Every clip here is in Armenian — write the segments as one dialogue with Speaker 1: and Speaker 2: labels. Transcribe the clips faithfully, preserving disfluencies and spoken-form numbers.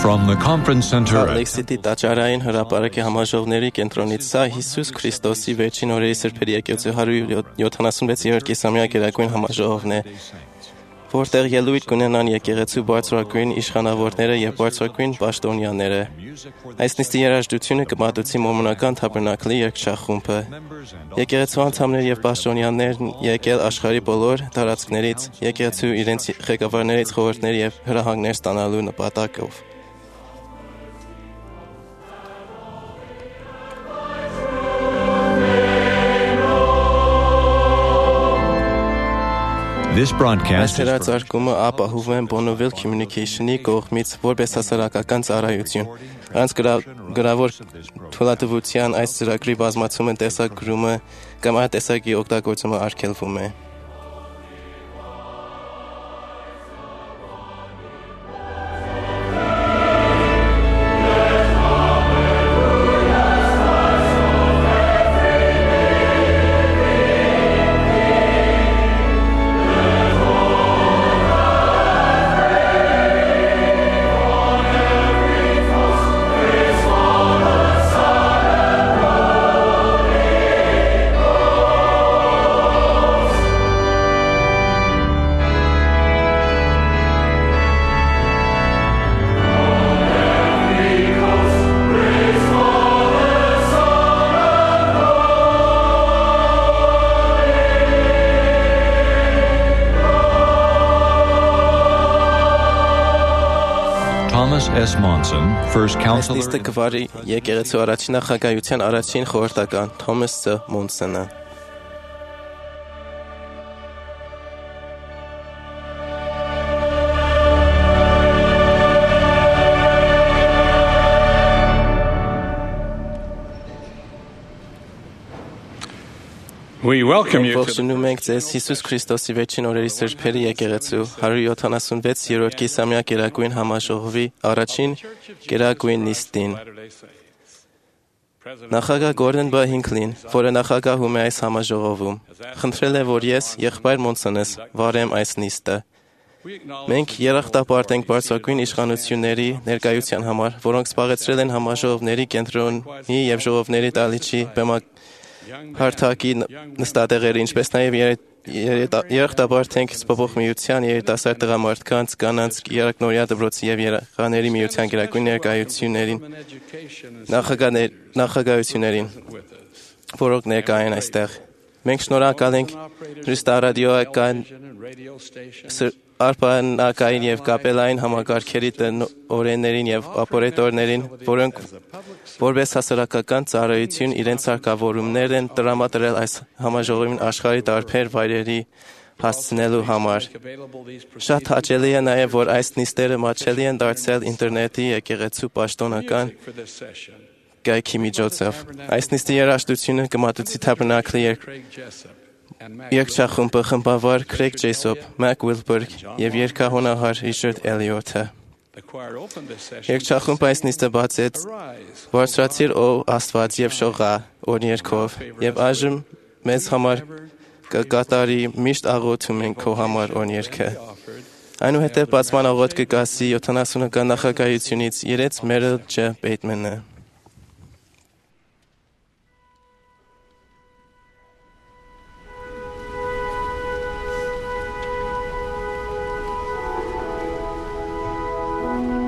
Speaker 1: From the conference center at
Speaker 2: Ալեքսիդի տաճարային հրապարակի համաժողովների կենտրոնից սա Հիսուս Քրիստոսի վերջին օրերի սրբերի եկեղեցու հարյուր յոթանասունվեց-րդ կիսամյա գերագույն համաժողովն է, որտեղ ելույթ կունենան եկեղեցու բարձրագույն իշխանավորները եւ բարձրագույն պաշտոնյաները։ Այս նիստի երաժշտությունը կմատուցի մոմոնական թաբերնակլի երգչախումբը։ Եկեղեցու անդամներ եւ պաշտոնյաներն եկել աշխարհի բոլոր տարածքներից, եկեղեցու իրենց ղեկավարներից խորհուրդներ եւ հրահանգներ ստանալու նպատակով։
Speaker 1: this broadcast is
Speaker 2: Հրաձարկումը ապահովում են Bonneville Communication-ի կողմից որպես հասարակական ծառայություն։ Անց գրավոր թույլատվության այս ծրագրի բազմացումը տեսագրումը կամ այդ տեսակի օգտագործումը արգելվում է։
Speaker 1: Thomas S. Monson, first counselor.
Speaker 2: Այս նիստը կվարի եկեղեցու առաջին նախագահության առաջին խորհրդական Թոմաս Ս. Մոնսոնը։
Speaker 3: We welcome you to
Speaker 2: Ողջունում ենք ձեզ Հիսուս Քրիստոսի վերջին օրերի սրբերի եկեղեցու հարյուր յոթանասունվեց-րդ կիսամյա գերագույն համաժողովի առաջին գերագույն նիստին։ Նախագահ Գորդոն B. Հինքլին, որը նախագահում է այս համաժողովում, խնդրել է, որ ես, եղբայր Մոնսոնս, վարեմ այս նիստը։ Մենք երախտապարտ ենք բարձրագույն իշխանությունների ներկայության համար, որոնք զբաղեցրել են համաժողովների կենտրոնի եւ ժողովների դահլիճի բեմակ հարթակի նստատեղերը, ինչպես նաև երախտապարտ ենք Սփոփող միության, երիտասարդ տղամարդկանց, կանանց, երակնորյա դպրոցի եւ երեխաների միության գերագույն ներկայացուցիչներին, նախագահություններին, որոնք ներկա են այստեղ։ Մենք շնորհակալ ենք հեռուստարադիոական, արբանյակային եւ կապելային համակարգերի տնօրեններին եւ օպերատորներին, որոնք որպես հասարակական ծառայություն իրենց հարկավորումներ են տրամադրել այս համաժողովին աշխարհի տարբեր վայրերի հասցնելու համար։ Շատ հաճելի է նաև, որ այս նիստերը մատչելի են դարձել ինտերնետի եկեղեցու պաշտոնական կայքի միջոցով։ Այս նիստի երաժշտությունը կմատուցի թաբերնակլի երգչախումբը խմբավար Քրեյգ Ջեյսոփ, Մակ Ուիլբերգ եւ երգահոնահար Ռիչարդ Էլիոթը։ Երգչախումբը այս նիստը բացեց «Բարձրացիր ո Աստված եւ շողա» օրհներգով եւ այժմ մեզ համար կկատարի «Միշտ աղոթում ենք քո համար» օրհներգը։ Այնուհետև բացման աղոթք կգասի յոթանասունական նախագահությունից Իրենց Մերիլ Ջ. Բեյթմանը։
Speaker 4: Thank you.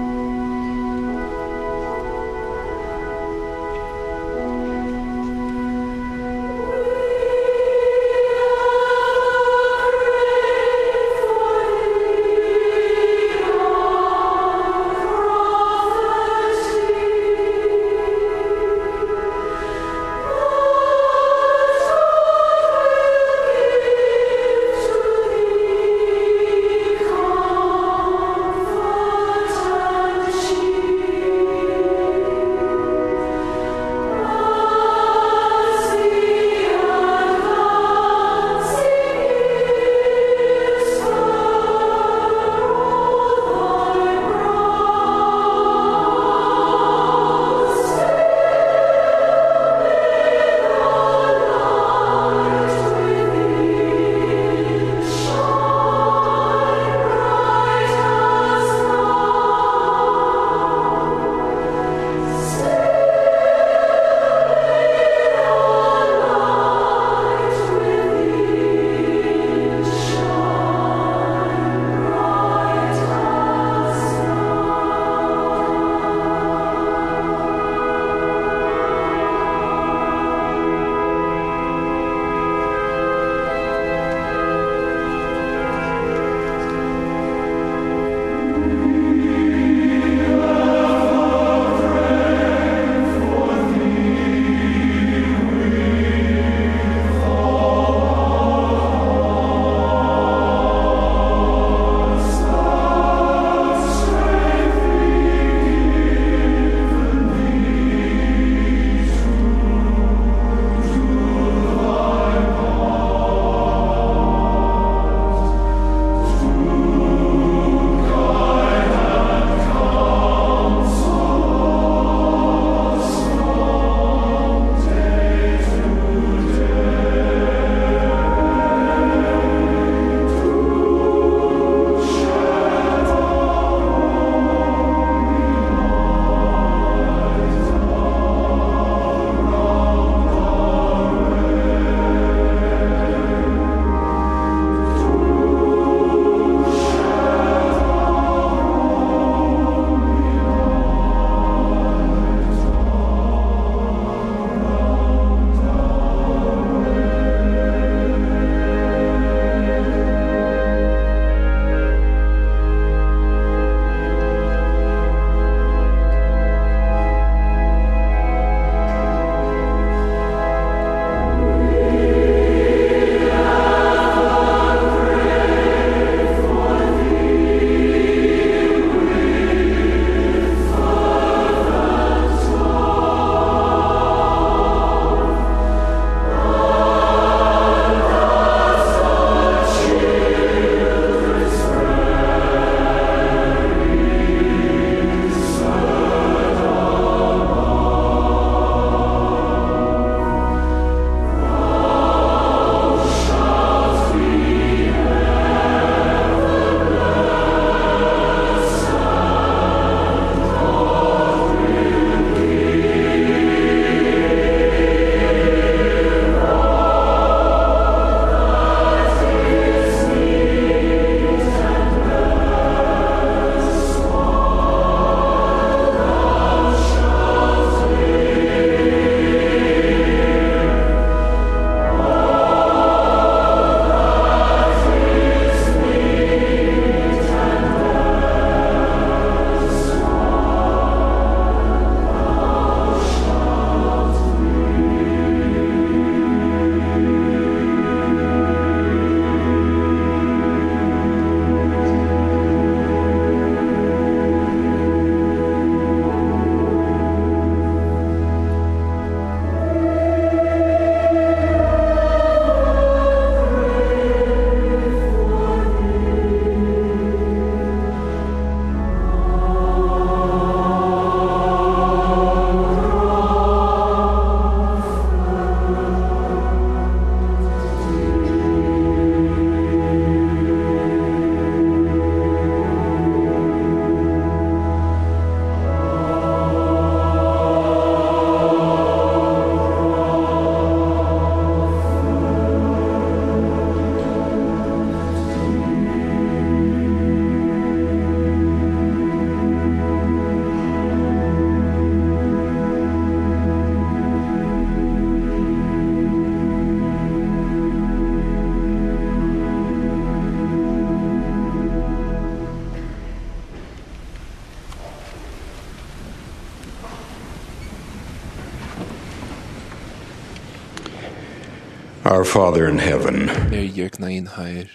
Speaker 3: Our Father in heaven,
Speaker 4: Մեր երկնային Հայր,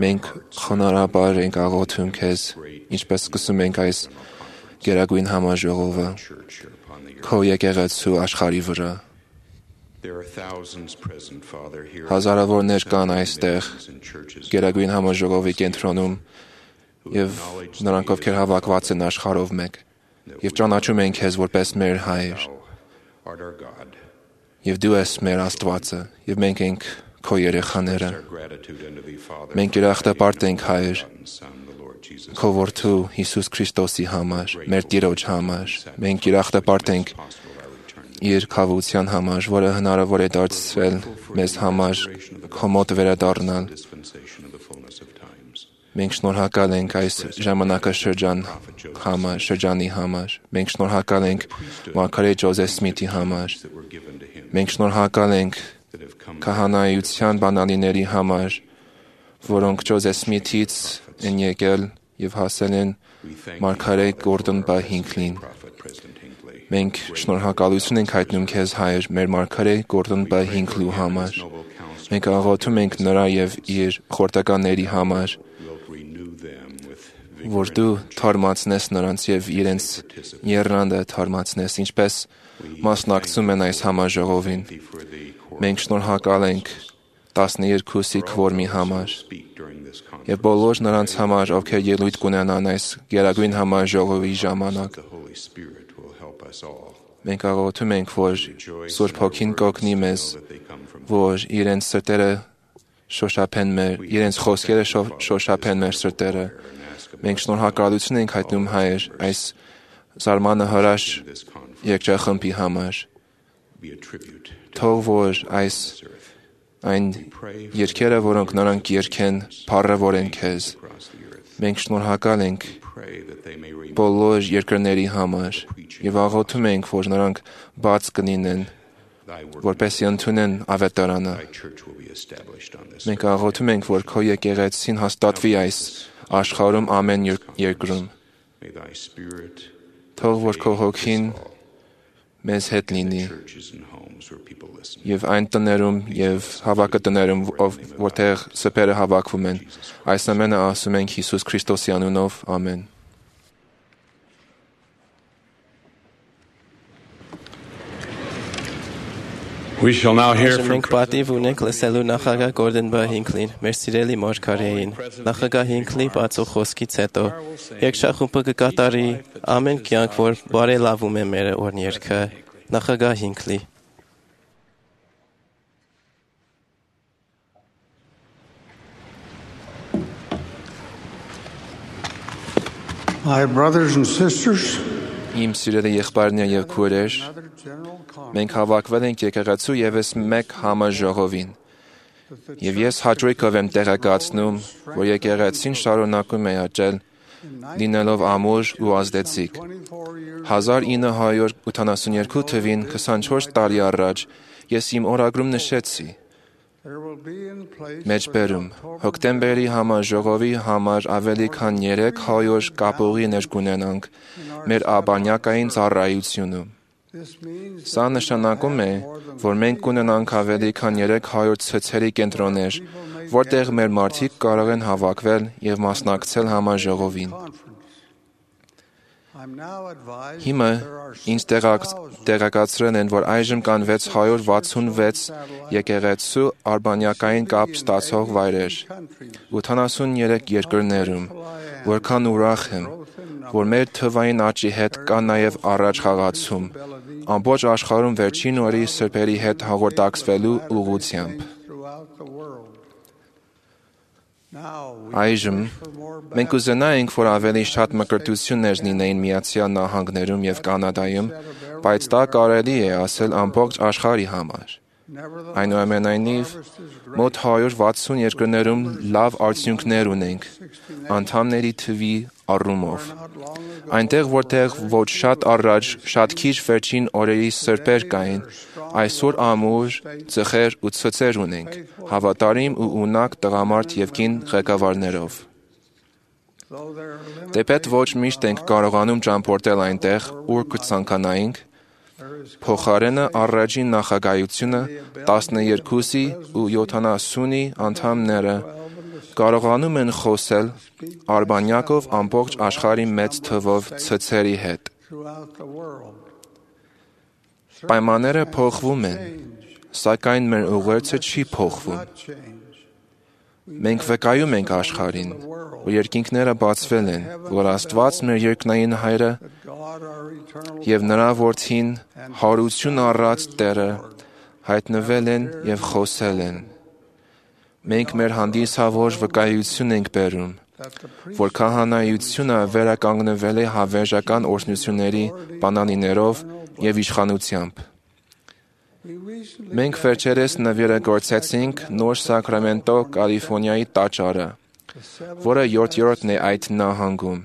Speaker 4: մենք խոնարհաբար ենք աղոթում Քեզ, ինչպես սկսում ենք այս գերագույն համաժողովը Քո եկեղեցու աշխարհի վրա։ Հազարավորներ կան այստեղ գերագույն համաժողովի կենտրոնում եւ նրանք ովքեր հավաքված են աշխարհով մեկ եւ ճանաչում են Քեզ որպես մեր Հայր։ Եվ դու ես մեր Աստվածը, եւ մենք ենք քո երեխաները։ Մենք ուրախտապարտ ենք, Հայր, քո որդու Հիսուս Քրիստոսի համար, մեր Տիրոջ համար։ Մենք ուրախտապարտ ենք իր քավության համար, որը հնարավոր է դարձրել մեզ համար քո մոտ վերադառնալ։ Մենք շնորհակալ ենք այս ժամանակաշրջան համար, շրջանի համար։ Մենք շնորհակալ ենք Մարգարետ Ջոզեֆ Սմիթի համար։ Մենք շնորհակալ ենք քահանայության բանալիների համար, որոնք Ջոզեֆ Սմիթից են եկել եւ հասել են Մարգարետ Գորդոն Բ. Հինքլին։ Մենք շնորհակալություն ենք հայտնում Քեզ, Հայր, մեր Մարգարետ Գորդոն Բ. Հինքլու համար։ Մենք աղոթում ենք նրա եւ իր խորհրդականների համար, որ դու թարմացնես նրանց եւ իրենց եռանդը թարմացնես, ինչպես մասնակցում են այս համաժողովին։ Մենք շնորհակալ ենք տասներկուսի քվորմի համար եւ բոլոր նրանց համար, ովքեր ելույթ կունենան այս գերագույն համաժողովի ժամանակ։ Մենք աղոթում ենք, որ Սուրբ Հոգին կօգնի մեզ, որ իրենց սրտերը շոշափեն մեր, իրենց խոսքերը շոշափեն մեր սրտերը։ Մենք շնորհակալություն ենք հայտնում, Հայր, այս զարմանահրաշ երգչախմբի համար։ Թող որ այս այն երգերը, որոնք նրանք երգեն, փառավորեն Քեզ։ Մենք շնորհակալ ենք բոլոր երկրների համար եւ աղոթում ենք, որ նրանք բաց կլինեն, որպեսզի ընդունեն ավետարանը։ Մենք աղոթում ենք, որ Քո եկեղեցին հաստատվի այս աշխարհում ամեն երկրում։ Թող որ Քո Հոգին մեզ հետ լինի եւ այն տներում եւ հավաքատներում, որտեղ սփերը հավաքվում են։ Այս ամենը ասում ենք Հիսուս Քրիստոսի անունով, ամեն։
Speaker 3: we shall now hear from
Speaker 2: Մենք պատիվ ունենք լսելու նախագահ Գորդոն Բ. Հինքլին, մեր սիրելի Մարգարեին։ Նախագահ Հինքլի բացող խոսքից հետո երգչախումբը կկատարի ամեն կյանք, որ բարելավում է մեր օրհներգը։ Նախագահ Հինքլի։
Speaker 5: My brothers and sisters,
Speaker 4: Իմ սիրելի եղբայրներ եւ քույրեր, մենք հավաքվել ենք եկեղեցու եւս մեկ համաժողովին։ Եվ ես հաճույքով եմ տեղեկացնում, որ եկեղեցին շարունակում է աճել, լինելով ամուր ու ազդեցիկ։ հազար ինը հարյուր ութանասունյոթ թվին քսանչորս տարի առաջ ես իմ օրագրում նշեցի. Մեջբերում հոկտեմբերի համաժողովի համար ավելի քան երեք հարյուր կապուղիներ կունենանք մեր աբանյակային ծառայությունում։ Սա նշանակում է, որ մենք կունենանք ավելի քան երեք հարյուր ցցերի կենտրոններ, որտեղ մեր մարդիկ կարող են հավաքվել եւ մասնակցել համաժողովին։ Հիմա ինձ տեղեկացրել են, որ այժմ կան վեց հարյուր վաթսունվեց եկեղեցու արբանյակային կապ ստացող վայրեր, ութանասուններեք երկրներում, որքան ուրախ եմ, որ մեր թվային աճի հետ կա նաև առաջ խաղացում, ամբողջ աշխարհում վերջին օրի սրբերի հետ հաղորդակցվելու ուղղությամբ։ Այժմ մենք ուզենայինք, որ ավելի շատ մկրտություններ լինեին Միացյալ Նահանգներում եւ Կանադայում, բայց դա կարելի է ասել ամբողջ աշխարհի համար։ Այնուամենայնիվ, մոտ հարյուր վաթսուն երկրներում լավ արդյունքներ ունենք անդամների թվի առումով։ Այնտեղ, որտեղ ոչ շատ առաջ, շատ քիչ վերջին օրերի սրբեր կային, այսօր ամուր, ծխեր ու ցցեր ունենք, հավատարիմ ու ունակ տղամարդ եւ կին ղեկավարներով։ Դեպետ ոչ միշտ ենք կարողանում ճամփորդել այնտեղ, ուր կցանկանայինք, Փոխարենը առաջին նախագահությունը տասներկուսի ու յոթանասունի անդամները կարողանում են խոսել արբանյակով ամբողջ աշխարհի մեծ թվով ցցերի հետ։ Պայմանները փոխվում են, սակայն մեր ուղերձը չի փոխվում։ Մենք վկայում ենք աշխարհին, որ երկինքները բացվել են, որ Աստված մեր երկնային Հայրը եւ նրա Որդին հարություն առած Տերը հայտնվել են եւ խոսել են։ Մենք մեր հանդիսավոր վկայություն ենք բերում, որ քահանայությունը վերականգնվել է հավերժական օրհնությունների բանալիներով եւ իշխանությամբ։ Մենք վերջերս նվիրը գործեցինք նոր Սակրամենտո Կալիֆորնիայի տաճարը, որը յոթերորդն է այդ նահանգում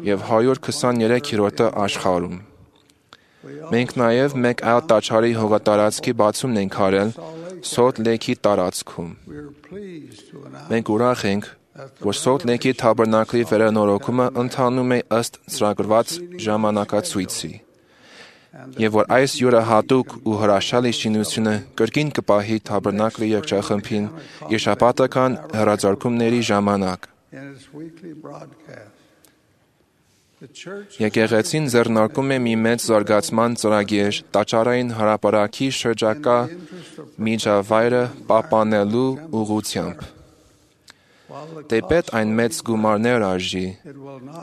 Speaker 4: եւ հարյուր քսաներեքերորդը աշխարհում։ Մենք նաեւ մեկ այլ տաճարի հողատարածքի բացումն ենք արել Սոլտ Լեյքի տարածքում։ Մենք ուրախ ենք, որ Սոլտ Լեյքի թաբերնակլի վերանորոգումը ընթանում է ըստ ծրագրված ժամանակացույցի, եւ որ այս յուրահատուկ ու հրաշալի շինությունը կրկին կպահի թաբերնակլի երգչախմբին իր շաբաթական հեռարձակումների ժամանակ։ Եկեղեցին ձեռնարկում է մի մեծ զարգացման ծրագիր տաճարային հրապարակի շրջակա միջավայրը պահպանելու ուղղությամբ։ Դեպետ այն մեծ գումարներ արժի,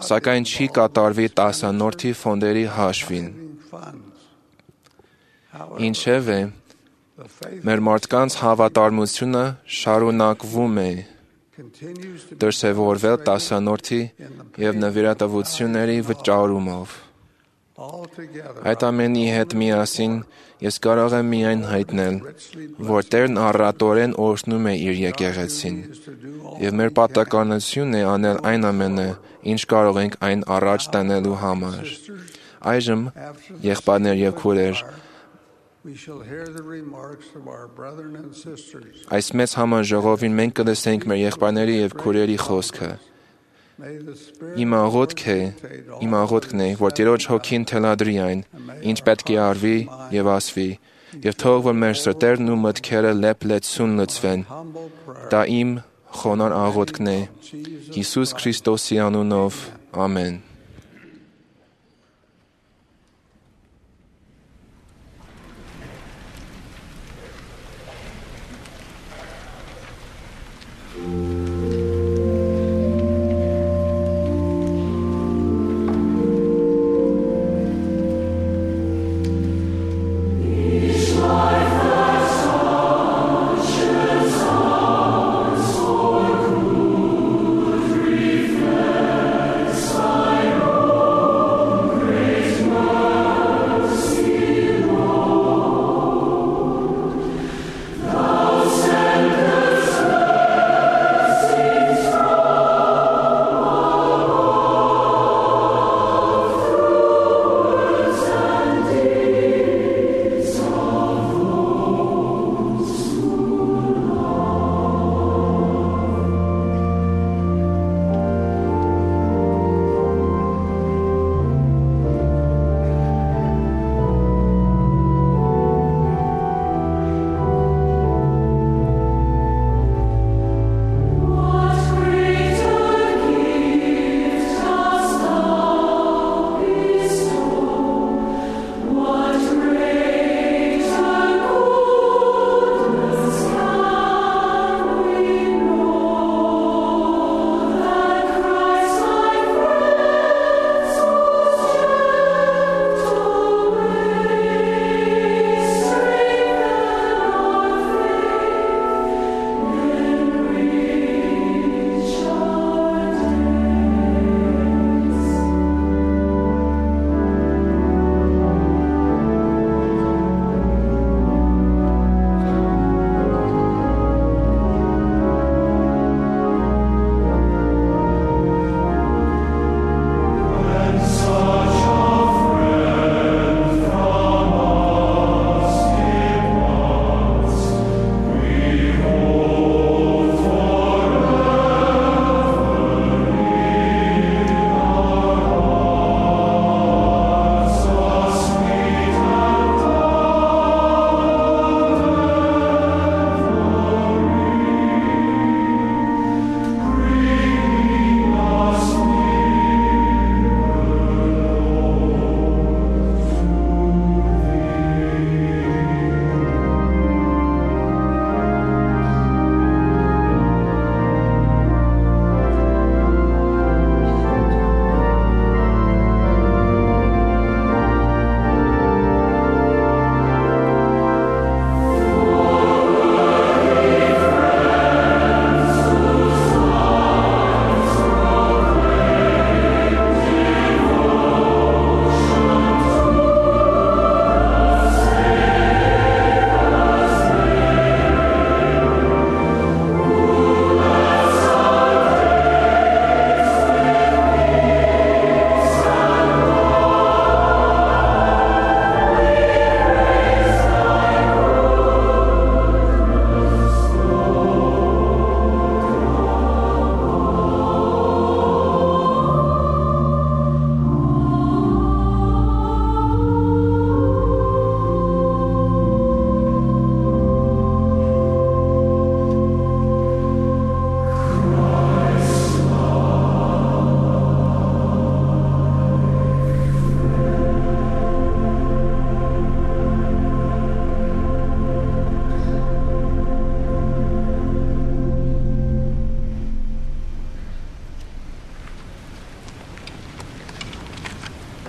Speaker 4: սակայն չի կատարվի տասանորդի ֆոնդերի հաշվին։ Ինչևէ, մեր մարդկանց հավատարմությունը շարունակվում է դրսևորվել տասանորդի եւ նվիրատվությունների վճարումով։ Այդ ամենի հետ միասին ես կարող եմ միայն հայտնել, որ Տերն առատորեն օրհնում է իր եկեղեցին, եւ մեր պարտականությունն է անել այն ամենը, ինչ կարող ենք այն առաջ տանելու համար։ Այժմ, եղբայրներ եւ քույրեր, այս մեծ համաժողովին մենք կլսենք մեր եղբայրների եւ քույրերի խոսքը։ Իմ աղոթք է, իմ աղոթքն է, որ Տիրոջ հոգին թելադրի այն, ինչ պետք է արվի եւ ասվի, եւ թող որ մեր սրտերն ու մտքերը լեփ-լեցուն լցվեն։ Դա իմ խոնար աղոթքն է, Հիսուս Քրիստոսի անունով, ամեն։
Speaker 6: Sorry.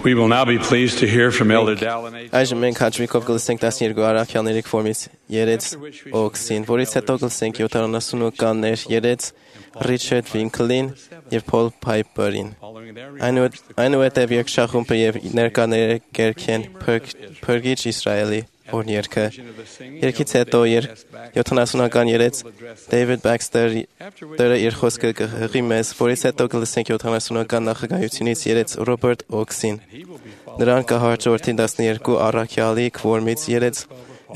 Speaker 3: We will now be pleased to hear from Elder Dallin.
Speaker 2: Այժմ մենք հաջողիկով կլսենք տասներկու առաքյալների կողմից երեց օքսին, որից հետո կլսենք յոթանասունականներ երեց Ռիչարդ Վինքլին եւ Փոլ Փայփերին։ Այնուհետև երկշախումբը եւ ներկաները կերքեն Փրկիչ Իսրայելի օրհներքը։ Երկից հետո յոթանասունական երեց Դեյվիդ Բաքստերը իր խոսքը կհղի մեզ, որից հետո կլսենք յոթանասունական նախագահությունից երեց Ռոբերտ Օքսին։ Նրան կհաջորդի տասներկու առաքյալի կողմից երեց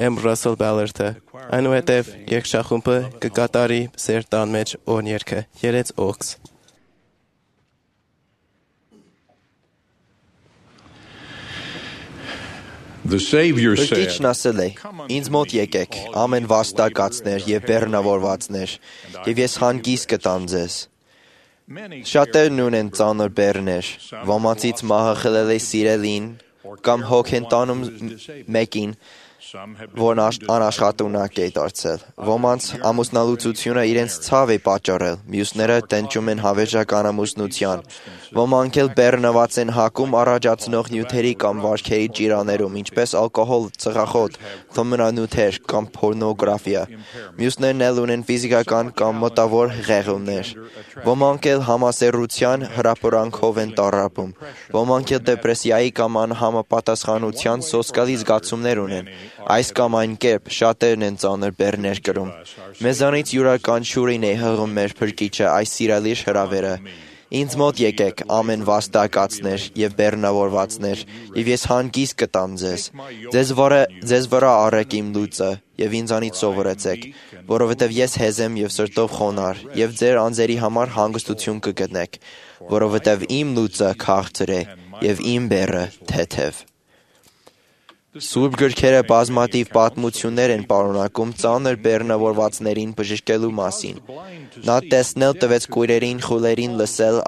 Speaker 2: Էմ Ռասել Բալերտը։ Այնուհետև երկշախումբը կկատարի սեր տան մեջ օրհներքը։ Երեց Օքս։
Speaker 6: Փրկիչն ասել է. «Ինձ մոտ եկեք, ամեն վաստակացներ եւ բեռնավորվածներ, եւ ես հանգիստ կտամ ձեզ»։ Շատերն ունեն ծանր բեռներ, ոմանցից մահը խլել է սիրելին կամ հոգ են տանում մեկին, որն անաշխատունակ է դարձել։ Ոմանց ամուսնալուծությունը իրենց ցավ է պատճառել, մյուսները տենչում են հավերժական ամուսնության։ Ոմանք էլ բեռնված են հակում առաջացնող նյութերի կամ վարքերի ճիրաներում, ինչպես ալկոհոլ, ծխախոտ, թմրանյութեր կամ պորնոգրաֆիա։ Մյուսներն էլ ունեն ֆիզիկական կամ մտավոր ղեղումներ։ Ոմանք էլ համասեռության հրապուրանքով են տառապում։ Ոմանք էլ դեպրեսիայի կամ անհամապատասխանության սոսկալի զգացումներ ունեն։ Այս կամ այն կերպ շատերն են ծանր բեռներ կրում։ Մեզանից յուրաքանչյուրին է հղում մեր Փրկիչը այս սիրալիր հրավերը։ Ինձ մոտ եկեք, ամեն վաստակացներ եւ բեռնավորվածներ, եւ ես հանգիստ կտամ ձեզ։ Ձեզ վրա ձեզ վրա առեք իմ լույսը եւ ինձանից սովորեցեք, որովհետեւ ես հեզ եմ եւ սրտով խոնար, եւ ձեր անձերի համար հանգստություն կգտնեք, որովհետեւ իմ լույսը քաղցր է եւ իմ բեռը թեթև։ Սուրբ գրքերը բազմաթիվ պատմություններ են պարունակում ծանր բեռնավորվածներին բժշկելու մասին։ Նա տեսնել տվեց կույրերին, խուլերին, լսել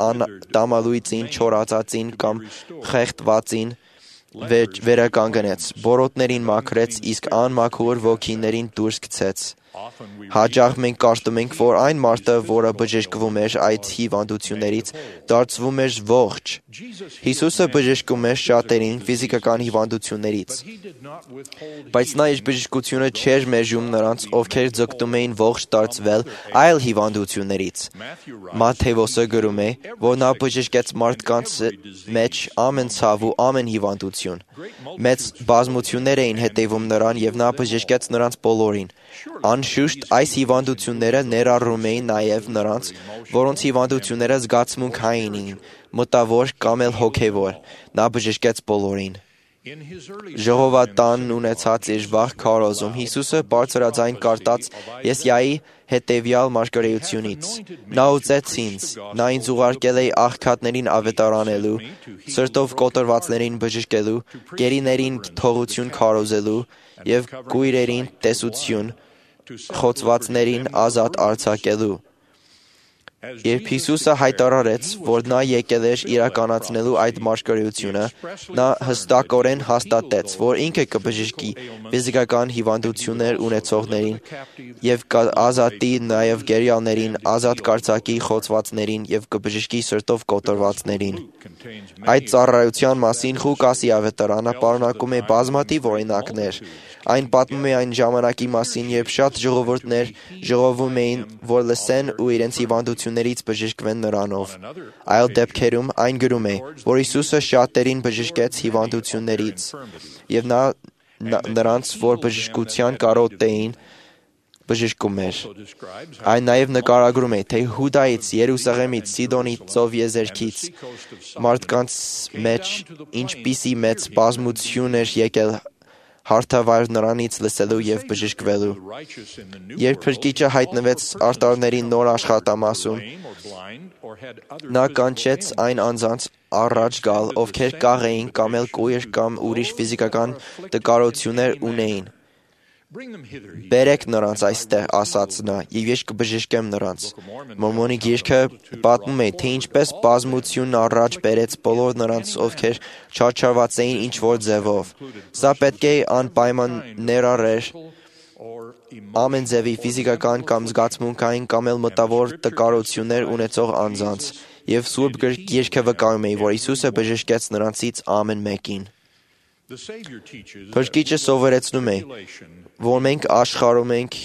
Speaker 6: տամալույծին, չորացածին կամ խեղդվածին, վերականգնեց, բորոտներին մաքրեց, իսկ անմաքուր ոգիներին դուրս գցեց։ Հաճախ մենք կարծում ենք, որ այն մարդը, որը բժշկվում էր այդ հիվանդություններից, դարձվում էր ողջ։ Հիսուսը բժշկում էր շատերին ֆիզիկական հիվանդություններից, բայց նա իր բժշկությունը չէր մեժում նրանց, ովքեր ձգտում էին ողջ դարձվել այլ հիվանդություններից։ Մատթեոսը գրում է, որ նա բժշկեց մարդկանց մեջ ամեն ցավ ու ամեն հիվանդություն։ Մեծ բազմություններ էին հետևում նրան եւ նա բժշկեց նրանց բոլորին։ Անշուշտ այս հիվանդությունները ներառում էին նաև նրանց, որոնց հիվանդությունները զգացմունքային էին, մտավոր կամ էլ հոգևոր։ Նա բժշկեց բոլորին։ Ժողովատանն ունեցած իր վաղ քարոզում Հիսուսը բարձրաձայն կարդաց Եսայայի հետևյալ մարգարեությունից. «Նա ուծեց ինձ, նա ինձ ուղարկել է աղքատներին ավետարանելու, սրտով կոտրվածներին բժշկելու, գերիներին թողություն քարոզելու եւ կույրերին տեսություն, խոցվածներին ազատ արձակելու»։ Երբ Հիսուսը հայտարարեց, որ նա եկել էր իրականացնելու այդ մարգարեությունը, նա հստակորեն հաստատեց, որ ինքը կբժշկի ֆիզիկական հիվանդություններ ունեցողներին եւ կազատի նաեւ գերիալներին, ազատ կարձակի խոցվածներին եւ կբժշկի սրտով կոտրվածներին։ Այդ ծառայության մասին Ղուկասի ավետարանը պարունակում է բազմաթիվ օրինակներ։ Այն պատմում է այն ժամանակի մասին, երբ շատ ժողովուրդներ ժողովում էին, որ լսեն ու իրենց հիվանդություններից բժշկվեն նրանով։ Այլ դեպքերում այն գրում է, որ Հիսուսը շատերին բժշկեց հիվանդություններից, եւ նա նրանց, որ բժշկության կարոտ էին, բժշկում էր։ Այն նաև նկարագրում է, թե Հուդայից, Երուսաղեմից, Սիդոնի ծով եզերքից մարդկանց մեջ ինչպիսի մեծ բազմություն էր եկել հարթավայր նրանից լսելու եւ բժշկվելու։ Երբ Փրկիչը հայտնվեց արտարների նոր աշխատամասում, նա կանչեց այն անձանց առաջ գալ, ովքեր կաղ էին կամ էլ կույր կամ ուրիշ ֆիզիկական տկարություններ ունեին։ «Բերեք նրանց այստեղ», ասաց նա, «եւ ես կբժշկեմ նրանց»։ Մորմոնի գիրքը պատմում է, թե ինչպես բազմությունն առաջ բերեց բոլոր նրանց, ովքեր չարչարված էին ինչ-որ ձևով։ Սա պետք է անպայման ներառեր ամեն ձևի ֆիզիկական կամ զգացմունքային կամ էլ մտավոր տկարություններ ունեցող անձանց, Եվ Սուրբ Գիրքը վկայում է, որ Հիսուսը բժշկեց նրանցից ամեն մեկին։ Փրկիչը սովորեցնում է, որ մենք աշխարհում ենք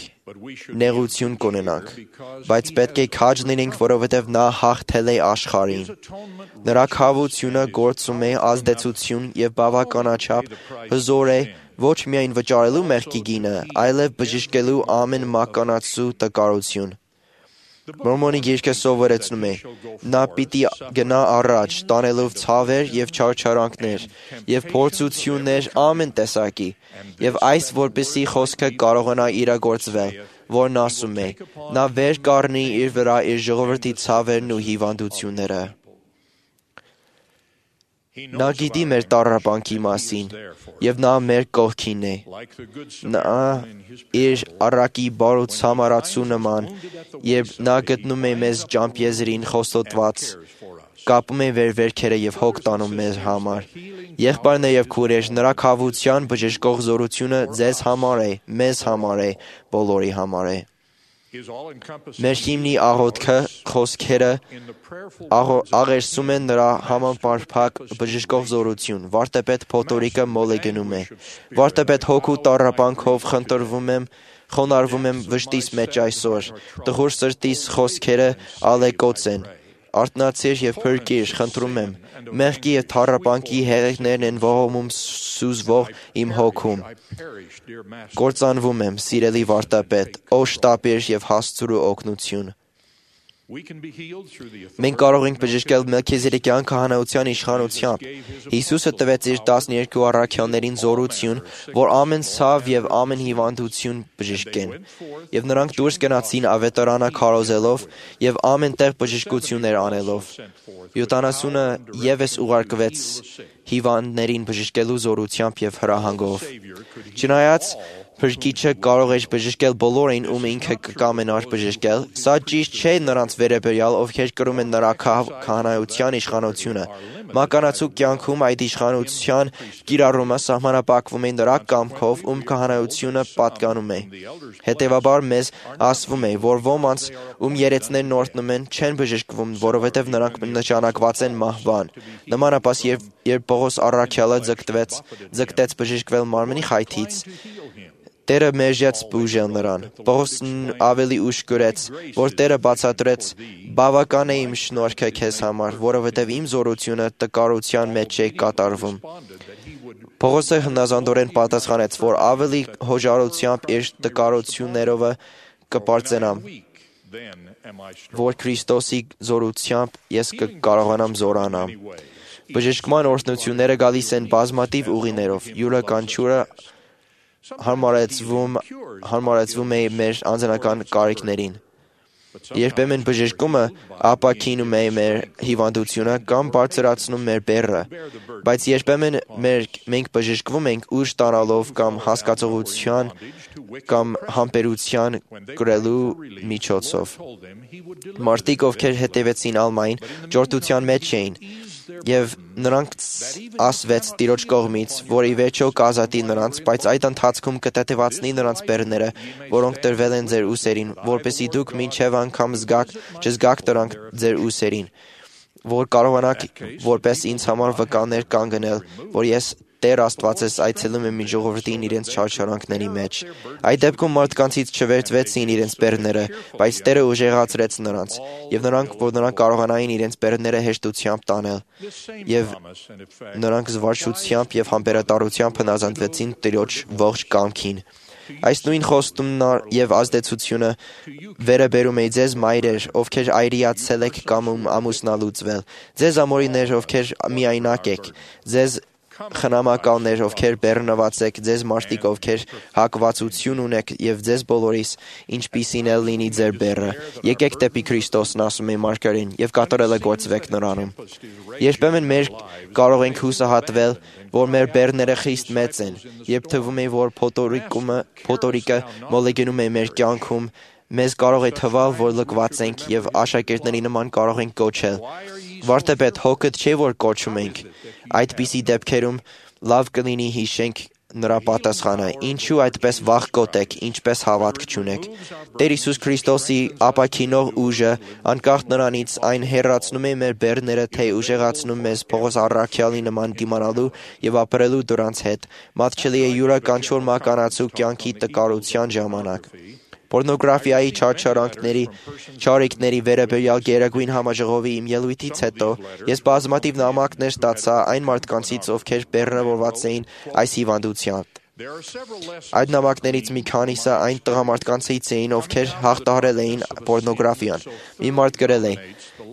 Speaker 6: նեղություն կունենանք, բայց պետք է քաջ լինենք, որովհետև նա հաղթել է աշխարհին։ Նրա քավությունը գործում է ազդեցություն եւ բավականաչափ հզոր է ոչ միայն վճարելու մեղքի գինը, այլև բժշկելու ամեն մականացու տկարություն։ Մորմոնի գիրքը սովորեցնում է. նա պիտի գնա առաջ, տանելով ցավեր եւ չարչարանքներ եւ փորձություններ ամեն տեսակի, եւ այս որպեսի խոսքը կարողանա իրագործվել, որն ասում է. նա վեր կառնի իր վրա իր ժողովրդի ցավերն ու հիվանդությունները։ Նա գիտի մեր տառապանքի մասին, եւ նա մեր կողքին է։ Նա իր առակի բարոց համարացու նման, երբ նա գտնում է մեզ ջամփեզրին խոստոտված, կապում է մեր վերքերը եւ հոգ տանում մեր համար։ Եղբայրներ եւ քուրեր, նրա քավության բժշկող զորությունը ձեզ համար է, մեզ համար է, բոլորի համար է։ Մեր հիմնի աղոթքը, խոսքերը աղերսում են նրա համապարփակ բժշկող զորություն։ Վարդապետ Փոթորիկը մոլ է գնում է։ Վարդապետ հոգու տառապանքով խնդրվում եմ, խոնարհվում եմ վշտիս մեջ այսօր։ Տխուր սրտիս խոսքերը ալեկոծ են։ Արթնացիր եւ փրկիր, խնդրում եմ։ Մեղքի եւ թառապանքի հեղեղներն են ողոմում սուզվող իմ հոգում։ Կործանվում եմ, սիրելի վարդապետ, օշտապիր եւ հասցրու օգնություն։ Մենք կարող ենք բժշկել Մելքիզեդեկյան քահանայության իշխանությամբ։ Հիսուսը տվեց իր տասներկու առաքյալներին զորություն, որ ամեն ցավ եւ ամեն հիվանդություն բժշկեն։ Եվ նրանք դուրս գնացին ավետարանը քարոզելով եւ ամեն տեղ բժշկություններ անելով։ յոթանասունը եւս ուղարկվեց հիվանդներին բժշկելու զորությամբ եւ հրահանգով։ Չնայած Փրկիչը կարող էր բժշկել բոլորին, ում ինքը կկամենար բժշկել, սա ճիշտ չէ նրանց վերաբերյալ, ովքեր կրում են նրա քահանայության իշխանությունը։ Մականացու կյանքում այդ իշխանության կիրառումը սահմանափակվում է նրա կամքով, ում քահանայությունը պատկանում է։ Հետևաբար մեզ ասվում է, որ ոմանց, ում երեցներն օրհնում են, չեն բժշկվում, որովհետև նրանք նշանակված են մահվան։ Նմանապես երբ Պողոս առաքյալը ձգտվեց, ձգտեց բժշկվել մարմնի խայթից, Տերը մերժեց բուժել նրան։ Պողոսն ավելի ուշ գրեց, որ Տերը բացատրեց. «Բավական է իմ շնորհքը քեզ համար, որովհետև իմ զորությունը տկարության մեջ է կատարվում»։ Պողոսը հնազանդորեն պատասխանեց, որ ավելի հոժարությամբ իր տկարություններով կպարծենամ, որ Քրիստոսի զորությամբ ես կկարողանամ զորանամ։ Բժշկման օրհնությունները գալիս են բազմաթիվ ուղիներով, յուրաքանչյուրը հարմարեցվում, հարմարեցվում է մեր անձնական կարիքներին։ Երբեմն բժշկումը ապաքինում է մեր հիվանդությունը կամ բարձրացնում մեր բեռը, բայց երբեմն մենք բժշկվում ենք ուժ ստանալով կամ հասկացողության կամ համբերության կրելու միջոցով։ Մարդիկ, ովքեր հետևեցին Ալմային, ջորտության մեջ էին, եւ նրանք ասվեց Տիրոջ կողմից, որ ի վերջո կազատի նրանց, բայց այդ ընթացքում կտեթևացնի նրանց բեռները, որոնք տրվել են ձեր ուսերին, որպեսզի դուք մինչև անգամ զգաք, չզգաք դրանք ձեր ուսերին, որ կարողանաք որպես ինձ համար վկաներ կանգնել, որ ես Տեր Աստվածս այցելում եմ իմ ժողովրդին իրենց չարչարանքների մեջ։ Այդ դեպքում մարդկանցից չվերցվեցին իրենց բեռները, բայց Տերը ուժեղացրեց նրանց, եւ նրանք, որ նրանք կարողանային իրենց բեռները հեշտությամբ տանել, եւ նրանք զվարճությամբ եւ համբերատարությամբ հնազանդվեցին Տիրոջ ողջ կամքին։ Այս նույն խոստումն եւ ազդեցությունը վերը բերում է ձեզ մայրեր, ովքեր այրիացել եք կամ ամուսնալուծվել, ձեզ ամորիներ, ովքեր միայնակ եք, ձեզ խնամակալներ, ովքեր բեռնված եք, ձեզ մարդիկ, ովքեր հակվածություն ունեք եւ ձեզ բոլորիս, ինչպիսին էլ լինի ձեր բեռը։ Եկեք դեպի Քրիստոսն, ասում է Մարգարեն, եւ կատարելը գործվեք նրանում։ Երբեմն մեր կարող ենք հուսահատվել, որ մեր բեռները խիստ մեծ են, երբ թվում է, որ փոթորիկումը, փոթորիկը մոլեգնում է մեր կյանքում, մեզ կարող է թվալ, որ լքված ենք եւ աշակերտների նման կարող ենք կոչել։ Վարդապետ, հոգդ չէ, որ կոչում ենք։ Այդպիսի դեպքերում լավ կլինի հիշենք նրա պատասխանը. Ինչու այդպես վախկոտ եք, ինչպես հավատք չունեք։ Տեր Հիսուս Քրիստոսի ապաքինող ուժը, անկախ նրանից, այն հեռացնում է մեր բեռները, թե ուժեղացնում մեզ Պողոս առաքյալի նման դիմանալու եւ ապրելու դրանց հետ, մատչելի է յուրաքանչյուր մականացու կյանքի տկարության ժամանակ։ Պորնոգրաֆիայի չարչարանքների, չարիքների վերաբերյալ Գերագույն համաժողովի իմ ելույթից հետո ես բազմաթիվ նամակներ ստացա այն մարդկանցից, ովքեր բեռնավորված էին այս հիվանդությամբ։ Այդ նամակներից մի քանիսը այն տղամարդկանցից էին, ովքեր հաղթահարել էին պորնոգրաֆիան։ Մի մարդ գրել է.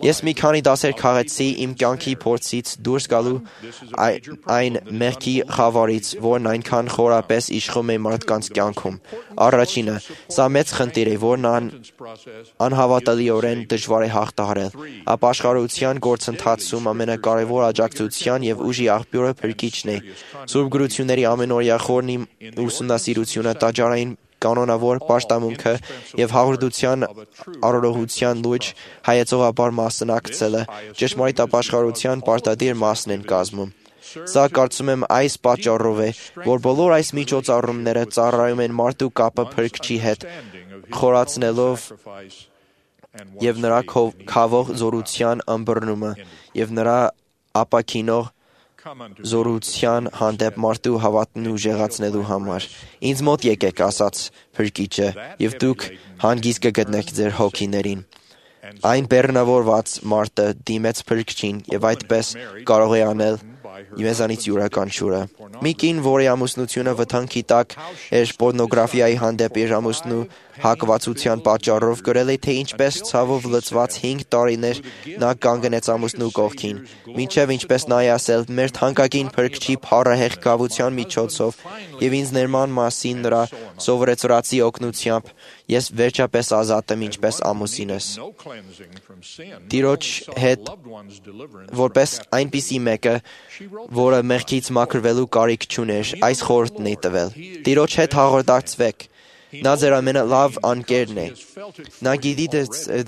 Speaker 6: Ես մի քանի դասեր քաղեցի իմ կյանքի փորձից դուրս գալու այն մեղքի խավարից, որն այնքան խորապես իշխում է մարդկանց կյանքում։ Առաջինը, սա մեծ խնդիր է, որն անհավատալիորեն դժվար է հաղթահարել։ Ապաշխարության գործընթացում ամենակարևոր աջակցության եւ ուժի աղբյուրը փրկիչն է։ Սուրբ գրությունների ամենօրյա խորն ուսումնասիրությունը, տաճարային կանոնավոր պաշտամունքը եւ հաղորդության առողջության լույս հայեցողաբար մասնակցելը ճշմարիտ ապաշխարության պարտադիր մասն են կազմում։ Սա կարծում եմ այս պատճառով է, որ բոլոր այս միջոցառումները ծառայում են մարդու կապը Փրկչի հետ, խորացնելով եւ նրա քավող զորության ըմբռնումը եւ նրա ապաքինող զորության հանդեպ մարդու հավատն ուժեղացնելու համար։ Ինձ մոտ եկեք, ասաց Փրկիչը, եւ դուք հանգիստ կգտնեք ձեր հոգիներին։ Այն բեռնավորված մարդը դիմեց Փրկչին եւ այդպես կարող է անել մեզանից յուրաքանչյուրը։ Մի կին, որի ամուսնությունը վտանգի տակ էր պորնոգրաֆիայի հանդեպ իր ամուսնու հակվածության պատճառով, գրել է, թե ինչպես ցավով լցված հինգ տարիներ նա կանգնեց ամուսնու կողքին, մինչև ինչպես նա է ասել, մեր թանկագին Փրկչի փառահեղ գավության միջոցով եւ ինձ ներման մասին նրա սովորեցրածի օգնությամբ ես վերջապես ազատ եմ ինչպես ամուսինս։ Տիրոջ հետ որպես այնպիսի մեկը, որը մեղքից մաքրվելու կարիք չուներ, այս խորհուրդն է տվել. Տիրոջ հետ հաղորդակցվեք։ Նա ձեր ամենալավ անկերն է։ Նա գիտի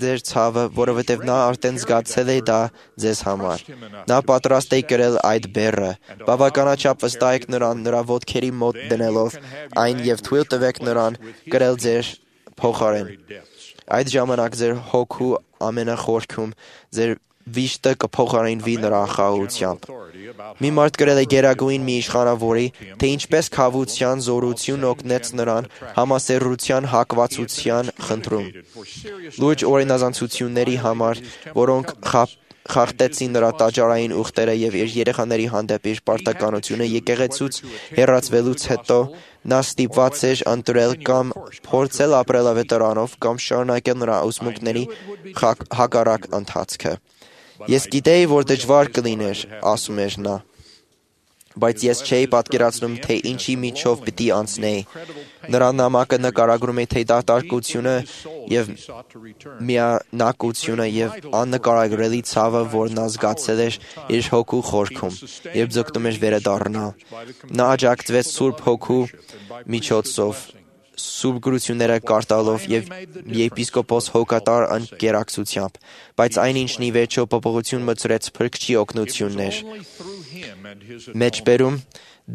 Speaker 6: ձեր ցավը, որովհետև նա արդեն զգացել է դա ձեզ համար։ Նա պատրաստ է կրել այդ բեռը։ Բավականաչափ վստահեք նրան, նրա ոտքերի մոտ դնելով այն եւ թույլ տվեք նրան կրել ձեր փոխարեն։ Այդ ժամանակ ձեր հոգու ամենախորքում ձեր վիշտը կփոխարինվի նրա խաղաղությամբ։ Մի մարդ գրել է Գերագույն մի իշխանավորի, թե ինչպես քավության զորություն օգնեց նրան համասեռության հակվածության խնդրում։ Լուրջ օրինազանցությունների համար, որոնք խախտեցին նրա տաճարային ուխտերը եւ իր երեխաների հանդեպ իր պարտականությունը եկեղեցուց հեռացվելուց հետո նա ստիպված էր ընտրել կամ փորձել ապրել վետարանով կամ շարունակել նրա ուսմունքների հակառակ ընթացքը։ Ես գիտեի, որ դժվար կլիներ, ասում էր նա, բայց ես չէի պատկերացնում, թե ինչի միջով պիտի անցնեի։ Նրա նամակը նկարագրում է, թե դատարկությունը եւ միանակությունը եւ աննկարագրելի ցավը, որ նա զգացել էր իր հոգու խորքում, երբ ձգտում էր վերադառնալ։ Նա աջակցվեց Սուրբ Հոգու միջոցով, սուրբ գրությունները կարդալով եւ եպիսկոպոս հոգատար ընկերակցությամբ, բայց այնինչն ի վերջո փոփոխություն մտցրեց Փրկչի օգնությունն էր։ Մեջբերում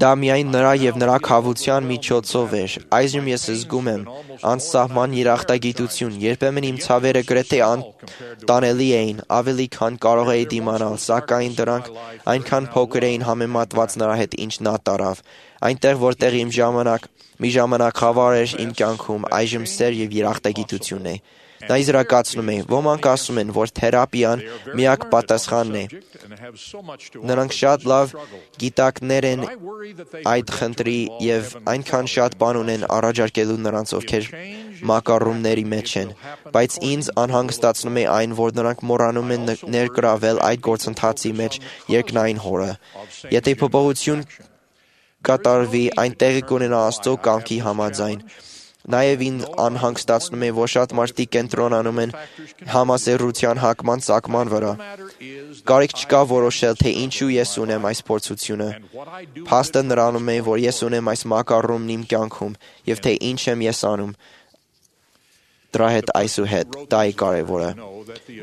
Speaker 6: դա միայն նրա եւ նրա քավության միջոցով էր։ Այժմ ես զգում եմ անսահման երախտագիտություն, երբեմն իմ ցավերը գրեթե անտանելի էին, ավելի քան կարող էի դիմանալ, սակայն դրանք այնքան փոքր էին համեմատված նրա հետ, ինչ նա տարավ։ Այնտեղ, որտեղ իմ ժամանակ մի ժամանակ խավար էր իմ կյանքում, այժմ սեր եւ երախտագիտություն է։ Նա իզրակացնում է, ոմանք ասում են, որ թերապիան միակ պատասխանն է։ Նրանք շատ լավ գիտակներ են այդ խնդրի եւ այնքան շատ բան ունեն առաջարկելու նրանց, ովքեր մակարումների մեջ են, բայց ինձ անհանգստացնում է այն, որ նրանք մոռանում են ներգրավել այդ գործընթացի մեջ երկնային Հորը։ Եթե փոփոխություն կատարվի, այնտեղի կունենա Աստծո կամքի համաձայն։ Նաև ինձ անհանգստացնում է, որ շատ մարդիկ կենտրոնանում են համասեռության հակման ծագման վրա։ Կարիք չկա որոշել, թե ինչու ես ունեմ այս փորձությունը։ Փաստը նրանում է, որ ես ունեմ այս մակարումն իմ կյանքում, եւ թե ինչ եմ ես անում։ դրա հետ այսուհետ, դա է կարևորը։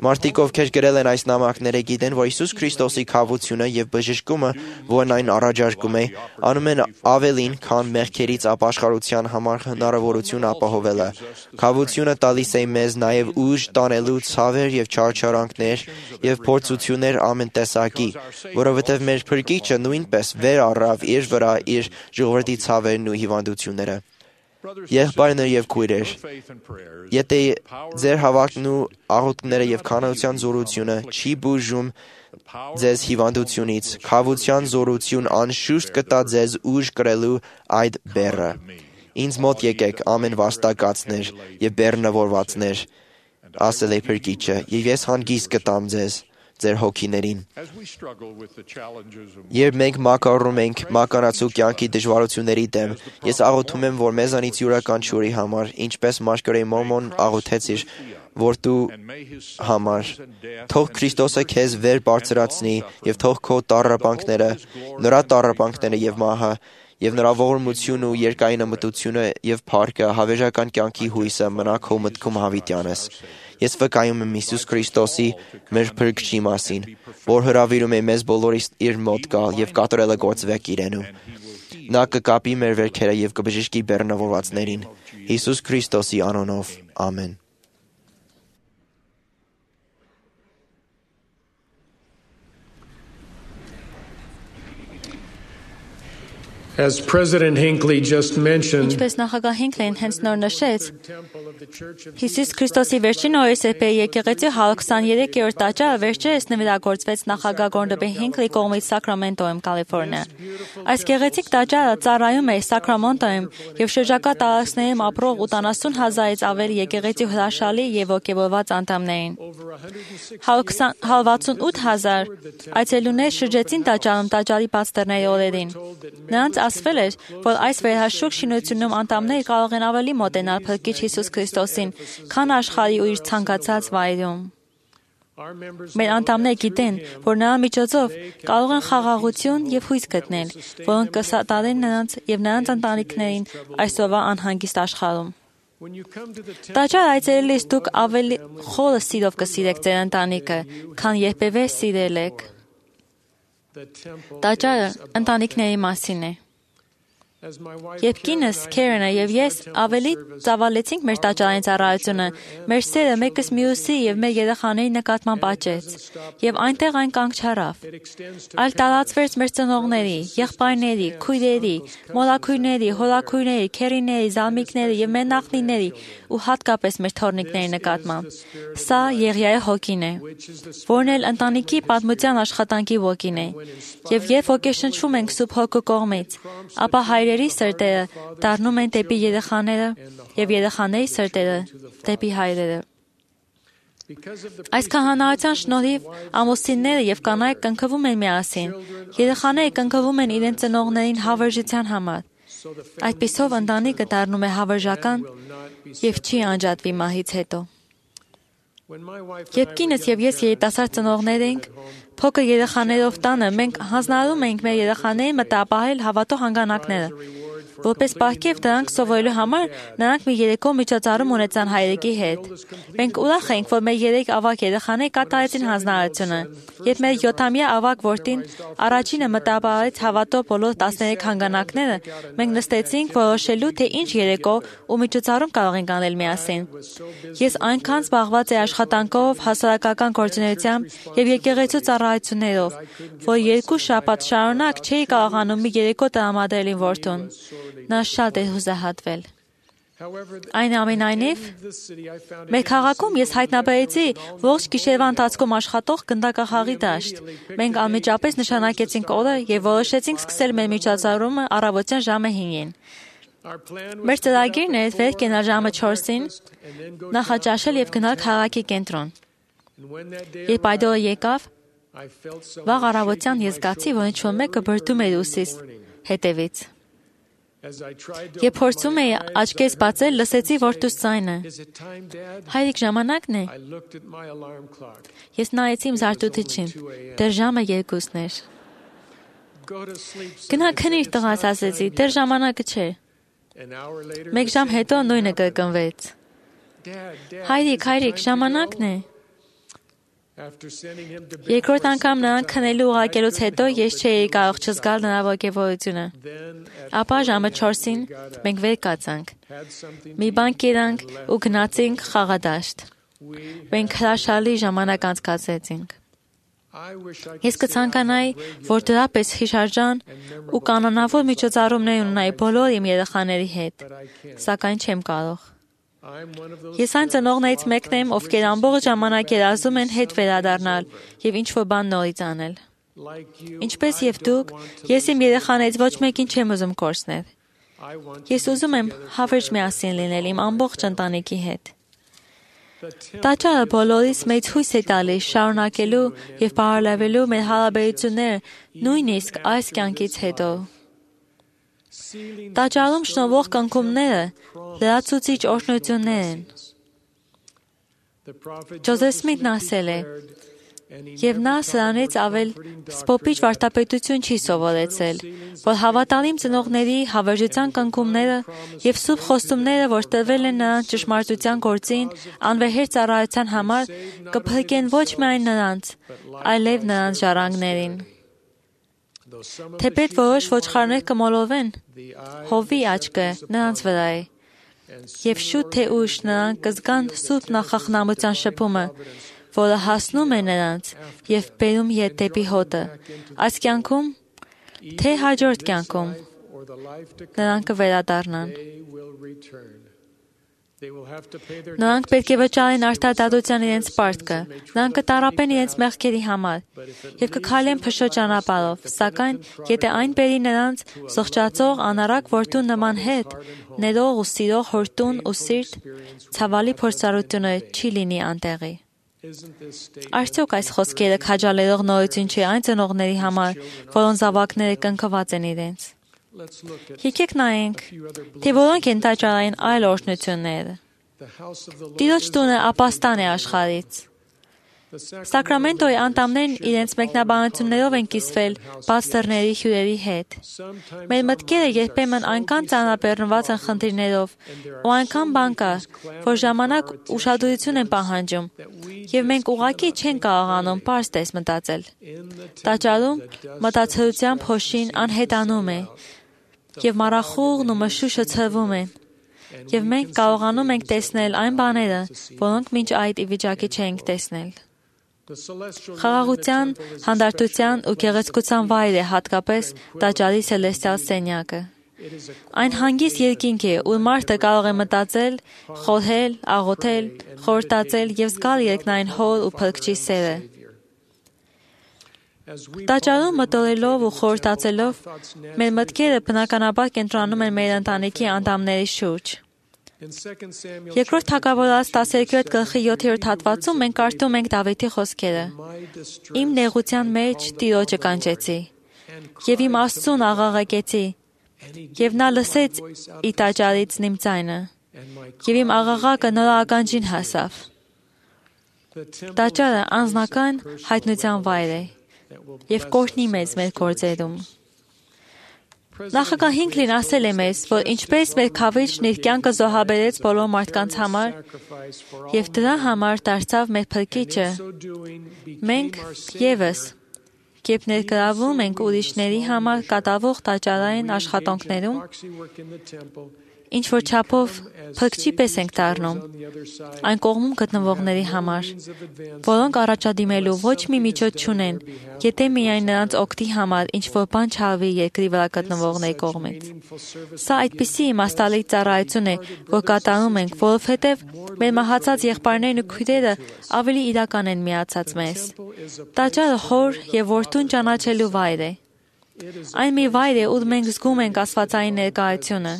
Speaker 6: Մարդիկ, ովքեր գրել են այս նամակները, գիտեն, որ Հիսուս Քրիստոսի քավությունը եւ բժշկումը, որն այն առաջարկում է, անում են ավելին, քան մեղքերից ապաշխարության համար հնարավորություն ապահովելը։ Քավությունը տալիս է մեզ նաեւ ուժ տանելու ցավեր եւ չարչարանքներ եւ փորձություններ ամեն տեսակի, որովհետեւ մեր Փրկիչը նույնպես վեր առավ իր վրա իր ժողովրդի ցավերն ու հիվանդությունները։ Եղբայրներ եւ քույրեր, եթե ձեր հավատքն ու աղոթքները եւ քանության զորությունը չի բուժում ձեզ հիվանդությունից, քավության զորություն անշուշտ կտա ձեզ ուժ կրելու այդ բեռը։ Ինձ մոտ եկեք ամեն վաստակածներ եւ բեռնավորվածներ, ասել է Փրկիչը, եւ ես հանգիստ կտամ ձեզ ձեր հոգիներին։ Երբ մենք մակարում ենք մականացու կյանքի դժվարությունների դեմ, ես աղոթում եմ, որ մեզանից յուրաքանչյուրի համար, ինչպես Մարգարետ Մորմոն աղոթեց իր որդու համար, թող Քրիստոսը քեզ վեր բարձրացնի եւ թող քո տառապանքները, նրա տառապանքները եւ մահը եւ նրա ողորմությունը ու երկայնամտությունը եւ փառքը հավերժական կյանքի հույսը մնա քո մտքում հավիտյանս։ Ես վկայում եմ Հիսուս Քրիստոսի մեր Փրկչի մասին, որ հրավիրում է մեզ բոլորիս իր մոտ գալ եւ կատարելը գործվեք իրենու։ Նա կկապի մեր վերքերը եւ կբժշկի բեռնավորվածներին։ Հիսուս Քրիստոսի անունով, ամեն։
Speaker 3: As President Hinckley just mentioned,
Speaker 7: Ինչպես նախագահ Հինքլին հենց նոր նշեց, Հիսուս Քրիստոսի վերջին օրերս է եկեղեցի քսաներկերորդ տաճարը վերջերս նվիրագործվեց նախագահ Գորդոն Հինքլի կողմից Սակրամենտոյում, Կալիֆոռնիա։ Այս գեղեցիկ տաճարը ծառայում է Սակրամենտոյում եւ շրջակա տարածքներում ապրող ութանասուն հազարից ավելի եկեղեցի հրաշալի եւ ոգևորված անդամներին։ վաթսունութ հազար այցելուներ շրջեցին տաճարում տաճարի բաց դռների օրերին։ Նրանց ասվել էր, որ այս վերահաշուկ շինությունում անդամները կարող են ավելի մոտենալ Փրկիչ Հիսուս Քրիստոսին, քան աշխարհի ու իր ցանկացած վայրում։ Մեր անդամները գիտեն, որ նրա միջոցով կարող են խաղաղություն եւ հույս գտնել, որոնք կսատարեն նրանց եւ նրանց ընտանիքներին այսօրվա անհանգիստ աշխարհում։ Տաճար այցելելիս դուք ավելի խորը սիրով կսիրեք ձեր ընտանիքը, քան երբևէ սիրել եք։ Տաճարը ընտանիքների մասին է։ Երբ կինս Քերենը եւ ես ավելի ծավալեցինք մեր տաճարային ծառայությունը, մեր սերը մեկս մյուսի եւ մեր երեխաների նկատմամբ աճեց, եւ այնտեղ այն կանգ չառավ։ Այլ տարածվեց մեր ծնողների, եղբայրների, քույրերի, մորաքույրների, հորաքույրների, քերիների, զալմիկների եւ մեր նախնիների ու հատկապես մեր թորնիկների նկատմամբ։ Սա Եղիայի հոգին է, որն էլ ընտանիքի պատմության աշխատանքի ոգին է, եւ երբ ոգեշնչվում ենք Սուրբ Հոգու կողմից, ապա հայրերի սրտերը դառնում են դեպի երեխաները եւ երեխաների սրտերը դեպի հայրերը։ Այս քահանայության շնորհիվ ամուսինները եւ կանայք կնքվում են միասին, երեխաները կնքվում են իրենց ծնողներին հավերժության համար։ Այդպիսով ընտանիքը դառնում է հավերժական եւ չի անջատվի մահից հետո։ Երբ կինս եւ ես երիտասարդ ծնողներ ենք, փոքր երեխաներով տանը, մենք հանձնարարում ենք մեր երեխաներին մտապահել հավատո հանգանակները։ Որպես պարգև դրանք սովորելու համար նրանք մի երեկո միջոցառում ունեցան հայրիկի հետ։ Մենք ուրախ ենք, որ մեր երեք ավագ երեխաները կատարեցին հանձնարարությունը։ Երբ մեր յոթամյա ավագ որդին առաջինը մտապահեց հավատո բոլոր տասներեք հանգանակները, մենք նստեցինք որոշելու, թե ինչ երեկո ու միջոցառում կարող ենք անել միասին։ Ես այնքան զբաղված էի աշխատանքով, հասարակական գործունեությամբ եւ եկեղեցու ծառայություններով, որ երկու շաբաթ շարունակ չէի կարողանում մի երեկո տրամադրել իմ որդուն։ Նա շատ է հուսահատվել։ Այնուամենայնիվ, մեր քաղաքում ես հայտնաբերեցի ողջ գիշերվա ընթացքում աշխատող գնդակահարի դաշտ։ Մենք անմիջապես նշանակեցինք օրը եւ որոշեցինք սկսել մեր միջոցառումը առավոտյան ժամը հինգին։ Մեր ծրագիրն էր վեր կենալ ժամը չորսին, նախաճաշել եւ գնալ քաղաքի կենտրոն։ Երբ այդ օրը եկավ, վաղ առավոտյան ես զգացի, որ ինչ-որ մեկը բրդում էր ուսիս հետևից։ Երբ փորձում էի աչքերս բացել, լսեցի որդուս ձայնը։ Հայրիկ, ժամանակն է։ Ես նայեցի իմ զարթուցիչին։ Դեռ ժամը երկուսն էր։ Գնա քնիր, տղաս, ասեցի, դեռ ժամանակը չէ։ Մեկ ժամ հետո նույնը կրկնվեց։ Հայրիկ, հայրիկ, ժամանակն է։ Երկրորդ անգամ նրան քնելու ուղարկելուց հետո ես չէի կարող չզգալ նրա ոգևորությունը։ Ապա ժամը չորսին մենք վեր կացանք։ Մի բան կերանք ու գնացինք խաղադաշտ։ Մենք հրաշալի ժամանակ անցկացրեցինք։ Ես կցանկանայի, որ դրապես հիշարժան ու կանոնավոր միջոցառումներ ունենայի բոլոր իմ երեխաների հետ, սակայն չեմ կարող։ Ես այն ծնողներից մեկն եմ, ովքեր ամբողջ ժամանակ երազում են հետ վերադառնալ եւ ինչ-որ բան նորից անել։ Ինչպես եւ դուք, ես իմ երեխաներից ոչ մեկին չեմ ուզում կորցնել։ Ես ուզում եմ հավերժ միասին լինել իմ ամբողջ ընտանիքի հետ։ Տաճարը բոլորիս մեծ հույս է տալիս շարունակելու եւ բարելավելու մեր հարաբերությունները նույնիսկ այս կյանքից հետո։ Տաճարում շնորհվող կնքումները լրացուցիչ օրհնություններ են։ Ջոզեֆ Սմիթն ասել է. «Եվ նա սրանից ավել սփոփիչ վարդապետություն չի սովորեցել, որ հավատալիմ ծնողների հավերժության կնքումները եւ սուրբ խոստումները, որ տրվել են նրանց ճշմարտության գործին, անվեհեր ծառայության համար, կփրկեն ոչ միայն նրանց, այլև նրանց ժառանգներին։ Թեպետ որոշ ոչխարներ կմոլորվեն, հովի աչքը նրանց վրա է, եւ շուտ թե ուշ նրանք կզգան սուրբ նախախնամության շփումը, որը հասնում է նրանց եւ բերում ետ դեպի հոտը, այս կյանքում, թե հաջորդ կյանքում, նրանք կվերադառնան։ Նրանք պետք է վճարեն արդարադատության իրենց պարտքը, նրանք կտառապեն իրենց մեղքերի համար եւ կքայլեն փշոտ ճանապարհով, սակայն եթե այն բերի նրանց զղջացող անառակ որդու նման հետ, ներող ու սիրող հորտուն ու սիրտ, ցավալի փորձառությունը չի լինի անտեղի։ Արդյոք այս խոսքերը քաջալերող նորություն չի այն ծնողների համար, որոնց զավակները կնքված են իրենց։ Եկեք նայենք, թե որոնք են տաճարային այլ օրհնությունները։ Տիրոջ տունը ապաստան է աշխարհից։ Սակրամենտոյի անդամներն իրենց մեկնաբանություններով են կիսվել բաց դռների հյուրերի հետ։ Մեր մտքերը երբեմն այնքան ծանրաբեռնված են խնդիրներով ու այնքան բան կա, որ ժամանակ ուշադրություն են պահանջում, եւ մենք ուղղակի չենք կարողանում պարզ տես մտածել։ Տաճարում մտածելության փոշին անհետանում է, եւ մառախուղն ու մշուշը ցրվում են, եւ մենք կարողանում ենք տեսնել այն բաները, որոնք մինչ այդ ի վիճակի չենք տեսնել։ Խաղաղության, հանդարտության ու գեղեցկության վայր է հատկապես տաճարի սելեստիալ սենյակը։ Այն հանգիստ երկինք է, ուր մարդը կարող է մտածել, խորհել, աղոթել, խորհրդածել եւ զգալ երկնային հոր ու փրկչի սերը։ Տաճարում մտորելով ու խորհրդածելով, մեր մտքերը բնականաբար կենտրոնանում են մեր ընտանիքի անդամների շուրջ։ Երկրորդ Թագավորաց տասներկրորդ գլխի յոթերորդ հատվածում մենք կարդում ենք Դավիթի խոսքերը. «Իմ նեղության մեջ Տիրոջը կանչեցի, եւ իմ Աստծուն աղաղակեցի, եւ նա լսեց ի տաճարից իմ ձայնը, եւ իմ աղաղակը նրա ականջին հասավ»։ Տաճարը անձնական հայտնության վայր է եւ կօրհնի մեզ մեր գործերում։ Նախագահ Հինքլին ասել է մեզ, որ ինչպես մեր քավիճն իր կյանքը զոհաբերեց բոլոր մարդկանց համար եւ դրա համար դարձավ մեր փրկիչը, մենք եւս, երբ ներգրավում ենք ուրիշների համար կատարվող տաճարային աշխատանքներում, ինչ որ չափով փրկչի պես ենք դառնում այն կողմում գտնվողների համար, որոնք առաջադիմելու ոչ մի միջոց չունեն, եթե միայն նրանց օգտի համար ինչ որ բան չարվի երկրի վրա գտնվողների կողմից։ Սա այդպիսի իմաստալի ծառայություն է, որ կատարում ենք, որովհետև մեր մահացած եղբայրներն ու քույրերը ավելի իրական են միացած մեզ։ Տաճարը հոր եւ որդուն ճանաչելու վայր է։ Այն մի վայր է, ուր մենք զգում ենք աստվածային ներկայությունը։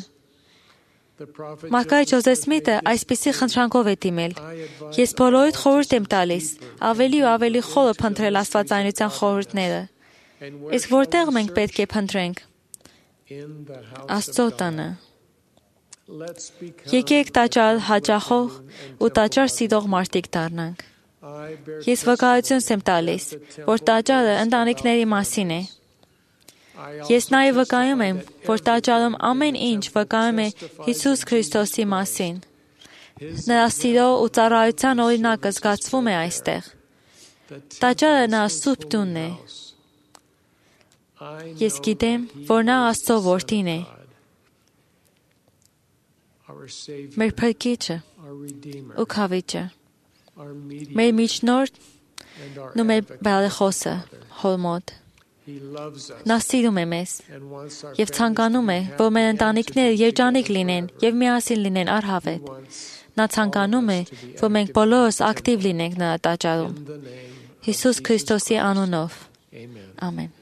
Speaker 7: Մարգարետ Ջոզեֆ Սմիթը այսպիսի խնդրանքով է դիմել. «Ես բոլորիդ խորհուրդ եմ տալիս, ավելի ու ավելի խորը փնտրել աստվածայնության խորհուրդները։ Իսկ որտեղ մենք պետք է փնտրենք։ Աստծո տանը։ Եկեք տաճար հաճախող ու տաճար սիրող մարդիկ դառնանք։ Ես վկայություն եմ տալիս, որ տաճարը ընտանիքների մասին է։ Ես նաև վկայում եմ, որ տաճարում ամեն ինչ վկայում է Հիսուս Քրիստոսի մասին։ Նրա սիրո ու ծառայության օրինակը զգացվում է այստեղ։ Տաճարը նրա սուրբ տունն է։ Ես գիտեմ, որ նա Աստծո որդին է, մեր Փրկիչը ու Քավիճը, մեր միջնորդն ու մեր բարեխոսը Հոր մոտ։ Նա սիրում է մեզ և ցանկանում է, որ մեր ընտանիքները երջանիկ լինեն և միասին լինեն առհավետ։ Նա ցանկանում է, որ մենք բոլորս ակտիվ լինենք նրա տաճարում։ Հիսուս Քրիստոսի անունով։ Ամեն։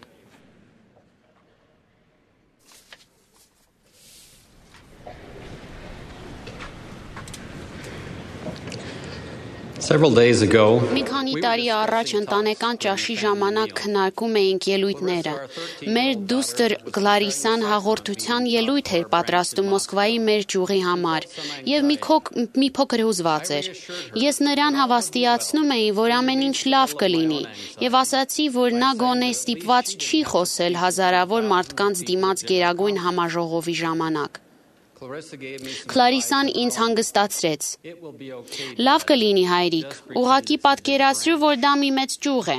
Speaker 8: Several days ago,
Speaker 9: Մի քանի տարի առաջ ընտանեկան ճաշի ժամանակ քննարկում էինք ելույթները։ Մեր դուստր Գլարիսան հաղորդության ելույթ էր պատրաստում Մոսկվայի մեր ճյուղի համար եւ մի, քոք, մի փոքր հուզված էր։ Ես նրան հավաստիացնում էի, որ ամեն ինչ լավ կլինի եւ ասացի, որ նա գոնե ստիպված չի խոսել հազարավոր մարդկանց դիմաց գերագույն համաժողովի ժամանակ։ Քլարիսան ինձ հանգստացրեց։ Լավ կլինի, հայրիկ, ուղղակի պատկերացրու, որ դա մի մեծ ճյուղ է։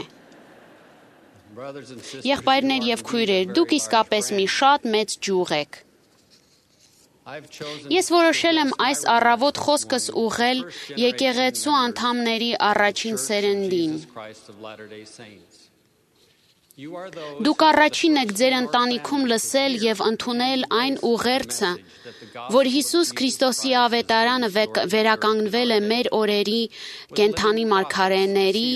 Speaker 9: Եղբայրներ եւ քույրեր, դուք իսկապես մի շատ մեծ ճյուղ եք։ Ես որոշել եմ այս առավոտ խոսքս ուղղել եկեղեցու անդամների առաջին սերնդին։ Դուք առաջին եք ձեր ընտանիքում լսել եւ ընդունել այն ուղերձը, որ Հիսուս Քրիստոսի ավետարանը վերականգնվել է մեր օրերի կենդանի մարգարեների,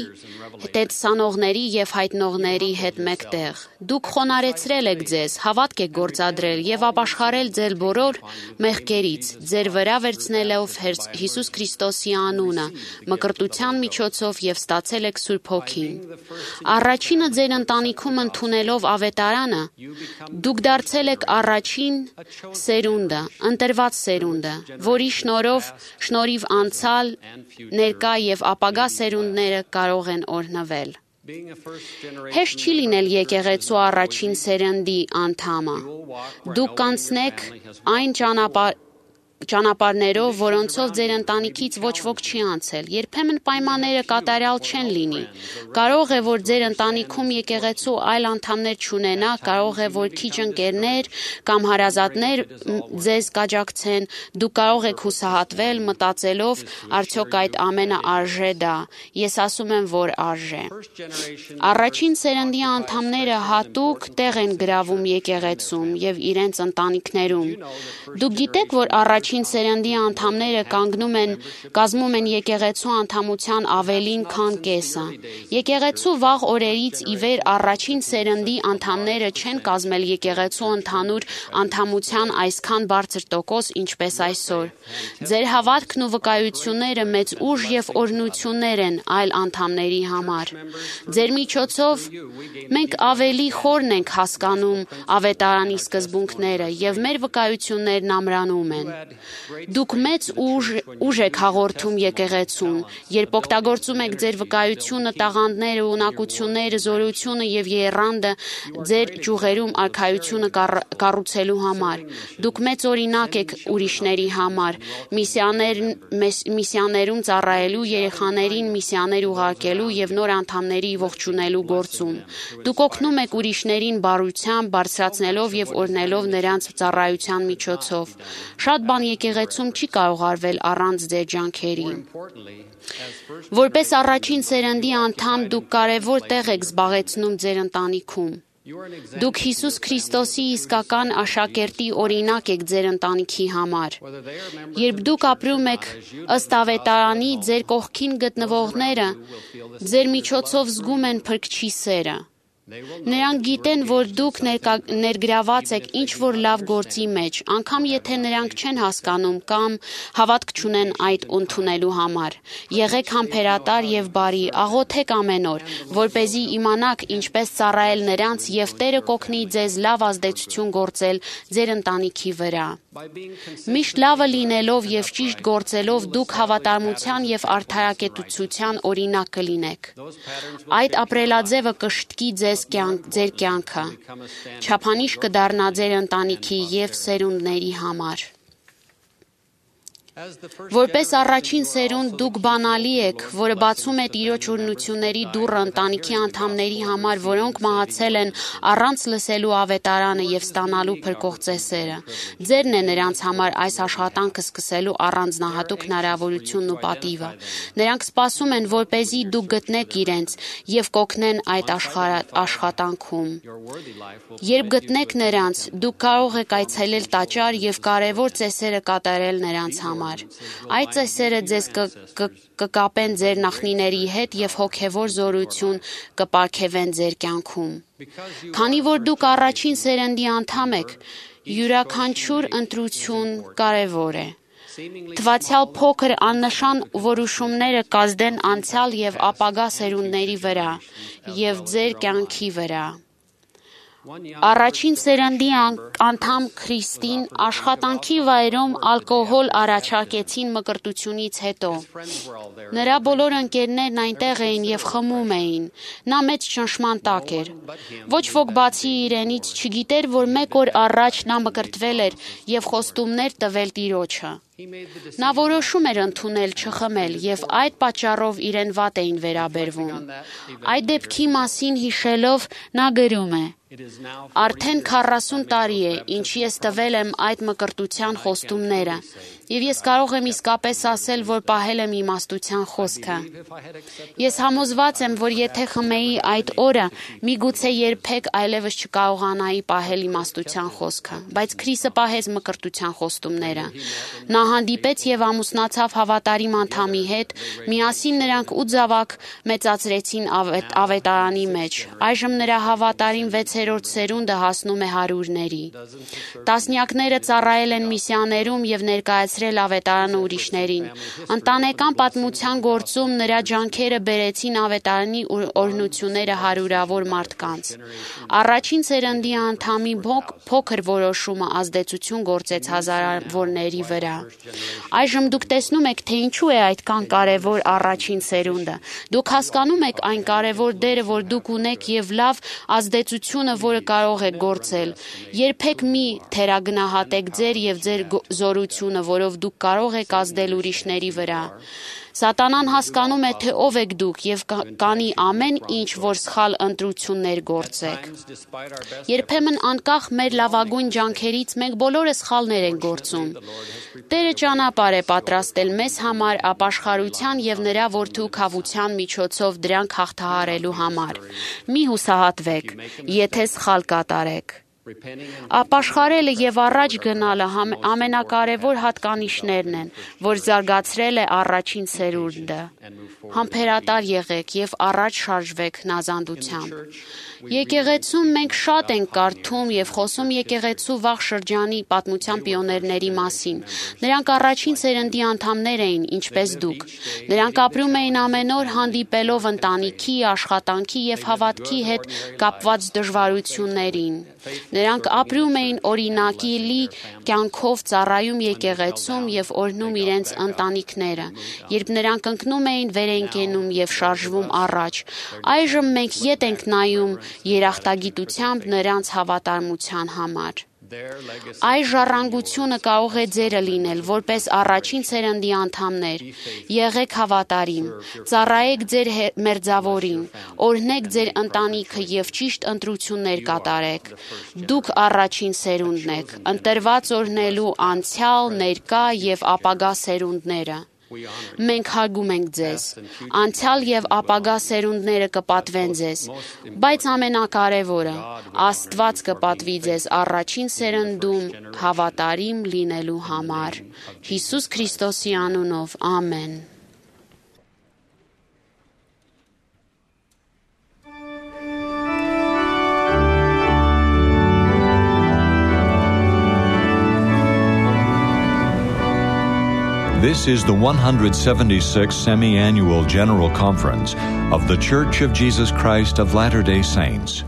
Speaker 9: տեսանողների եւ հայտնողների հետ մեկտեղ։ Դուք խոնարհեցրել եք ձեզ, հավատք եք գործադրել եւ ապաշխարել ձեր բոլոր մեղքերից, ձեր վրա վերցնելով Հիսուս Քրիստոսի անունը, մկրտության միջոցով եւ ստացել եք Սուրբ Հոգին։ Առաջինը ձեր ընտանիքում ընդունելով ավետարանը, դուք դարձել եք առաջին սերունդը, ընտրված սերունդը, որի շնորհով շնորհիվ անցալ, ներկա եւ ապագա սերունդները կարող են օրհնվել։ Հեշտ չի լինել եկեղեցու առաջին սերնդի անդամը։ Դուք կանցնեք այն ճանապարհ ճանապարհներով, որոնցով ձեր ընտանիքից ոչ ոք չի անցել։ Երբեմն պայմանները կատարյալ չեն լինի։ Կարող է, որ ձեր ընտանիքում եկեղեցու այլ անդամներ չունենա, կարող է, որ քիչ ընկերներ կամ հարազատներ ձեզ կաջակցեն, դուք կարող եք հուսահատվել մտածելով, արդյոք այդ ամենը արժե դա։ Ես ասում եմ, որ արժե։ Առաջին սերնդի անդամները հատուկ տեղ են գրավում եկեղեցում եւ իրենց ընտանիքներում։ Դուք գիտեք, որ առաջին Առաջին սերնդի անդամները կանգնում են, կազմում են եկեղեցու անդամության ավելին, քան կեսը։ Եկեղեցու վաղ օրերից ի վեր առաջին սերնդի անդամները չեն կազմել եկեղեցու ընդհանուր անդամության այսքան բարձր տոկոս, ինչպես այսօր։ Ձեր հավատքն ու վկայությունները մեծ ուժ եւ օրհնություններ են այլ անդամների համար։ Ձեր միջոցով մենք ավելի խորն ենք հասկանում ավետարանի սկզբունքները եւ մեր վկայություններն ամրանում են։ Դուք մեծ ուժ, ուժ եք հաղորդում եկեղեցուն, երբ օգտագործում եք ձեր վկայությունը, տաղանդները, ունակությունները, զորությունը եւ եռանդը ձեր ճյուղերում արքայությունը կառուցելու համար։ Դուք մեծ օրինակ եք ուրիշների համար, միսիաներ, միսիաներում ծառայելու, երեխաներին միսիաներ ուղարկելու եւ նոր անդամների ողջունելու գործում։ Դուք օգնում եք ուրիշներին բարությամբ, բարձրացնելով եւ օրհնելով նրանց ծառայության միջոցով։ Շատ բան եկեղեցում չի կարող արվել առանց ձեր ջանքերի։ Որպես առաջին սերնդի անդամ դուք կարևոր տեղ եք զբաղեցնում ձեր ընտանիքում։ Դուք Հիսուս Քրիստոսի իսկական աշակերտի օրինակ եք ձեր ընտանիքի համար։ Երբ դուք ապրում եք ըստ ավետարանի, ձեր կողքին գտնվողները ձեր միջոցով զգում են Փրկչի սերը։ Նրանք գիտեն, որ դուք ներկա, ներգրաված եք ինչ-որ լավ գործի մեջ, անգամ եթե նրանք չեն հասկանում կամ հավատք չունեն այդ ընդունելու համար։ Եղեք համբերատար եւ բարի, աղոթեք ամեն օր, որպեսզի իմանաք ինչպես ծառայել նրանց եւ Տերը կօգնի ձեզ լավ ազդեցություն գործել ձեր ընտանիքի վրա։ Միշտ լավը լինելով եւ ճիշտ գործելով դուք հավատարմության եւ արդարակեցության օրինակ կլինեք։ Այդ ապրելաձևը կշտկի ձեզ կյանք, ձեր կյանքը, չափանիշ կդառնա ձեր ընտանիքի եւ սերունդների համար։ Որպես առաջին սերունդ դուք բանալի եք, որը բացում է Տիրոջ օրհնությունների դուռը ընտանիքի անդամների համար, որոնք մահացել են առանց լսելու ավետարանը եւ ստանալու փրկող ծեսերը։ Ձերն է նրանց համար այս աշխատանքը սկսելու առանձնահատուկ հնարավորությունն ու պատիվը։ Նրանք սպասում են, որպեսզի դուք գտնեք իրենց եւ կօգնեն այդ աշխատանքում։ Երբ գտնեք նրանց, դուք կարող եք այցելել տաճար եւ կարեւոր ծեսերը կատարել նրանց համար։ Այդ ծեսերը ձեզ կկապեն ձեր նախնիների հետ եւ հոգեվոր զորություն կպարգևեն ձեր կյանքում։ Քանի որ դուք առաջին սերնդի անդամ եք, յուրաքանչյուր ընտրություն կարևոր է։ Թվացյալ փոքր աննշան որոշումները կազդեն անցյալ եւ ապագա սերունդների վրա եւ ձեր կյանքի վրա։ Առաջին սերնդի անդամ Քրիստին աշխատանքի վայրում ալկոհոլ առաջարկեցին մկրտությունից հետո։ Նրա բոլոր ընկերներն այնտեղ էին եւ խմում էին։ Նա մեծ ճնշման տակ էր։ Ոչ ոք բացի իրենից չգիտեր, որ մեկ օր առաջ նա մկրտվել էր եւ խոստումներ տվել Տիրոջը։ Նա որոշում էր ընդունել չխմել եւ այդ պատճառով իրեն վատ էին վերաբերվում։ Այդ դեպքի մասին հիշելով նա գրում է. Արդեն քառասուն տարի է, ինչ ես տվել եմ այդ մկրտության խոստումները, եւ ես կարող եմ իսկապես ասել, որ պահել եմ իմաստության խոսքը։ Ես համոզված եմ, որ եթե խմեի այդ օրը, միգուցե երբեք այլևս չկարողանայի պահել իմաստության խոսքը, բայց Քրիստը պահեց մկրտության խոստումները։ Նա հանդիպեց եւ ամուսնացավ հավատարիմ անդամի հետ, միասին նրանք ութ զավակ մեծացրեցին ավետ, ավետարանի մեջ։ Այժմ նրա հավատարիմ վեցերորդ սերունդը հասնում է հարյուրների։ Տասնյակները ծառայել են միսիաներում եւ ներկայացրել ավետարանը ուրիշներին։ Ընտանեկան պատմության գործում նրա ջանքերը բերեցին ավետարանի օրհնությունները հարյուրավոր մարդկանց։ Առաջին սերնդի անդամի փոքր որոշումը ազդեցություն գործեց հազարավորների վրա։ Այժմ դուք տեսնում եք, թե ինչու է այդքան կարևոր առաջին սերունդը։ Դուք հասկանում եք այն կարևոր դերը, որ դուք ունեք եւ լավ ազդեցությունը, որը կարող եք գործել։ Երբեք մի թերագնահատեք ձեր եւ ձեր զորությունը, որով դուք կարող եք ազդել ուրիշների վրա։ Սատանան հասկանում է, թե ով եք դուք եւ կանի ամեն ինչ, որ սխալ ընտրություններ գործեք։ Երբեմն անկախ մեր լավագույն ջանքերից մենք բոլորը սխալներ ենք գործում։ Տերը ճանապարհ է պատրաստել մեզ համար ապաշխարության եւ նրա որդու քավության միջոցով դրանք հաղթահարելու համար։ Մի հուսահատվեք, եթե սխալ կատարեք։ Ապաշխարելը եւ առաջ գնալը ամենակարևոր հատկանիշներն են, որ զարգացրել է առաջին սերունդը։ Համբերատար եղեք եւ առաջ շարժվեք հնազանդությամբ։ Եկեղեցում մենք շատ ենք կարդում եւ խոսում եկեղեցու վաղ շրջանի պատմության պիոներների մասին։ Նրանք առաջին սերնդի անդամներ էին, ինչպես դուք։ Նրանք ապրում էին ամեն օր հանդիպելով ընտանիքի, աշխատանքի եւ հավատքի հետ կապված դժվարություններին։ Նրանք ապրում էին օրինակի լի կյանքով, ծառայում եկեղեցում եւ օրհնում իրենց ընտանիքները։ Երբ նրանք ընկնում էին, վեր են կենում եւ շարժվում առաջ։ Այժմ մենք ետ ենք նայում երախտագիտությամբ նրանց հավատարմության համար։ Այս ժառանգությունը կարող է ձերը լինել, որպես առաջին սերնդի անդամներ։ Եղեք հավատարիմ, ծառայեք ձեր մերձավորին, օրհնեք ձեր ընտանիքը եւ ճիշտ ընտրություններ կատարեք։ Դուք առաջին սերունդն եք, ընտրված օրհնելու անցյալ, ներկա եւ ապագա սերունդները։ Մենք հարգում ենք ձեզ, անցյալ եւ ապագա սերունդները կպատվեն ձեզ, բայց ամենակարևորը, Աստված կպատվի ձեզ առաջին սերնդում հավատարիմ լինելու համար։ Հիսուս Քրիստոսի անունով, ամեն։
Speaker 1: This is the one hundred seventy-sixth Semi-Annual General Conference of The Church of Jesus Christ of Latter-day Saints.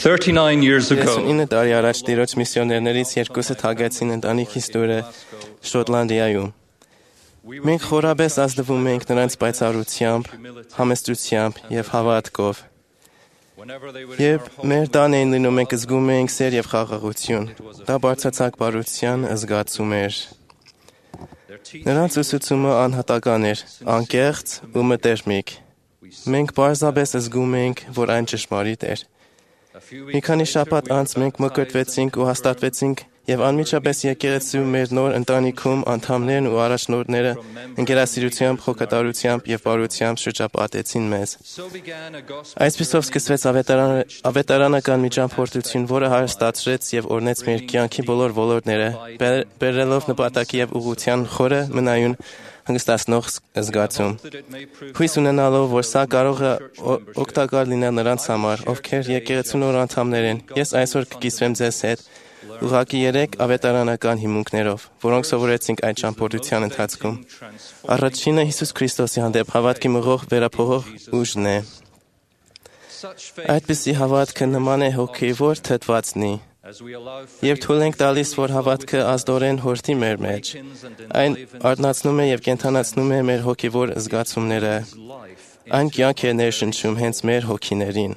Speaker 8: thirty-nine years ago,
Speaker 2: Ինը տարի առաջ տիրոջ միսիոներներից երկուսը թագեցին ընտանիքիս դուրը Շոտլանդիայում։ Մենք խորաբես ազդվում ենք նրանց պայծառությամբ, համեստությամբ եւ հավատքով։ Երբ մեր տան էին լինում, մենք զգում էինք սեր եւ խաղաղություն։ Դա բարձրացակ բարության զգացում էր։ Նրանց ուսուցումը անհատական էր, անկեղծ ու մտերմիկ։ Մենք պարզապես զգում էինք, որ այն ճշմարիտ էր։ Մի քանի շաբաթ անց մենք մկրտվեցինք ու հաստատվեցինք եւ անմիջապես եկեղեցու մեր նոր ընտանիքում անդամներն ու առաջնորդները ընկերասիրությամբ, խոքատարությամբ եւ բարությամբ շրջապատեցին մեզ։ Այսպիսով սկսվեց ավետարանական միջամփորդություն, որը հարստացրեց եւ օրնեց մեր կյանքի բոլոր ոլորտները, բերելով նպատակի եւ ուղղության խորը մնայուն հանգստացնող զգացում։ Հույս ունենալով, որ սա կարող է օգտակար լինել նրանց համար, ովքեր եկեղեցու նոր անդամներ են, ես այսօր կկիսվեմ ձեզ հետ ուղղակի երեք ավետարանական հիմունքներով, որոնք սովորեցինք այդ ճամփորդության ընթացքում։ Առաջինը Հիսուս Քրիստոսի հանդեպ հավատքի մղող վերափոխող ուժն է։ Այդպիսի հավատքը նման է հոգևոր թթվածնի։ Երբ թույլ ենք տալիս, որ հավատքը ազդորեն հորթի մեր մեջ, այն արթնացնում է եւ կենդանացնում է մեր հոգևոր զգացումները։ Այն կյանք է ներշնչում հենց մեր հոգիներին։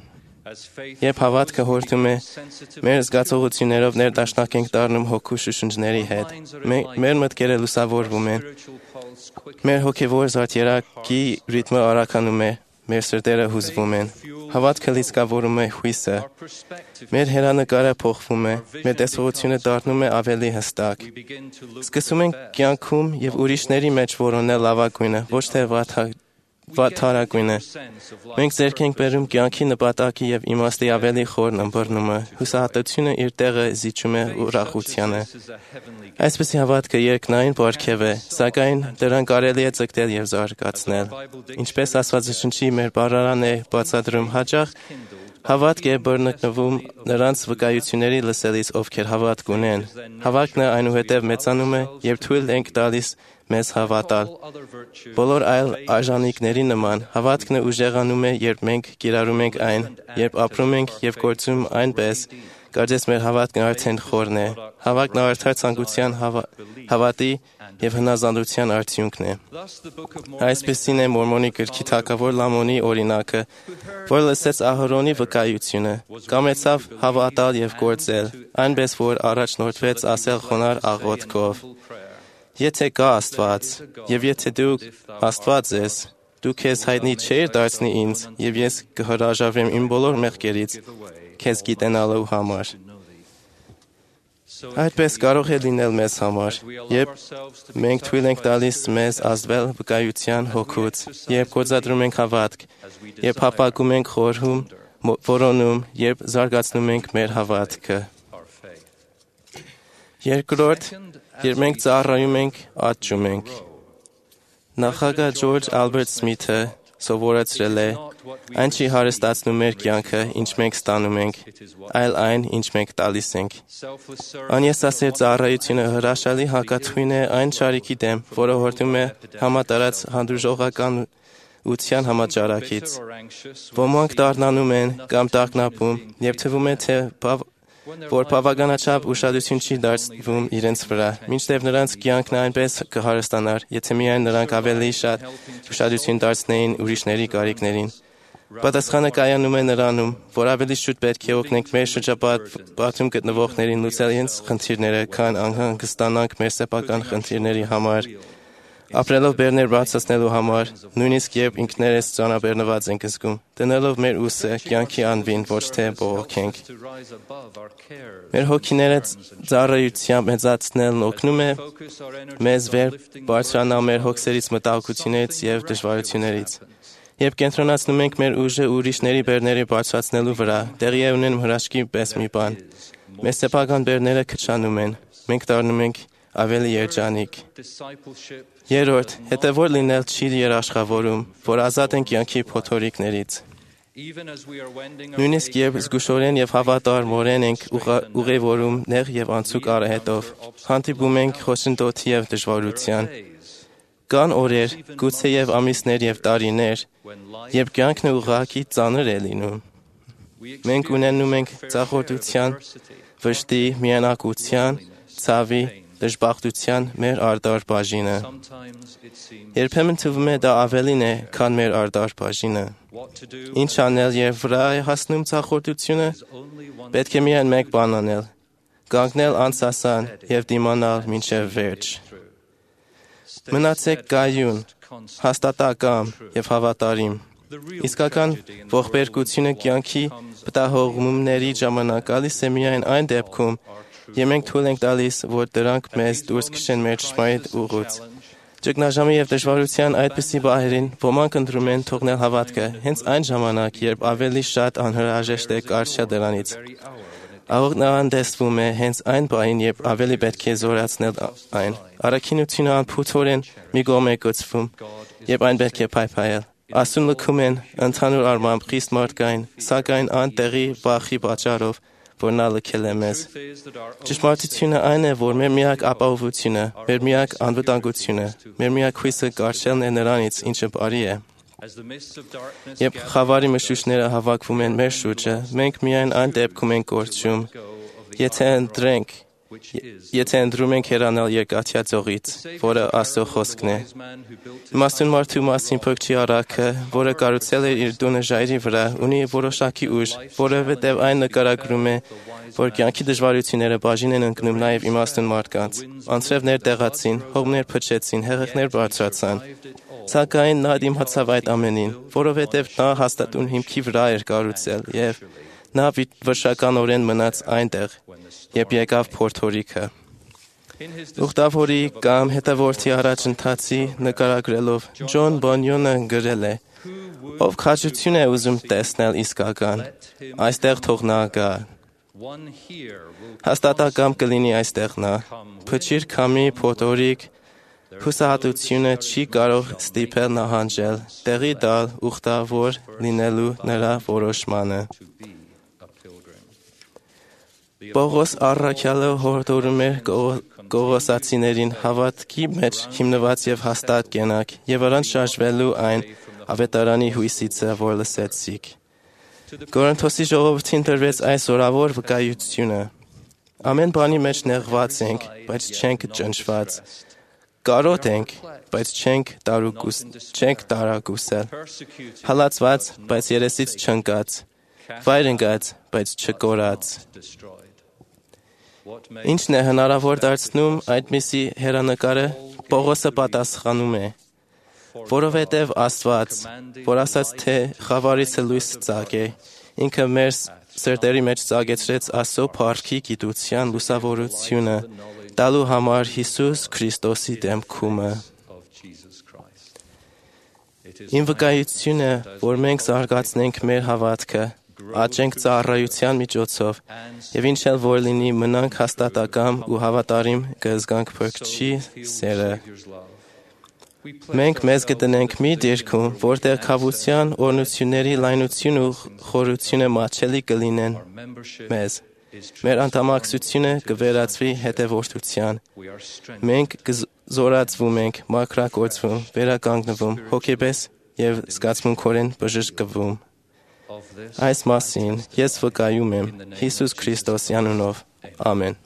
Speaker 2: Երբ հավատքը հորթում է, մեր զգացողություններով ներդաշնակ ենք դառնում հոգու շշնջների հետ։ Մեր մտքերը լուսավորվում են։ Մեր հոգևոր զարդերակի ռիթմը արագանում է, մեր սրտերը հուզվում են։ Հավատքը լիցքավորում է հույսը։ Մեր հերանեկարը փոխվում է, մեր տեսողությունը դառնում է ավելի հստակ։ Սկսում ենք կյանքում եւ ուրիշների մեջ որոնել լավագույնը, ոչ թե վատթարագույնը։ Մենք ձեռք ենք բերում կյանքի նպատակի եւ իմաստի ավելի խորն ըմբռնումը։ Հուսահատությունը իր տեղը զիջում է ուրախությանը։ Այսպիսի հավատքը երկնային պարգև է, սակայն դրան կարելի է ձգտել եւ զարգացնել։ Ինչպես Աստվածաշնչի մեր բառարան է բացատրում հաճախ, հավատք է բռնկվում նրանց վկայությունների լսելիս, ովքեր հավատք ունեն։ Հավատքն այնուհետև մեծանում է, երբ թույլ ենք տալիս մեզ հավատալ։ Բոլոր այլ արժանինքների նման, հավատքն ուժեղանում է, երբ մենք կիրառում ենք այն, երբ ապրում ենք եւ գործում այնպես, կարծես մեր հավատքն արդեն խորն է։ Հավատքն արդար ցանկության, հավատի եւ հնազանդության արդյունքն է։ Այսպեսին է Մորմոնի գրքի թագավոր Լամոնի օրինակը, որ լսեց Ահարոնի վկայությունը, կամեցավ հավատալ եւ գործել, այնպես որ առաջնորդվեց ասել խոնար աղոթքով. Եթե կա Աստված, եւ եթե դու Աստված ես, դու քեզ հայտնի չեր դարձնի ինձ, եւ ես կհրաժարվեմ իմ բոլոր մեղքերից քեզ գիտենալու համար։ Այդպես կարող է լինել մեզ համար, երբ մենք թույլ ենք տալիս մեզ ազդվել վկայության հոգուց, երբ գործադրում ենք հավատք, երբ հապաղում ենք խորհում, որոնում, երբ զարգացնում ենք մեր հավատքը։ Երկրորդ, երբ մենք ծառայում ենք, աճում ենք։ Նախագահ Ջորջ Ալբերտ Սմիթը սովորեցրել է. այն չի հարստացնում մեր կյանքը, ինչ մենք ստանում ենք, այլ այն, ինչ մենք տալիս ենք։ Անյեսասեր ծառայությունը հրաշալի հակաթույն է այն շարիքի դեմ, որը հորդում է համատարած հանդուրժողականության համաճարակից։ Ոմանք դառնանում են կամ տագնապում, եւ թվում է, թե որ բավականաչափ ուշադրություն չի դարձվում իրենց վրա, մինչդեռ նրանց կյանքն այնպես կհարստանար, եթե միայն նրանք ավելի շատ ուշադրություն դարձնեին ուրիշների կարիքներին։ Պատասխանը կայանում է նրանում, որ ավելի շուտ պետք է օգնենք մեր շրջապատում գտնվողներին լուծել իրենց խնդիրները, քան անհանգստանանք մեր սեփական խնդիրների համար։ Ապրելով բեռներ բարձրացնելու համար, նույնիսկ երբ ինքներս ծանրաբեռնված ենք զգում, դնելով մեր ուսը կյանքի անվին, ոչ թե բողոքենք։ Մեր հոգիները ծառայությամբ մեծացնելն օգնում է մեզ վեր բարձրանալ մեր հոգսերից, մտահոգություններից եւ դժվարություններից։ Երբ կենտրոնացնում ենք մեր ուժը ուրիշների բեռների բարձրացնելու վրա, տեղի է ունենում հրաշքի պես մի բան։ Մեր սեփական բեռները քչանում են, մենք դառնում ենք ավելի երջանիկ։ Երրորդ, հետևոր լինել չի երաշխավորում, որ ազատ են կյանքի փոթորիկներից։ Նույնիսկ երբ զգուշորեն եւ հավատարմորեն ենք ուղևորում նեղ եւ անցուկ արահետով, հանդիպում ենք խոչընդոտի եւ դժվարության։ Կան օրեր, գուցե եւ ամիսներ եւ տարիներ, երբ կյանքն ուղղակի ծանր է լինում։ Մենք ունենում ենք ծախորդության, վշտի, միայնակության, ցավի, դժբախտության մեր արդար բաժինը։ Երբեմն թվում է դա ավելին է, քան մեր արդար բաժինը։ Ինչ անել, երբ վրա է հասնում ծախորդությունը, պետք է միայն մեկ բան անել՝ կանգնել անսասան և դիմանալ մինչև վերջ։ Մնացեք կայուն, հաստատակամ և հավատարիմ։ Իսկական ողբերգությունը կյանքի պտահողմումների ժամանակ գալիս է միայն այն դեպքում, և մենք թույլ ենք տալիս, որ դրանք մեզ դուրս քշեն մեր ճշմարիտ ուղուց։ Ճգնաժամի և դժվարության այդպիսի պահերին ոմանք ընտրում են թողնել հավատքը հենց այն ժամանակ, երբ ավելի շատ անհրաժեշտ է կարճ դրանից։ Աղոթնան տեսվում է հենց այն պահին, երբ ավելի պետք է զորացնել այն։ Առաքինությունը անփութորեն մի կողմ է գցվում, երբ այն պետք է փայփայել։ Ասուն լքում են ընդհանուր առմամբ խիստ մարդկային, սակայն անտեղի վախի պատճառով, որ նա լքել է մեզ։ Ճշմարտությունը այն է, որ մեր միակ ապահովությունը, մեր միակ անվտանգությունը, մեր միակ հույսը կարճելն է նրանից, ինչը բարի է։ Երբ խավարի մշուշները հավաքվում են մեր շուրջը, մենք միայն այն դեպքում ենք կորչում, եթե ընտրենք, եթե ընտրում ենք հեռանալ երկաթյա ծողից, որը Աստծո խոսքն է։ Իմաստուն մարդու մասին փրկչի առաքը, որը կառուցել է իր տունը ժայռի վրա, ունի որոշակի ուժ, որովհետև այն նկարագրում է, որ կյանքի դժվարությունները բաժին են ընկնում նաև իմաստուն մարդկանց։ Անձրևներ տեղացին, հողմներ փչեցին, հեղեղներ բարձրացան։ Սակայն նա դիմացավ այդ ամենին, որովհետև նա հաստատուն հիմքի վրա էր կառուցել, և նա վշականորեն մնաց այնտեղ, երբ եկավ փորձորիքը։ Ուխտավորի կամ հետևորդի առաջընթացի նկարագրելով Ջոն Բոնյոնը գրել է. «Ով քաջություն է ուզում տեսնել իսկական, այստեղ թող նա գա։ Հաստատակամ կլինի այստեղ նա, փչիր քամի փոթորիկ, հուսահատությունը չի կարող ստիպել նահանջել, տեղի տալ ուխտավոր լինելու նրա որոշմանը»։ Պողոս առաքյալը հորդորում էր կողոսացիներին հավատքի մեջ հիմնված եւ հաստատ կենաք եւ առանց շարժվելու այն ավետարանի հույսիցը, որ լսեցիք։ Կորինթոսի ժողովրդին տրվեց այս օրավոր վկայությունը. ամեն բանի մեջ նեղված ենք, բայց չենք ճնշված, կարոտ ենք, բայց չենք տարագուսել, հալածված, բայց երեսից չընկած, վայր ընկած, բայց չկորած։ Ինչն է հնարավոր դարձնում այդպիսի հեռանկարը, Պողոսը պատասխանում է. որովհետև Աստված, որ ասաց, թե խավարիցը լույս ծագե, ինքը մեր սրտերի մեջ ծագեցրեց Աստծո փառքի գիտության լուսավորությունը, տալու համար Հիսուս Քրիստոսի դեմքումը։ Իմ վկայությունը, որ մենք զարգացնենք մեր հավատքը, աճենք ծառայության միջոցով, եւ ինչ էլ որ լինի, մնանք հաստատակամ ու հավատարիմ կզգանք Փրկչի սերը։ Մենք մեզ գտնենք մի դիրքում, որտեղ քավության, օրհնությունների լայնություն ու խորությունը մատչելի կլինեն մեզ։ Մեր անդամակցությունը կվերածվի հետևորդության։ Մենք կզորացվում ենք, մաքրագործվում, վերականգնվում, հոգեպես եւ զգացմունքորեն բժշկվում։ Այս մասին ես վկայում եմ Հիսուս Քրիստոսի անունով։ Ամեն։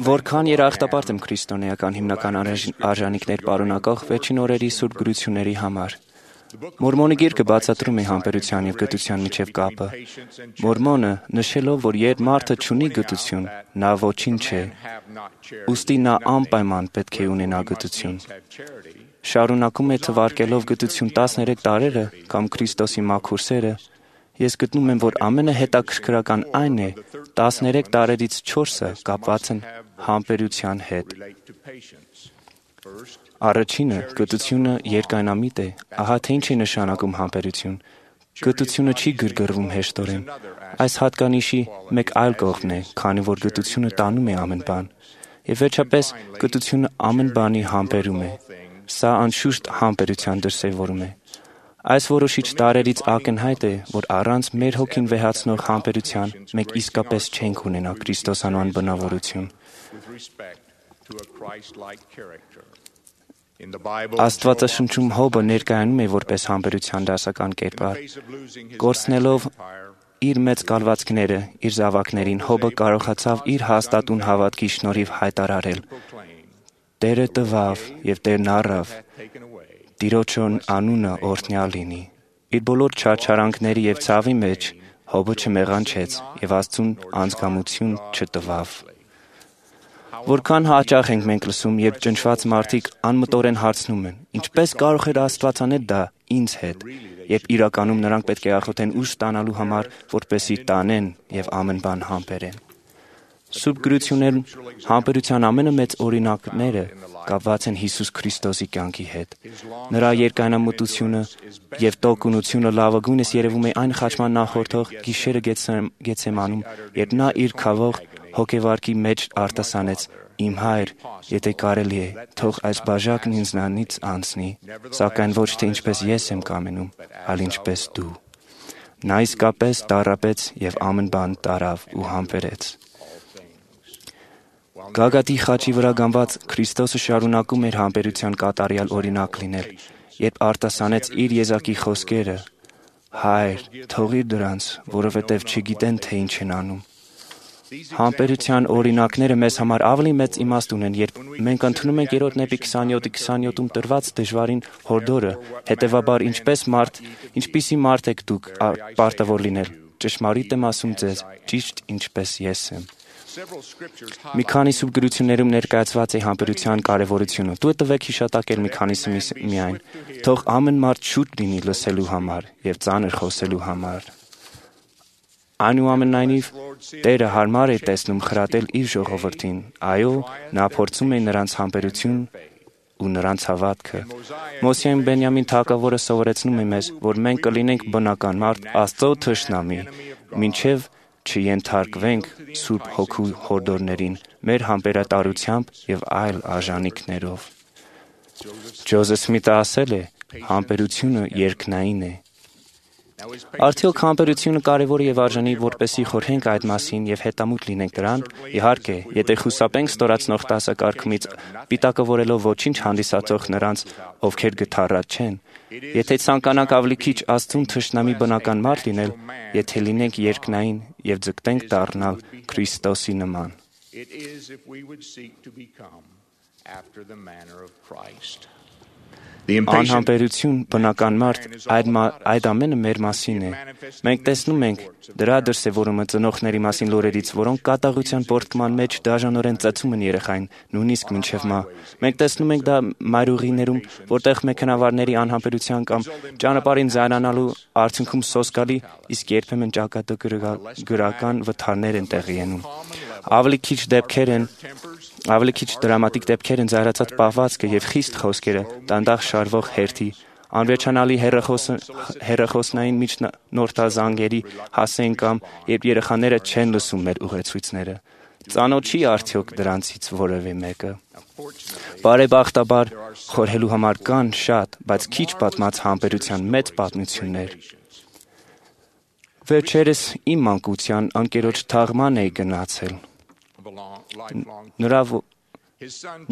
Speaker 8: Որքան երախտապարտ եմ քրիստոնեական հիմնական արժանինքներ պարունակող վերջին օրերի սուրբ գրությունների համար։ Մորմոնի գիրքը բացատրում է համբերության և գթության միջև կապը։ Մորմոնը նշելով, որ երբ մարդը չունի գթություն, նա ոչինչ չէ, ուստի նա անպայման պետք է ունենա գթություն։ Շարունակում է թվարկելով գթություն տասներեք տարերը կամ Քրիստոսի մաքուր սերը, ես գտնում եմ, որ ամենահետաքրքրական այն է, տասներեք տարերից չորսը կապված են համբերության հետ։ Առաջինը, գթությունը երկայնամիտ է, ահա թե ինչ է նշանակում համբերություն։ Գթությունը չի գրգռվում հեշտորեն։ Այս հատկանիշի մեկ այլ կողմն է, քանի որ գթությունը տանում է ամեն բան։ Եվ վերջապես, գթությունը ամեն բանի համբերում է։ Սա անշուշտ համբերության դրսևորում է։ Այս որոշիչ տարերից ակնհայտ է, որ առանց մեր հոգին վեհացնող համբերության մենք իսկապես չենք ունենա Քրիստոսանման բնավորություն։ Աստվածաշնչում Հոբը ներկայանում է որպես համբերության դասական կերպար։ Կորցնելով իր մեծ կալվածքները իր զավակներին, Հոբը կարողացավ իր հաստատուն հավատքի շնորհիվ հայտարարել. Տերը տվավ եւ Տերն առավ, Տիրոջն անունը օրհնյալ լինի։ Իր բոլոր չարչարանքների եւ ցավի մեջ Հոբը չմեղանչեց եւ Աստծուն անձգամություն չտվավ։ Որքան հաճախ ենք մենք լսում, երբ ճնշված մարդիկ անմտորեն հարցնում են. ինչպես կարող էր Աստված անել դա ինձ հետ, երբ իրականում նրանք պետք է աղոթեն ուժ ստանալու համար, որպեսզի տանեն եւ ամեն բան համբերեն։ Սուրբ գրություններում համբերության ամենամեծ օրինակները կապված են Հիսուս Քրիստոսի կյանքի հետ։ Նրա երկայնամտությունը եւ տոկունությունը լավագույնս երևում է այն խաչման նախորդող գիշերը Գեթսեմանում, երբ նա իր քավող հոգեվարկի մեջ արտասանեց. «Իմ Հայր, եթե կարելի է, թող այս բաժակն ինձնանից անցնի, սակայն ոչ թե ինչպես ես եմ կամենում, այլ ինչպես դու»։ Նա իսկապես տառապեց եւ ամեն բան տարավ ու համբերեց։ Գագաթի խաչի վրա գանված Քրիստոսը շարունակում էր համբերության կատարյալ օրինակ լինել, երբ արտասանեց իր եզակի խոսքերը. «Հայր, թողիր դրանց, որովհետև չգիտեն, թե ինչ են անում»։ Համբերության օրինակները մեզ համար ավելի մեծ իմաստ ունեն, երբ մենք ընդունում ենք Երրորդ Նեպի քսանյոթի քսանյոթում տրված դժվարին հորդորը, հետևաբար ինչպես մարդ, ինչպիսի մարդ եք դուք պարտավոր լինել։ Ճշմարիտ եմ ասում ձեզ, ճիշտ ինչպես ես եմ։ Մի քանի սուրբ գրություններում ներկայացված է համբերության կարևորությունը։ Դու տվեք հիշատակել մի քանիսը միայն։ Թող ամեն մարդ շուտ լինի լսելու համար եւ ծանր խոսելու համար։ Այնուամենայնիվ, Տերը հարմար է տեսնում խրատել իր ժողովրդին։ Այո, նա փորձում է նրանց համբերություն ու նրանց հավատքը։ Մոսեին Բենյամին թագավորը սովորեցնում է մեզ, որ մենք կլինենք բնական մարդ, Աստծո թշնամի, մինչև չենթարկվենք Սուրբ Հոգու հորդորներին, մեր համբերատարությամբ եւ այլ արժանինքներով։ Ջոզեֆ Սմիթը ասել է. «Համբերությունը երկնային է»։ Արդյոք համբերությունը կարևոր է եւ արժանի, որպեսզի խորհենք այդ մասին եւ հետամուտ լինենք դրան։ Իհարկե, եթե խուսափենք ստորացնող տասակարգումից, պիտակավորելով ոչինչ հանդիսացող նրանց, ովքեր գթառած չեն, եթե ցանկանանք ավելի քիչ Աստծուն թշնամի բնական մարդ լինել, եթե լինենք երկնային եւ ձգտենք դառնալ Քրիստոսի նման։ Անհամբերություն, բնական մարդ, այդ, այդ ամենը մեր մասին է։ Մենք տեսնում ենք դրա դրսևորումը ծնողների մասին լուրերից, որոնք կատաղության պորտկման մեջ դաժանորեն ծեծում են երեխային, նույնիսկ մինչև մահ։ Մենք տեսնում ենք դա մայրուղիներում, որտեղ մեքենավարների անհամբերության կամ ճանապարհին զայրանալու արդյունքում սոսկալի, իսկ երբեմն ճակատագրական վթարներ են տեղի ունենում։ Ավելի քիչ դեպքեր են, ավելի քիչ դրամատիկ դեպքեր են զայրացած պահվածքը եւ խիստ խոսքերը, դանդաղ շարվող հերթի, անվերջանալի հեռախոսնային միջնորդազանգերի հասեն կամ երբ երեխաները չեն լսում մեր ուղեցույցները։ Ծանոթ չի արդյոք դրանցից որևէ մեկը։ Բարեբախտաբար խորհելու համար կան շատ, բայց քիչ պատմած համբերության մեծ պատմություններ։ Վերջերս իմ մանկության ընկերոջ թաղման էի գնացել։ Նրա,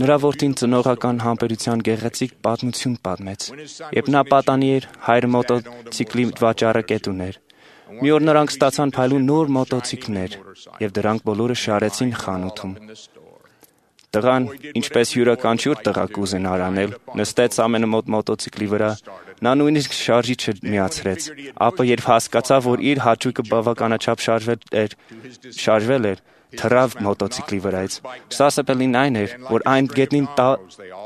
Speaker 8: նրա որդին ծնողական համբերության գեղեցիկ պատմություն պատմեց։ Երբ նա պատանի էր, հայրը մոտոցիկլի վաճառը կետ ուներ։ Մի օր նրանք ստացան փայլուն նոր մոտոցիկլներ, եւ դրանք բոլորը շարեցին խանութում։ Տղան, ինչպես յուրաքանչյուր տղա կուզենար անել, նստեց ամենամոտ մոտոցիկլի վրա։ Նա նույնիսկ շարժիչը միացրեց, ապա երբ հասկացավ, որ իր հաճույքը բավականաչափ շարժվել էր, շարժվել էր, թռավ մոտոցիկլի վրայից։ Սասեպելին այն էր, որ այն գետնին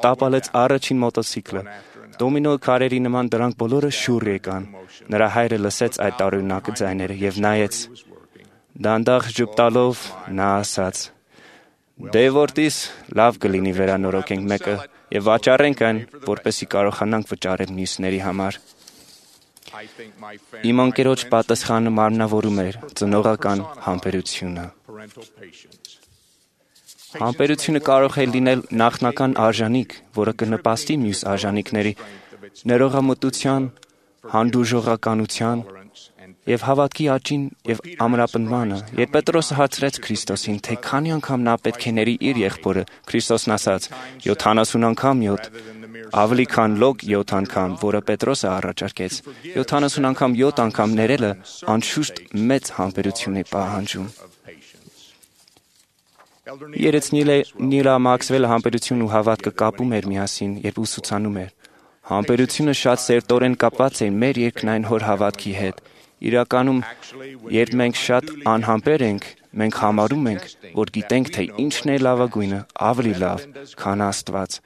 Speaker 8: տապալեց առաջին մոտոցիկլը։ Դոմինո քարերի նման դրանք բոլորը շուռ եկան։ Նրա հայրը լսեց այդ տարօրինակ ձայները եւ նայեց։ Դանդաղ ժպտալով նա ասաց. «Դե որդիս, լավ կլինի վերանորոգենք մեկը եւ վաճառենք այն, որպեսզի կարողանանք վճարել մյուսների համար»։ Իմ անկերոջ պատասխանը մարմնավորում էր ծնողական համբերությունը։ Համբերությունը կարող է լինել նախնական արժանիք, որը կնպաստի մյուս արժանիքների ներողամտության, հանդուրժողականության եւ հավատքի աճին եւ ամրապնդմանը, երբ Պետրոսը հարցրեց Քրիստոսին, թե քանի անգամ նա պետք է ների իր եղբորը, Քրիստոսն ասաց. յոթանասուն անգամ յոթ, ավելի քան լոկ յոթ անգամ, որը Պետրոսը առաջարկեց։ յոթանասուն անգամ յոթ անգամ ներելը անշուշտ մեծ համբերություն է պահանջում։ Երեց Նիլա Մաքսվելը համբերություն ու հավատքը կապում էր միասին, երբ ուսուցանում էր։ Համբերությունը շատ սերտորեն կապված է մեր երկնային հոր հավատքի հետ։ Իրականում, երբ մենք շատ անհամբեր ենք, մենք համարում ենք, որ գիտենք, թե ինչն է լավագույնը, ավելի լավ, քան Աստված,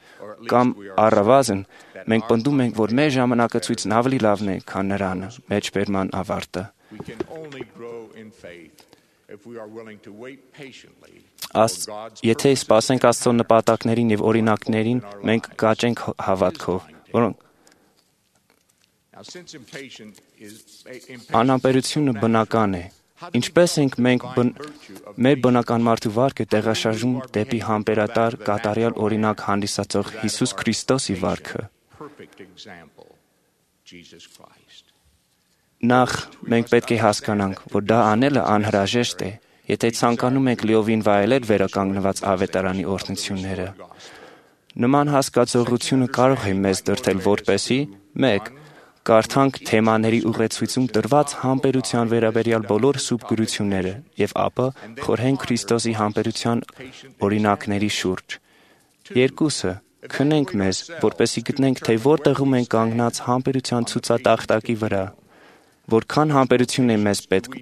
Speaker 8: կամ առավազն, մենք պնդում ենք, որ մեր ժամանակացույցն ավելի լավն է, քան նրանը, մեջբերման ավարտը։ Եթե սպասենք Աստծո նպատակներին եւ օրինակներին, մենք կաճենք հավատքով, որոնք անհամբերությունը բնական է։ Ինչպես ենք մենք մեր բնական մարդու վարքը տեղաշարժում դեպի համբերատար կատարյալ օրինակ հանդիսացող Հիսուս Քրիստոսի վարքը։ Նախ մենք պետք է հասկանանք, որ դա անելը անհրաժեշտ է, եթե ցանկանում ենք լիովին վայելել վերականգնված ավետարանի օրհնությունները։ Նման հասկացողությունը կարող է մեզ դրդել որպեսզի մեկ կարդանք թեմաների ուղեցույցում տրված համբերության վերաբերյալ բոլոր սուրբ գրությունները եւ ապա խորհենք Քրիստոսի համբերության օրինակների շուրջ։ Երկուսը քնենք մեզ, որպեսզի գտնենք, թե որտեղում ենք կանգնած համբերության ցուցատախտակի վրա, որքան համբերություն է մեզ պետք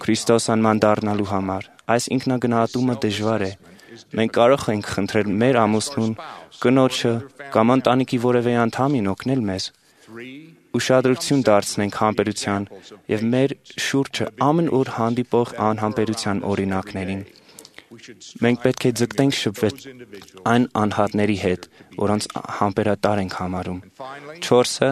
Speaker 8: Քրիստոս անման դառնալու համար։ Այս ինքնագնահատումը դժվար է։ Մենք կարող ենք խնդրել մեր ամուսնուն, կնոջը կամ ընտանիքի որևէ անդամին օգնել մեզ։ Ուշադրություն դարձնենք համբերության եւ մեր շուրջը ամեն օր հանդիպող անհամբերության օրինակներին։ Մենք պետք է ձգտենք շփվել այն անհատների հետ, որոնց համբերատար ենք համարում։ Չորսը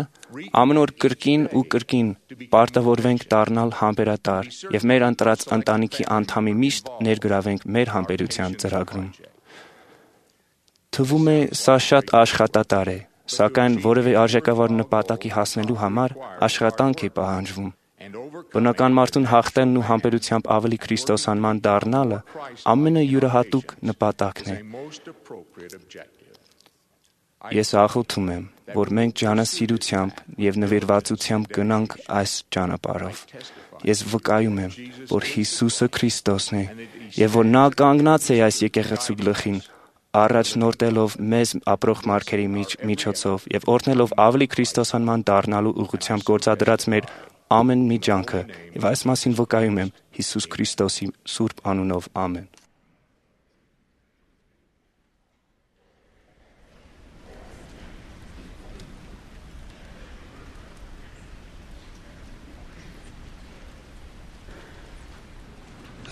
Speaker 8: ամեն օր կրկին ու կրկին պարտավորվենք դառնալ համբերատար եւ մեր ընտրած ընտանիքի անդամի միշտ ներգրավենք մեր համբերության ծրագրում։ Թվում է սա շատ աշխատատար է, սակայն որևէ արժեքավոր նպատակի հասնելու համար աշխատանք է պահանջվում։ Բնական մարդուն հաղթելն ու համբերությամբ ավելի քրիստոսանման դառնալը ամենայուրահատուկ նպատակն է։ Ես աղոթում եմ, որ մենք ջանասիրությամբ եւ նվիրվածությամբ գնանք այս ճանապարհով։ Ես վկայում եմ, որ Հիսուսը Քրիստոսն է եւ որ նա կանգնած է այս եկեղեցու գլխին, առաջնորդելով մեզ ապրող մարդերի միջոցով եւ օրհնելով ավելի քրիստոսանման դառնալու ուղղությամբ գործադրած մեր ամեն մի ջանքը, եւ այս մասին վկայում եմ Հիսուս Քրիստոսի սուրբ անունով, ամեն։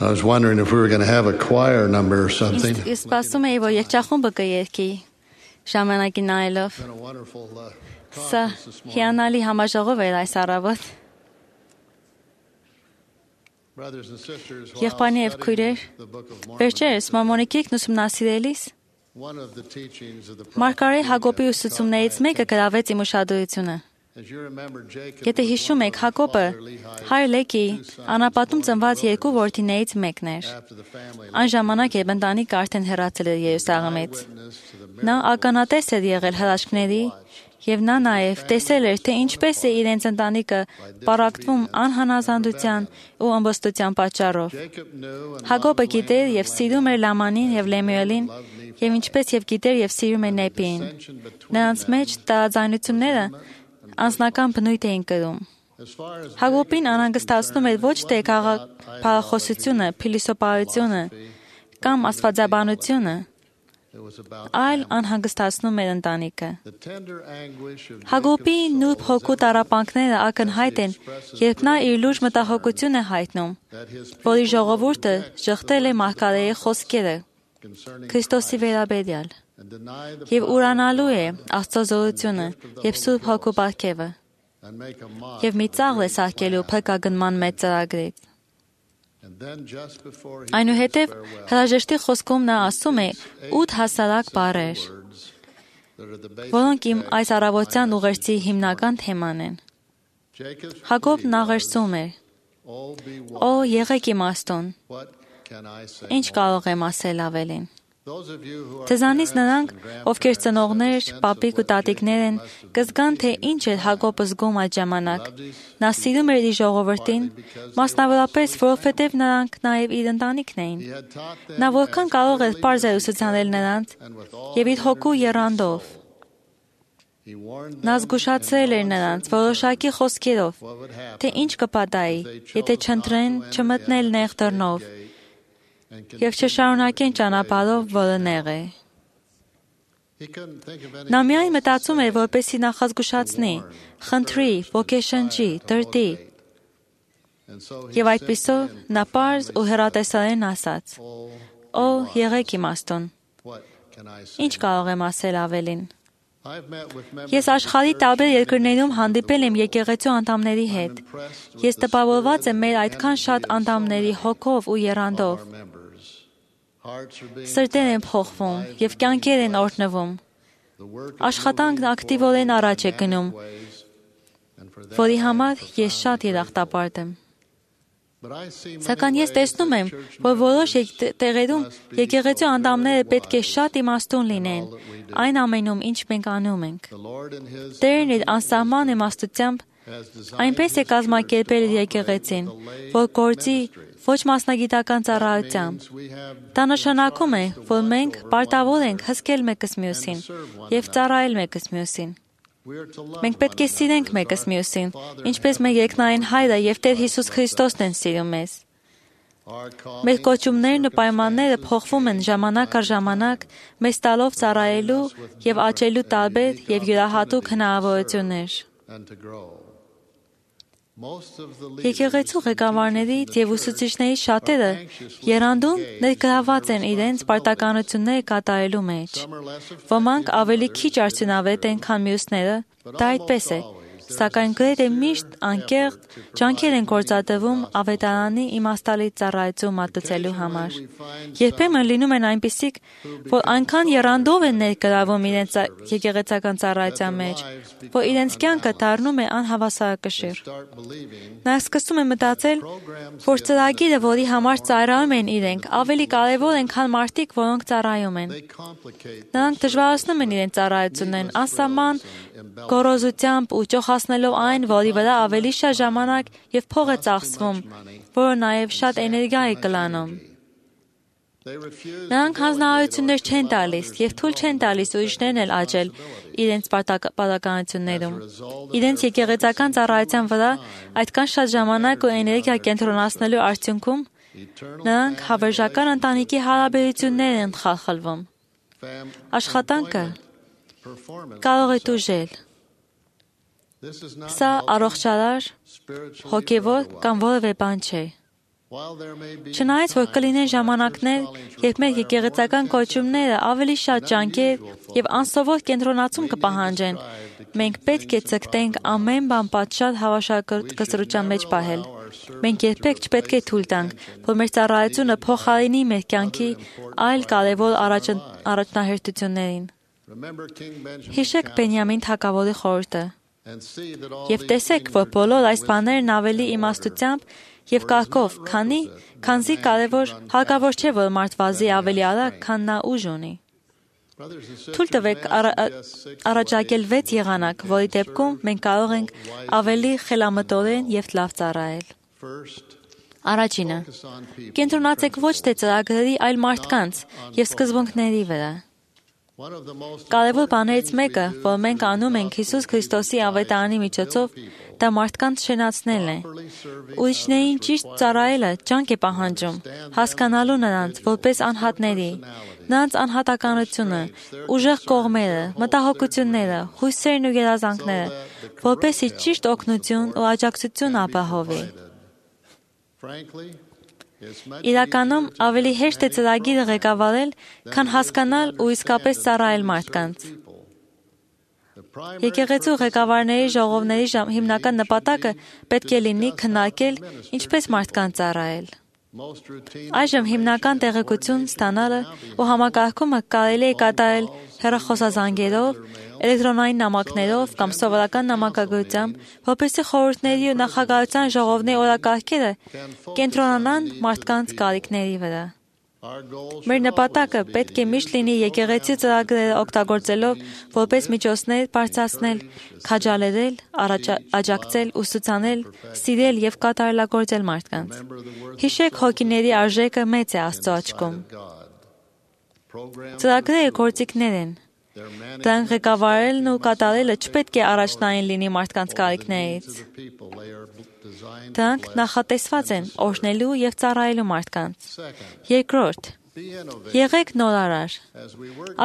Speaker 5: I was wondering if we were going to have a choir number or something.
Speaker 7: Ես սպասում էի, որ երգչախումբը կերգի ժամանակի նայելով։ Սա հիանալի համաժողով էր այս առավոտ։ Եղբայրներ եւ քույրեր, վերջերս Մորմոնի գիրքն ուսումնասիրելիս Մարգարե Հակոբի ուսուցումներից մեկը գրավեց իմ ուշադրությունը։ Եթե հիշում եք, Հակոբը հայր Լեկի անապատում ծնված երկու որդիներից մեկն էր։ Այն ժամանակ, երբ ընտանիքը արդեն հեռացել էր Երուսաղեմից։ Նա ականատես էր եղել հրաշքների, եւ նա նաեւ տեսել էր, թե ինչպես է իրենց ընտանիքը պարակտվում անհանազանդության ու ըմբոստության պատճառով։ Հակոբը գիտեր եւ սիրում էր Լամանին եւ Լեմուելին, եւ ինչպես եւ գիտեր եւ սիրում էր Նեպիին։ Նրանց մեջ տարաձայնությունները անձնական բնույթ էին կրում։ Հակոբին անհանգստացնում էր ոչ թե քաղաքախոսությունը, փիլիսոփայությունը կամ աստվածաբանությունը, այլ անհանգստացնում էր ընտանիքը։ Հակոբի նուրբ հոգու տառապանքները ակնհայտ են, երբ նա իր լուրջ մտահոգություն է հայտնում, որ իր ժողովուրդը ժխտել է Մարգարեի խոսքերը Քրիստոսի վերաբերյալ եւ ուրանալու է Աստծո զորությունը եւ Սուրբ Հոգու պարգևը եւ մի ծաղր է սարքելու փրկագնման մեծ ծրագրից։ Այնուհետև հրաժեշտի խոսքում նա ասում է ութ հասարակ բառեր, որոնք իմ այս առավոտյան ուղերձի հիմնական թեման են։ Հակոբն աղերսում էր. Օ, եղեք իմաստուն։ Ինչ կարող եմ ասել ավելին։ Ձեզանից նրանք, ովքեր ծնողներ, պապիկ ու տատիկներ են, կզգան, թե ինչ էր Հակոբը զգում այդ ժամանակ։ Նա սիրում էր իր ժողովրդին, մասնավորապես, որովհետև նրանք նաև իր ընտանիքն էին։ Նա որքան կարող էր պարզ էր ուսուցանել նրանց և իր հոգու եռանդով։ Նա զգուշացրել էր նրանց որոշակի խոսքերով, թե ինչ կպատահի, եթե չընտրեն չմտնել նեղ դռնով և չշարունակեն ճանապարհով, որը նեղ է։ Նա միայն մտածում էր, որպեսզի նախազգուշացնի, խնդրի, ոգեշնչի, դրդի։ Եվ այդպիսով նա պարզ ու հեռատեսորեն ասաց. Օ, եղեք իմաստուն։ Ինչ կարող եմ ասել ավելին։ Ես աշխարհի տարբեր երկրներում հանդիպել եմ եկեղեցու անդամների հետ։ Ես տպավորված եմ մեր այդքան շատ անդամների հոգով ու եռանդով։ Սրտեր են փոխվում և կյանքեր են օրհնվում։ Աշխատանքն ակտիվորեն առաջ է գնում, որի համար ես շատ երախտապարտ եմ։ Սակայն ես տեսնում եմ, որ որոշ տեղերում եկեղեցու անդամները պետք է շատ իմաստուն լինեն այն ամենում, ինչ մենք անում ենք։ Տերն իր անսահման իմաստությամբ այնպես է կազմակերպել իր եկեղեցին, որ գործի ոչ մասնագիտական ծառայությամբ։ Դա նշանակում է, որ մենք պարտավոր ենք հսկել մեկս մյուսին և ծառայել մեկս մյուսին։ Մենք պետք է սիրենք մեկս մյուսին, ինչպես մեր երկնային Հայրը և Տեր Հիսուս Քրիստոսն են սիրում մեզ։ Մեր կոչումներն ու պայմանները փոխվում են ժամանակ առ ժամանակ, մեզ տալով ծառայելու և աճելու տարբեր և յուրահատուկ հնարավորություններ։ Եկեղեցու ղեկավարներից և ուսուցիչներից շատերը եռանդուն ներգրավված են իրենց պարտականությունները կատարելու մեջ։ Ոմանք ավելի քիչ արդյունավետ են, քան մյուսները, դա այդպես է, սակայն գրեթե միշտ անկեղծ ջանքեր են գործադրվում ավետարանի իմաստալից ծառայություն մատուցելու համար։ Երբեմն լինում են այնպիսիք, որ այնքան եռանդով են ներգրավում իրենց եկեղեցական ծառայության մեջ, որ իրենց կյանքը դառնում է անհավասարակշիռ։ Նրանք սկսում են մտածել, որ ծրագիրը, որի համար ծառայում են իրենք, ավելի կարևոր են, քան մարդիկ, որոնք ծառայում են։ Նրանք դժվարացնում են իրենց ծառայություններն անսահման գոռոզությամբ ու ճոխացնելով այն, որի վրա ավելի շատ ժամանակ և փող է ծախսվում, որը նաև շատ էներգիա է կլանում։ Նրանք հանձնարարություններ չեն տալիս և թույլ չեն տալիս ուրիշներն էլ աճել իրենց պարտականություններում։ Իրենց եկեղեցական ծառայության վրա այդքան շատ ժամանակ ու էներգիա կենտրոնացնելու արդյունքում նրանք հավերժական ընտանիքի հարաբերություններ են խախլվում։ Աշխատանքը կարող է տուժել։ Սա առողջարար, հոգևոր կամ որևէ բան չէ։ Չնայած, որ կլինեն ժամանակներ, երբ մեր եկեղեցական կոչումները ավելի շատ ջանքեր և անսովոր կենտրոնացում կպահանջեն, մենք պետք է ձգտենք ամեն բան պատշաճ հավասարակշռության մեջ պահել։ Մենք երբեք չպետք է թույլ տանք, որ մեր ծառայությունը փոխարինի մեր կյանքի այլ կարևոր առաջնահերթություններին։ Հիշեք Բենյամին թագավորի խորհուրդը և տեսեք, որ բոլոր այս բաներն ավելի իմաստությամբ և կարգով, քանի, քանզի կարևոր, հարկավոր չէ, որ մարդ վազի ավելի արագ, քան նա ուժ ունի։ Թույլ տվեք առաջարկել վեց եղանակ, որի դեպքում մենք կարող ենք ավելի խելամտորեն և լավ ծառայել։ Առաջինը. կենտրոնացեք ոչ թե ծրագրերի, այլ մարդկանց և սկզբունքների վրա։ Կարևոր բաներից մեկը, որ մենք անում ենք Հիսուս Քրիստոսի ավետարանի միջոցով, դա մարդկանց շենացնելն է։ Ուրիշներին ճիշտ ծառայելը ջանք է պահանջում, հասկանալու նրանց որպես անհատների, նրանց անհատականությունը, ուժեղ կողմերը, մտահոգությունները, հույսերն ու երազանքները, որպեսզի ճիշտ օգնություն ու աջակցություն ապահովի։ Իրականում ավելի հեշտ է ծրագիրը ղեկավարել, քան հասկանալ ու իսկապես ծառայել մարդկանց։ Եկեղեցու ղեկավարների ժողովների հիմնական նպատակը պետք է լինի քննարկել ինչպես մարդկանց ծառայել։ Այժմ հիմնական տեղեկություն ստանալը ու համակարգումը կարելի է կատարել հեռախոսազանգերով, էլեկտրոնային նամակներով կամ սովորական նամակագրությամբ, որպեսզի խորհուրդների ու նախագահության ժողովների օրակարգերը կենտրոնանան մարդկանց կարիքների վրա։ Մեր նպատակը պետք է միշտ լինի եկեղեցի ծրագրերը օգտագործելով որպես միջոցներ բարձրացնել, քաջալերել, աջակցել, ուսուցանել, սիրել եւ կատարելագործել մարդկանց։ Հիշեք, հոգիների արժեքը մեծ է Աստծո աչքում։ Ծրագրերը գործիքներ են։ Դրանք ղեկավարելն ու կատարելը չպետք է առաջնային լինի մարդկանց կարիքներից։ Դրանք նախատեսված են օրհնելու եւ ծառայելու մարդկանց։ Երկրորդ, եղեք նորարար։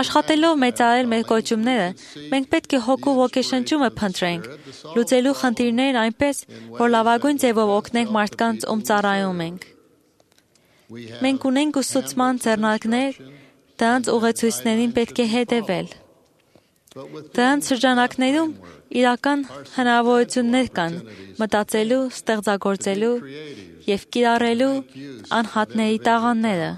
Speaker 7: Աշխատելով մեծարել մեր կոչումները, մենք պետք է հոգու ոգեշնչումը փնտրենք, լուծելու խնդիրներն այնպես, որ լավագույն ձևով օգնենք մարդկանց, ում ծառայում ենք։ Մենք ունենք ուսուցման ձեռնարկներ, դրանց ուղեցույցներին պետք է հետևել։ Դրանց շրջանակներում իրական հնարավորություններ կան մտածելու, ստեղծագործելու եւ կիրառելու անհատների տաղանները։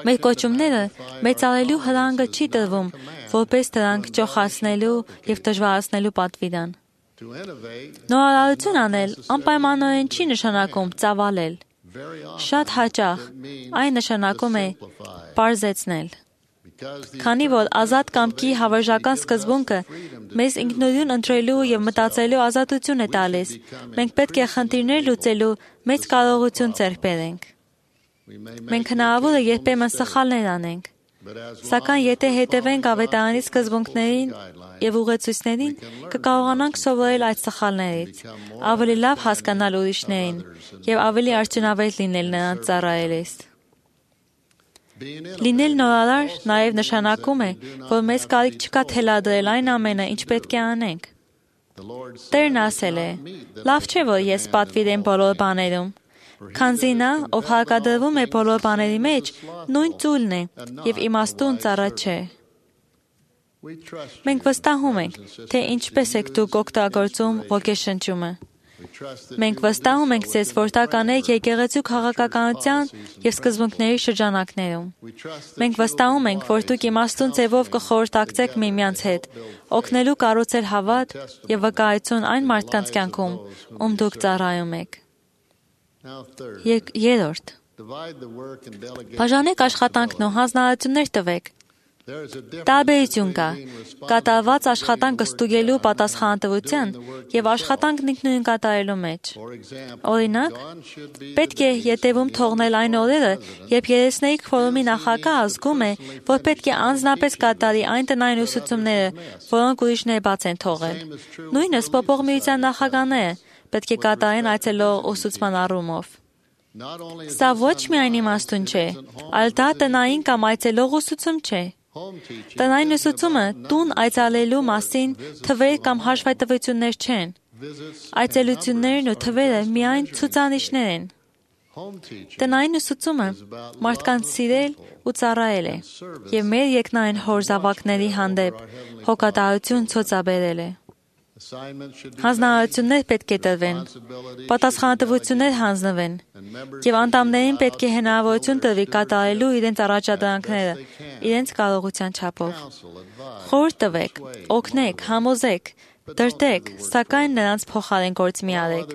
Speaker 7: Մեր կոչումները մեծարելու հրանգը չի տրվում, որպես դրանք ճոխացնելու եւ դժվարացնելու պատվիրան։ Նորարարություն անել անպայմանորեն չի նշանակում ծավալել։ Շատ հաճախ այն նշանակում է պարզեցնել։ Քանի որ ազատ կամքի հավերժական սկզբունքը մեզ ինքնուրույն ընտրելու եւ մտածելու ազատություն է տալիս, մենք պետք է խնդիրներ լուծելու մեծ կարողություն ձեռք բերենք։ Մենք հնարավոր է երբեմն սխալներ անենք, սակայն եթե հետևենք ավետարանի սկզբունքներին եւ ուղեցույցներին, կկարողանանք սովորել այդ սխալներից, ավելի լավ հասկանալ ուրիշներին եւ ավելի արդյունավետ լինել նրանց ծառայելիս։ Լինել նորարար նաև նշանակում է, որ մեզ կարիք չկա թելադրել այն ամենը, ինչ պետք է անենք։ Տերն ասել է. «Լավ չէ, որ ես պատվիրեմ բոլոր բաներում, քանզի նա, ով հարկադրվում է բոլոր բաների մեջ, նույն ծուլն է եւ իմաստուն ծառա չէ»։ Մենք վստահում ենք, թե ինչպես եք դուք օգտագործում ոգեշնչումը։ Մենք վստահում ենք ձեզ, որ դա կանեք եկեղեցու քաղաքականության եւ սկզբունքների շրջանակներում։ Մենք վստահում ենք, որ դուք իմաստուն ձևով կխորհրդակցեք միմյանց հետ, օգնելու կառուցել հավատ եւ վկայություն այն մարդկանց կյանքում, ում դուք ծառայում եք։ Երրորդ. Բաժանեք աշխատանքն ու հանձնարարություններ տվեք։ Տարբերություն կա կատարված աշխատանքը ստուգելու պատասխանատվության եւ աշխատանքն ինքնուրույն կատարելու մեջ։ Օրինակ, պետք է ետևում թողնել այն օրերը, երբ երեսների քվորումի նախագահը զգում է, որ պետք է անձնապես կատարի այն տնային ուսուցումները, որոնք ուրիշները բաց են թողել։ Նույնը սպոպող միության նախագահները պետք է կատարեն այցելող ուսուցման առումով։ Սա ոչ միայն իմաստուն չէ, այլ դա տնային կամ այցելող ուսուցում չէ։ Տնային ուսուցումը տուն այցելելու մասին թվեր կամ հաշվետվություններ չեն։ Այցելություններն ու թվերը միայն ցուցանիշներ են։ Տնային ուսուցումը մարդկանց սիրել ու ծառայել է եւ մեր երկնային հոր զավակների հանդեպ հոգատարություն ցուցաբերել է։ Հանձնարարություններ պետք է տրվեն, պատասխանատվություններ հանձնվեն եւ անդամներին պետք է հնարավորություն տրվի կատարելու իրենց առաջադրանքները իրենց կարողության չափով։ Խորհուրդ տվեք, օգնեք, համոզեք, դրդեք, սակայն նրանց փոխարեն գործ մի արեք։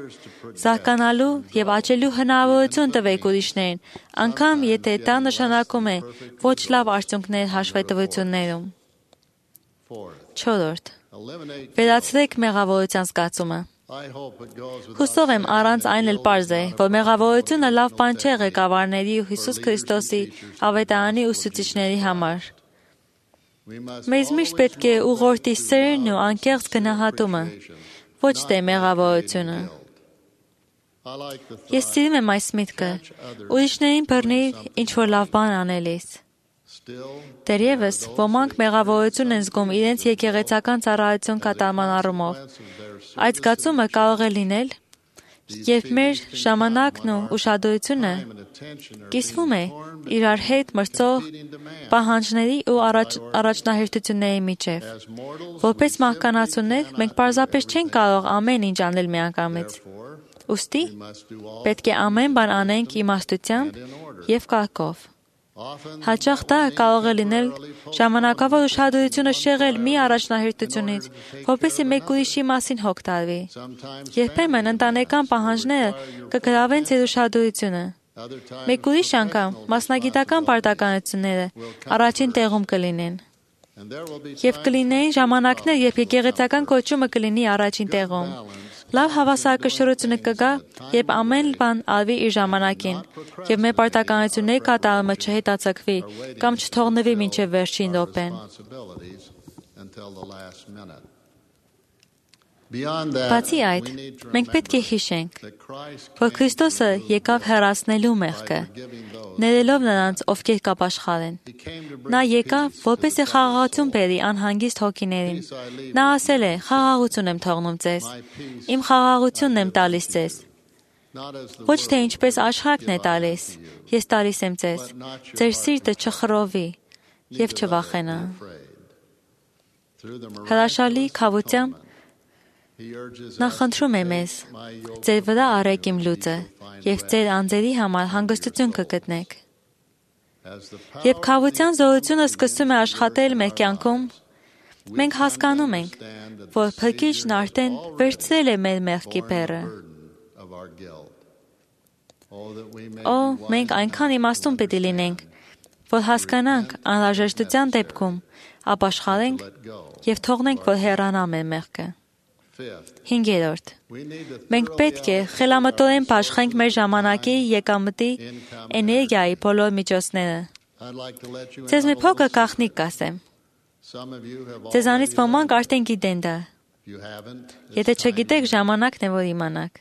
Speaker 7: Զարգանալու եւ աճելու հնարավորություն տվեք ուրիշներին, անգամ եթե դա նշանակում է ոչ լավ արդյունքներ հաշվետվություններում։ Չորրորդ. Վերացրեք մեղավորության զգացումը։ Հուսով եմ առանց այն էլ պարզ է, որ մեղավորությունը լավ բան չէ ղեկավարների ու Հիսուս Քրիստոսի ավետարանի ուսուցիչների համար։ Մեզ միշտ պետք է ուղղորդի սերն ու անկեղծ գնահատումը, ոչ թե մեղավորությունը։ Ես սիրում եմ այս միտքը, ուրիշներին բռնիր ինչ-որ լավ բան անելիս։ Դեռևս ոմանք մեղավորություն են զգում իրենց եկեղեցական ծառայություն կատարման առումով։ Այդ զգացումը կարող է լինել, երբ մեր ժամանակն ու ուշադրությունը կիսվում է իրար հետ մրցող պահանջների ու առաջ, առաջնահերթությունների միջև։ Որպես մարդկանացուներ մենք պարզապես չենք կարող ամեն ինչ անել միանգամից։ Ուստի պետք է ամեն բան անենք իմաստությամբ եւ կարգով։ Հաճախ դա կարող է լինել ժամանակավոր ուշադրությունը շեղել մի առաջնահերթությունից, որպեսզի մեկ ուրիշի մասին հոգ տարվի։ Երբեմն ընտանեկան պահանջները կգրավեն ձեր ուշադրությունը։ Մեկ ուրիշ անգամ մասնագիտական պարտականությունները առաջին տեղում կլինեն։ Եվ կլինեին ժամանակներ, երբ եկեղեցական կոչումը կլինի առաջին տեղում։ Լավ հավասարակշռությունը կգա, երբ ամեն բան արվի իր ժամանակին, եւ մեր պարտականությունների կատարումը չհետաձգվի կամ չթողնվի մինչև վերջին րոպեն։ Բացի այդ, մենք պետք է հիշենք, որ Քրիստոսը եկավ հեռացնելու մեղքը, ներելով նրանց, ովքեր կապաշխարեն։ Նա եկավ, որպեսզի խաղաղություն բերի անհանգիստ հոգիներին։ Նա ասել է. «Խաղաղություն եմ թողնում ձեզ, իմ խաղաղությունն եմ տալիս ձեզ։ Ոչ թե ինչպես աշխարհն է տալիս, ես տալիս եմ ձեզ, ձեր սիրտը չխռովի եւ չվախենա»։ Հրաշալի քավությամբ նա խնդրում է մեզ. «Ձեր վրա արեք իմ լուծը, եւ ձեր անձերի համար հանգստություն կգտնեք»։ Երբ քավության զորությունը սկսում է աշխատել մեր կյանքում, մենք հասկանում ենք, որ Փրկիչն արդեն վերցրել է մեր մեղքի բեռը։ Օ, մենք այնքան իմաստուն պետք է լինենք, որ հասկանանք անհրաժեշտության դեպքում ապաշխարենք եւ թողնենք, որ հեռանա մեր մեղքը։ Հինգերորդ. մենք պետք է խելամտորեն պաշտենք մեր ժամանակի, եկամտի, էներգիայի բոլոր միջոցները։ Ձեզ մի փոքր գաղտնիք կասեմ։ Ձեզանից ոմանք արդեն գիտեն դա։ Եթե չգիտեք, ժամանակն է, որ իմանաք։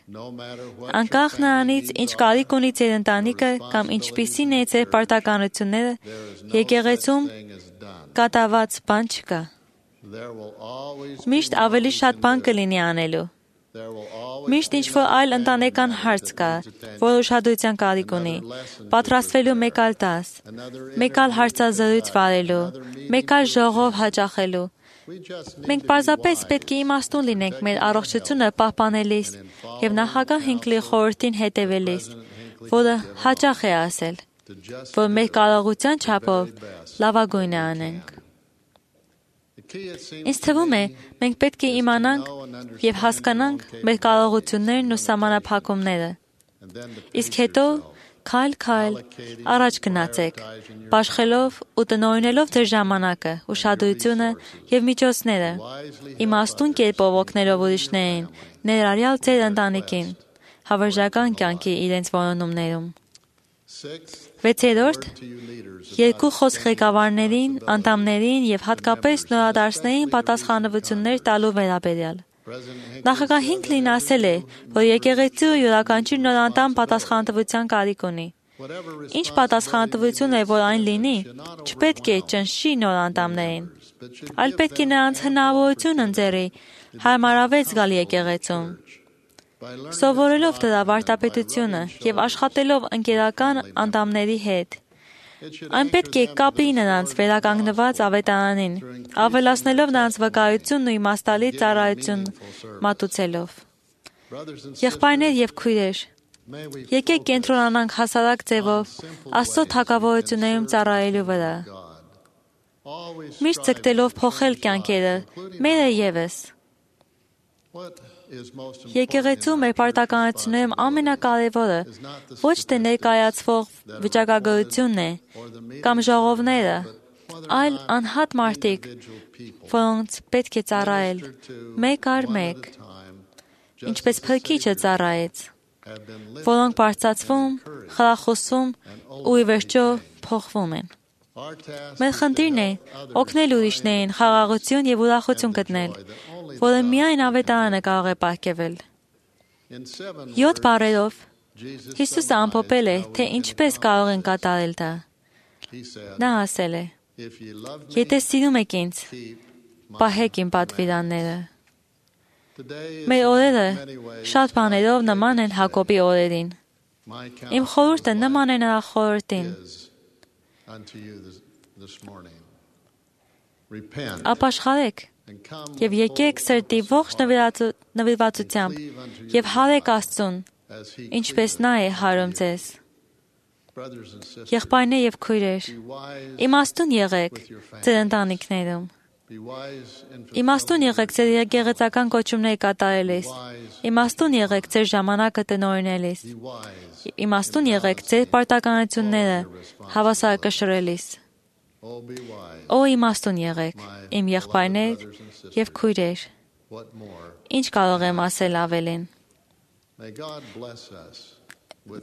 Speaker 7: Անկախ նրանից, ինչ կարիք ունի ձեր ընտանիքը կամ ինչպիսին է ձեր պարտականությունները, եկեղեցում կատարված բան չկա։ Միշտ ավելի շատ բան կլինի անելու։ Միշտ ինչ-որ այլ ընտանեկան հարց կա, որ ուշադրության կարիք ունի, պատրաստվելու մեկ այլ դաս, մեկ այլ հարցազրույց վարելու, մեկ այլ ժողով հաճախելու։ Մենք պարզապես պետք է իմաստուն լինենք մեր առողջությունը պահպանելիս եւ նախագահ Հինքլի խորհրդին հետևելիս, որը հաճախ է ասել, որ մեր կարողության չափով լավագույնը անենք։ Ինձ թվում է, մենք պետք է իմանանք եւ հասկանանք մեր կարողություններն ու սահմանափակումները։ Իսկ հետո քայլ-քայլ առաջ գնացեք, բաշխելով ու տնօրինելով ձեր ժամանակը, ուշադրությունը եւ միջոցները, իմաստուն կերպով օգնելով ուրիշներին, ներառյալ ձեր ընտանիքին, հավերժական կյանքի իրենց որոնումներում։ Վեցերորդ, երկու խոսք ղեկավարներին, անդամներին եւ հատկապես նորադարձներին պատասխանատվություններ տալու վերաբերյալ։ Նախագահ Հինքլին ասել է, որ եկեղեցու յուրաքանչյուր նոր անդամ պատասխանատվության կարիք ունի։ Ինչ պատասխանատվություն է, որ այն լինի, չպետք է ճնշի նոր անդամներին, այլ պետք է նրանց հնարավորություն ընձեռի հարմարավետ զգալ եկեղեցում։ Սովորելով դրա վարդապետությունը եւ աշխատելով ընկերական անդամների հետ, այն պետք է կապի նրանց վերականգնված ավետարանին, ավելացնելով նրանց վկայությունն ու իմաստալի ծառայություն մատուցելով։ Եղբայրներ եւ քույրեր, եկեք կենտրոնանանք հասարակ ձևով Աստծո թագավորություններում ծառայելու վրա։ Միշտ ձգտելով փոխել կյանքերը, մերը եւս։ Եկեղեցու մեր պարտականություններում ամենակարևորը ոչ թե ներկայացվող վիճակագրությունն է կամ ժողովները, այլ անհատ մարդիկ, որոնց պետք է ծառայել մեկ առ մեկ, ինչպես Փրկիչը ծառայեց, որոնք բարձրացվում, խրախուսվում ու ի վերջո փոխվում են։ Մեր խնդիրն է օգնել ուրիշներին խաղաղություն եւ ուրախություն գտնել, որը միայն ավետարանը կարող է պարգևել։ Յոթ բառերով Հիսուսը ամփոփել է, թե ինչպես կարող են կատարել դա։ Նա ասել է. «Եթե սիրում եք ինձ, պահեք իմ պատվիրանները»։ Մեր օրերը շատ բաներով նման են Հակոբի օրերին։ Իմ խորհուրդը նման է նրա խորհրդին։ Ապաշխարեք եւ եկեք սրտի ողջ նվիրվածությամբ եւ հարեք Աստծուն, ինչպես նա է հարում ձեզ։ Եղբայրներ եւ քույրեր, իմաստուն եղեք ձեր ընտանիքներում։ Իմաստուն եղեք ձեր եկեղեցական կոչումները կատարելիս։ Իմաստուն եղեք ձեր ժամանակը տնօրինելիս։ Իմաստուն եղեք ձեր պարտականությունները հավասարակշռելիս։ Օ իմաստուն եղեք, իմ եղբայրներ եւ քույրեր։ Ինչ կարող եմ ասել ավելին։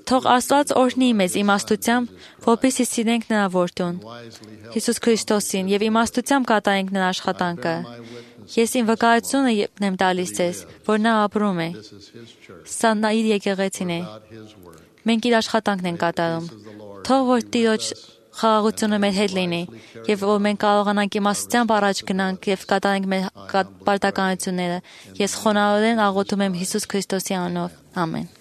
Speaker 7: Թող Աստված օրհնի մեզ իմաստությամբ, որպեսզի սիրենք նրա որդուն, Հիսուս Քրիստոսին, եւ իմաստությամբ կատարենք նրա աշխատանքը։ Ես իմ վկայությունը եմ տալիս ձեզ, որ նա ապրում է։ Սա նա իր եկեղեցին է։ Մենք իր աշխատանքն ենք կատարում։ Թող որ Տիրոջ խաղաղությունը մեր հետ լինի, եւ որ մենք կարողանանք իմաստությամբ առաջ գնանք եւ կատարենք մեր պարտականությունները։ Ես խոնարհորեն աղոթում եմ Հիսուս Քրիստոսի անունով։ Ամեն։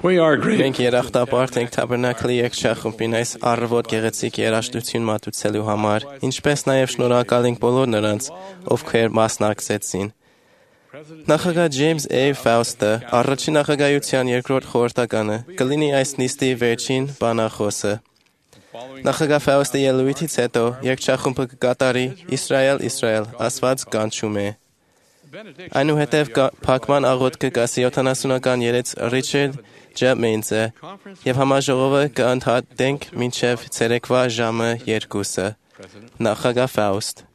Speaker 2: Մենք երախտապարտ ենք Թաբերնակլի եկչախումբին այս առավոտ գեղեցիկ երաժշտություն մատուցելու համար, ինչպես նաև շնորհակալ ենք բոլոր նրանց, ովքեր մասնակցեցին։ Նախագահ Ջեյմս Էյ Ֆաուստը, առաջին նախագահության երկրորդ խորհրդականը, կլինի այս նիստի վերջին բանախոսը։ Նախագահ Ֆաուստի ելույթից հետո երգչախումբը կկատարի «Իսրայել, Իսրայել, Աստված կանչում է»։ Այնուհետև փակման աղոթքը կասի յոթանասունական երեց Ռիչել Ջեմեյնսը և համաժողովը կընդհատենք մինչև ցերեկվա ժամը երկուսը։ Նախագահ Ֆաուստ։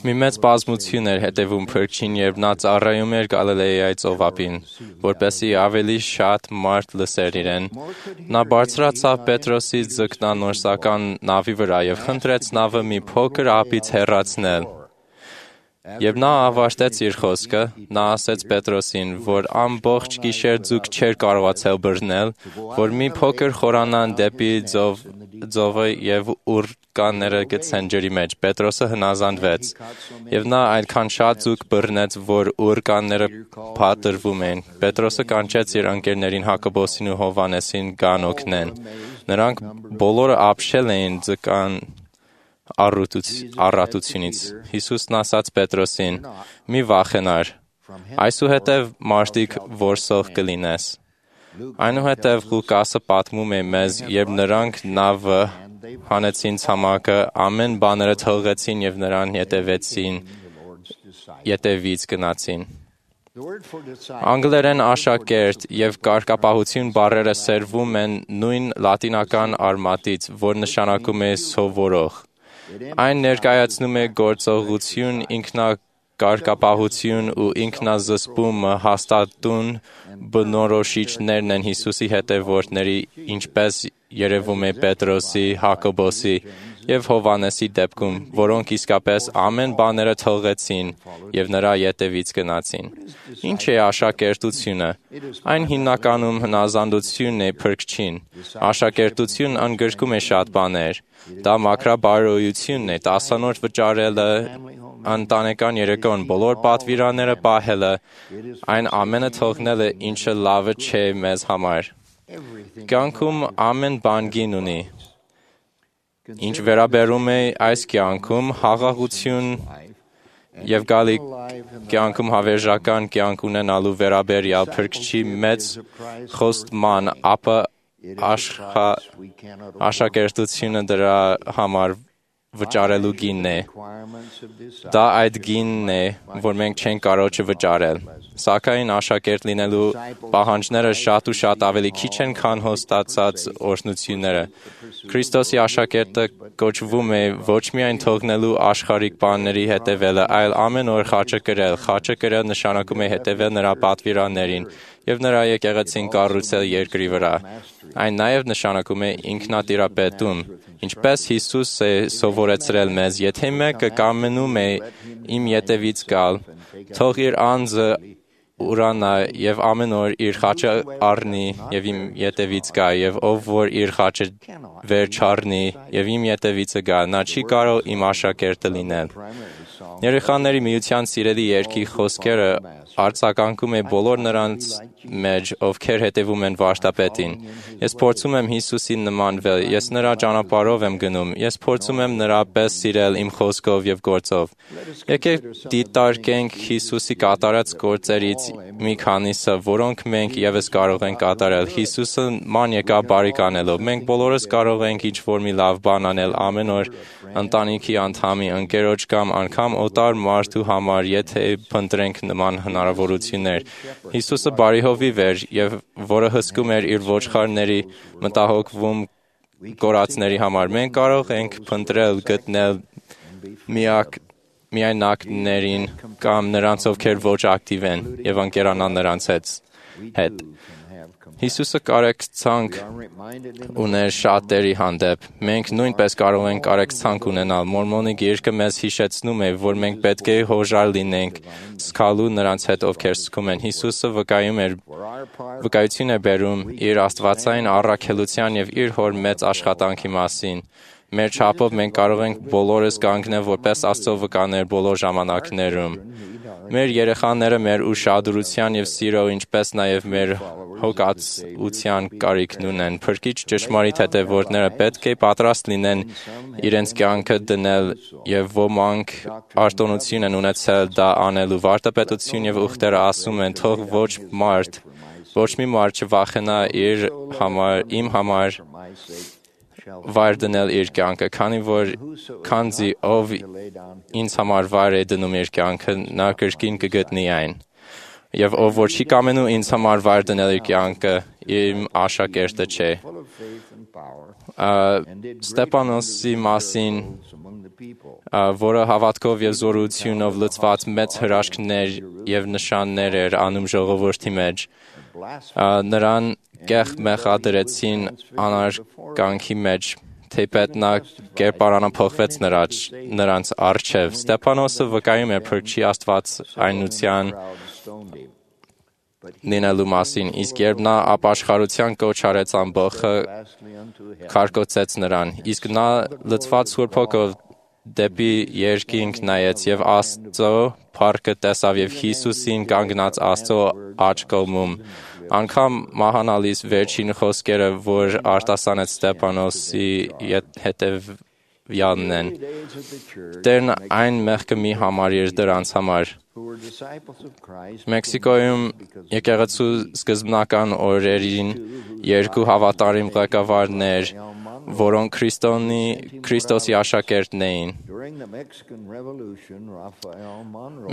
Speaker 4: Մի մեծ բազմություն էր հետևում Փրկչին, երբ նա ծառայում էր Գալիլեայի ծովափին, որպեսզի ավելի շատ մարդ լսեր իրեն։ Նա բարձրացավ Պետրոսի ձկնանորսական նավի վրա և խնդրեց նավը մի փոքր ափից հեռացնել։ Երբ նա ավարտեց իր խոսքը, նա ասեց Պետրոսին, որ ամբողջ գիշեր ձուկ չէր կարողացել բռնել, որ մի փոքր խորանան դեպի ձով, ձովը և ուռկանները գցեն ջրի մեջ։ Պետրոսը հնազանդվեց, և նա այդքան շատ ձուկ բռնեց, որ ուռկանները փաթրվում էին։ Պետրոսը կանչեց իր ընկերներին Հակոբոսին ու Հովհաննեսին գան օգնեն։ Նրանք բոլորը ապշել էին ձկան առատությունից։ Հիսուսն ասաց Պետրոսին. «Մի վախենար, այսուհետև մարդիկ որսող կլինես»։ Այնուհետև Ղուկասը պատմում է մեզ, երբ նրանք նավը հանեցին ցամաքը, ամեն բաները թողեցին և նրան ետևեցին, ետևից գնացին։ Անգլերեն աշակերտ և կարգապահություն բառերը սերվում են նույն լատինական արմատից, որ նշանակում է սովորող։ Այն ներկայացնում է գործողություն, ինքնակարգապահություն ու ինքնազսպումը հաստատուն բնորոշիչներն են Հիսուսի հետևորդների, ինչպես երևում է Պետրոսի, Հակոբոսի և Հովհաննեսի դեպքում, որոնք իսկապես ամեն բաները թողեցին և նրա ետևից գնացին։ Ինչ է աշակերտությունը։ Այն հիմնականում հնազանդությունն է Փրկչին։ Աշակերտություն ընդգրկում է շատ բաներ։ Դա մաքրաբարոյությունն է, տասանոց վճարելը, ընտանեկան երեկոն բոլոր պատվիրանները պահելը, այն ամենը թողնելը, ինչը լավը չէ մեզ համար։ Կյանքում ամեն բան գին ունի։ Ինչ վերաբերում է այս կյանքում, խաղաղություն և գալի կյանքում հավերժական կյանք ունենալու վերաբերյալ Փրկչի մեծ խոստման, ապա աշակերտությունը դրա համար վճարելու գինն է։ Դա այդ գինն է, որ մենք չենք կարող չվճարել։ Սակայն աշակերտ լինելու պահանջները շատ ու շատ ավելի քիչ են, քան հաստատած օրհնությունները։ Քրիստոսի աշակերտը կոչվում է ոչ միայն թողնելու աշխարհիկ բաների հետևելը, այլ ամեն օր խաչը կրել։ Խաչը կրել նշանակում է հետևել նրա պատվիրաններին և նրա եկեղեցին կառուցել երկրի վրա։ Այն նաև նշանակում է ինքնատիրապետում, ինչպես Հիսուս է սովորեցրել մեզ, եթե մեկը կամենում է իմ ետևից գալ, թող իր անձը ուրանա և ամեն օր իր խաչը առնի և իմ ետևից գա, և ով որ իր խաչը վեր չառնի և իմ ետևիցը գա, նա չի կարող իմ աշակերտը լինել։ Երեխաների միության սիրելի երգի խոսքերը արձագանքում է բոլոր նրանց մեջ, ովքեր հետևում են վարդապետին։ Ես փորձում եմ Հիսուսին նմանվել, ես նրա ճանապարհով եմ գնում, ես փորձում եմ նրա պես սիրել իմ խոսքով և գործով։ Եկեք դիտարկենք Հիսուսի կատարած գործերից մի քանիսը, որոնք մենք ևս կարող ենք կատարել։ Հիսուսը ման եկավ բարիք անելով։ Մենք բոլորս կարող ենք ինչ-որ մի լավ բան անել ամեն օր ընտանիքի անդամի, ընկերոջ կամ անգամ օտար մարդու համար, եթե փնտրենք նման հնարավորություններ։ Հիսուսը բարի հովիվ էր, և որը հսկում էր իր ոչխարների, մտահոգվում կորածների համար։ Մենք կարող ենք փնտրել, գտնել միակ միայնակներին կամ նրանց, ովքեր ոչ ակտիվ են, և ընկերանալ նրանց հետ։ Հիսուսը կարեկցանք ուներ շատերի հանդեպ։ Մենք նույնպես կարող ենք կարեկցանք ունենալ։ Մորմոնի գիրքը մեզ հիշեցնում է, որ մենք պետք է հոժար լինենք զգալու նրանց հետ, ովքեր զգում են։ Հիսուսը վկայում էր, վկայություն է բերում իր աստվածային առաքելության և իր հոր մեծ աշխատանքի մասին։ Մեր չափով մենք կարող ենք բոլորս կանգնել որպես Աստծո վկաներ բոլոր ժամանակներում։ Մեր երեխաները մեր ուշադրության և սիրո, ինչպես նաև մեր հոգացության կարիքն ունեն։ Փրկիչ ճշմարիտ հետևորդները պետք է պատրաստ լինեն իրենց կյանքը դնել, և ոմանք արտոնություն են ունեցել դա անելու։ Վարդապետություն և ուխտերը ասում են, թող ոչ մարդ
Speaker 10: Ոչ մի մարդ չվախենա իր համար, իմ համար վայր դնել իր կյանքը, քանի որ քանզի ով ինձ համար վայր է դնում իր կյանքը, նա կրկին կգտնի այն։ Եվ ով որ չի կամենում ինձ համար վայր դնել իր կյանքը, իմ աշակերտը չէ։ Ստեփանոսի մասին, որը հավատքով եւ զորությունով լցված մեծ հրաշքներ եւ նշաններ էր անում ժողովրդի մեջ, նրան կեղ մեղադրեցին անարգանքի մեջ, թեպետ նա կերպարանափոխվեց նրանց առջև։ Ստեփանոսը վկայում է Փրկչի աստվածայնության լինելու մասին, իսկ երբ նա ապաշխարության կոչ արեց ամբողջը, քարկոծեց նրան, իսկ նա լցված Սուրբ Հոգով դեպի երկինք նայեց եւ Աստծո փառքը տեսավ եւ Հիսուսին կանգնած Աստծո աջ կողմում։ Անկամ մահանալիս վերջին խոսքերը, որ արտասանեց Ստեփանոսի հետևյալն են. Տերն այն մեղքը մի համարիր դրանց համար։ Մեքսիկոյում եկեղեցու սկզբնական օրերին երկու հավատարիմ ղեկավարներ, որոնք Քրիստոսի աշակերտն էին։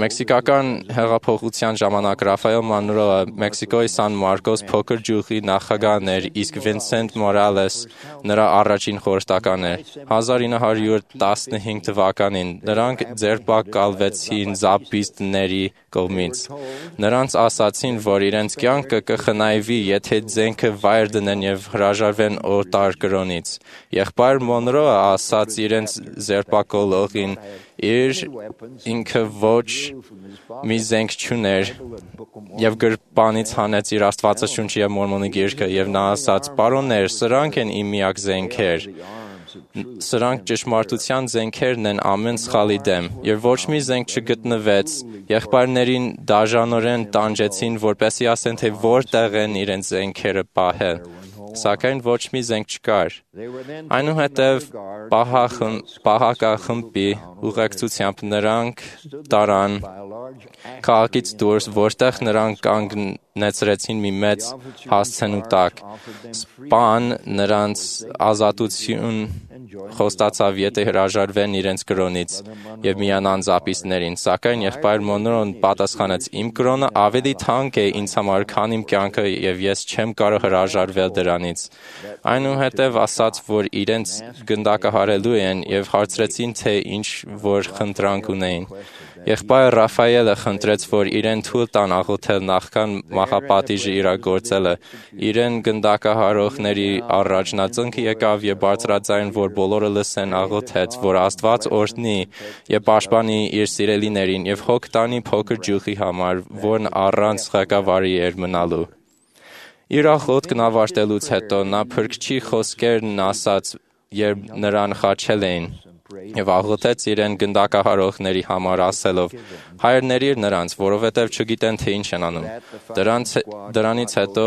Speaker 10: Մեքսիկական հեղափոխության ժամանակ Ռաֆայել Մանրոը Մեքսիկոյի Սան Մարկոս փոքր գյուղի նախագահն էր, իսկ Վինսենտ Մորալես նրա առաջին խորհրդականն էր։ հազար ինը հարյուր տասնհինգ թվականին նրանք ձերբակալվեցին զապիստների կողմից։ Նրանց ասացին, որ իրենց կյանքը կխնայվի, եթե ձենքը վայր դնեն եւ հրաժարվեն օտար կրոնից։ Եղբայր Մոնրոը ասաց իրենց ձերբակալողին, իր ինքը ոչ մի զենք չուներ եւ գրպանից հանեց իր Աստվածաշունչը եւ Մորմոնի գիրքը եւ նա ասաց. «Պարոններ, սրանք են իմ միակ զենքեր։ Սրանք ճշմարտության զենքերն են ամեն սխալի դեմ»։ Եվ ոչ մի զենք չգտնվեց։ Եղբայրներին դաժանորեն տանջեցին, որպեսզի ասեն, թե որտեղ են իրենց զենքերը պահել։ Սակայն ոչ մի զենք չկար։ Այնուհետև պահակախմբի ուղեկցությամբ նրանք տարան քաղաքից դուրս, որտեղ նրանք կանգնեցրեցին մի մեծ հասցենու տակ։ Սպան նրանց ազատություն խոստացավ, եթե հրաժարվեն իրենց կրոնից եւ միանան զապիստներին։ Սակայն եղբայր Մոնրոն պատասխանեց. «Իմ կրոնը ավելի թանկ է ինձ համար, քան իմ կյանքը, եւ ես չեմ կարող հրաժարվել դրանից»։ Այնուհետև ասաց, որ իրենց գնդակահարելու են եւ հարցրեցին, թե ինչ որ խնդրանք ունեին։ Եղբայր Ռաֆայելը խնդրեց, որ իրեն թույլ տան աղոթել նախքան մահապատիժը իրագործելը։ Իրեն գնդակահարողների առաջնածնկը եկավ եւ բարձրաձայն, որ բոլորը լսեն, աղոթեց, որ Աստված օրհնի եւ պաշտպանի իր սիրելիներին եւ հոգ տանի փոքր ջուխի համար, որն առանց ղեկավարի էր մնալու։ Իր աղոթքն ավարտելուց հետո նա Փրկչի խոսքերն ասաց, երբ նրան խաչել էին, եւ աղոթեց իրեն գնդակահարողների համար ասելով. «Հայրներիր նրանց, որովհետև չգիտեն, թե ինչ են անում»։ Դրանց, դրանից հետո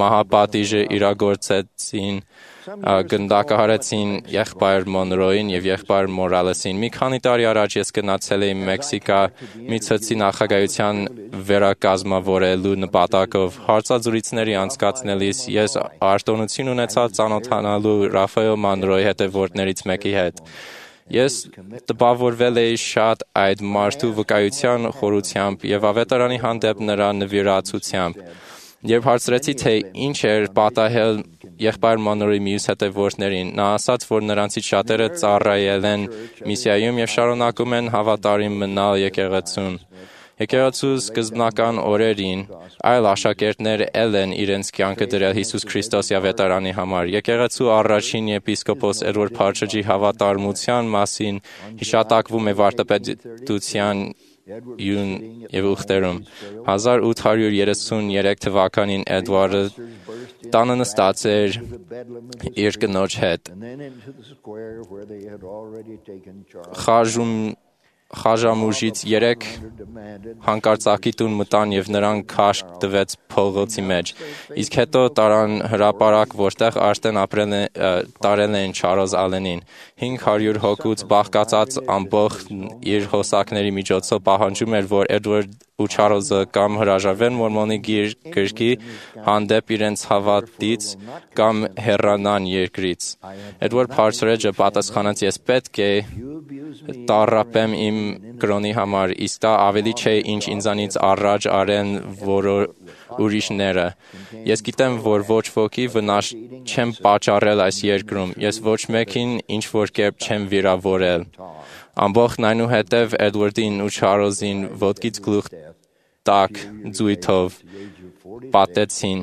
Speaker 10: մահապատիժը իրագործեցին, գնդակահարեցին եղբայր Մոնրոին եւ եղբայր Մորալեսին։ Մի քանի տարի առաջ ես գնացել էի Մեքսիկա մի ցցի նախագահության վերակազմավորելու նպատակով։ Հարցազրույցների անցկացնելիս ես արտոնություն ունեցա ծանոթանալու Ռաֆայել Մանրոյի հետևորդներից մեկի հետ։ Ես տպավորվել էի շատ այդ մարդու վկայության խորությամբ եւ ավետարանի հանդեպ նրա նվիրացությամբ։ Երբ հարցրեցի, թե ինչ էր պատահել եղբայր Մանրոյի մյուս հետևորդներին, նա ասաց, որ նրանցից շատերը ծառայել են միսիայում եւ շարունակում են հավատարիմ մնալ եկեղեցուն։ Եկեղեցու սկզբնական օրերին այլ աշակերտներ էլ են իրենց կյանքը դրել Հիսուս Քրիստոսի ավետարանի համար։ Եկեղեցու առաջին եպիսկոպոս Էդվարդ Փարչեջի հավատարմության մասին հիշատակվում է վարդապետության եւ ուխտերում։ հազար ութ հարյուր երեսուններեք թվականին Էդվարդը տանը նստած էր իր կնոջ հետ։ Խաժում խաժամուժից երեք հանկարծակի տուն մտան եւ նրան քաշք տվեց փողոցի մեջ։ Իսկ հետո տարան հրապարակ, որտեղ արդեն ապրել տարել են Չարլզ Ալենին։ հինգ հարյուր հոգուց բաղկացած ամբողջ իր հոսակների միջոցով պահանջում էր, որ Էդվարդ ու Չարլզը կամ հրաժարվեն մորմոնի գրքի հանդեպ իրենց հավատից կամ հեռանան երկրից։ Էդվարդ Փարսրեջը պատասխանեց. «Ես պետք է տառապեմ իմ կրոնի համար, իսկ դա ավելի չէ, ինչ ինձանից առաջ արեն ուրիշները։ Ես գիտեմ, որ ոչ ոքի վնաս չեմ պատճառել այս երկրում, ես ոչ մեկին ինչ-որ կերպ չեմ վիրավորել»։ Ամբողջն այնուհետև Էդվարդին ու Չարլզին ոտքից գլուխ տակ ձույթով պատեցին։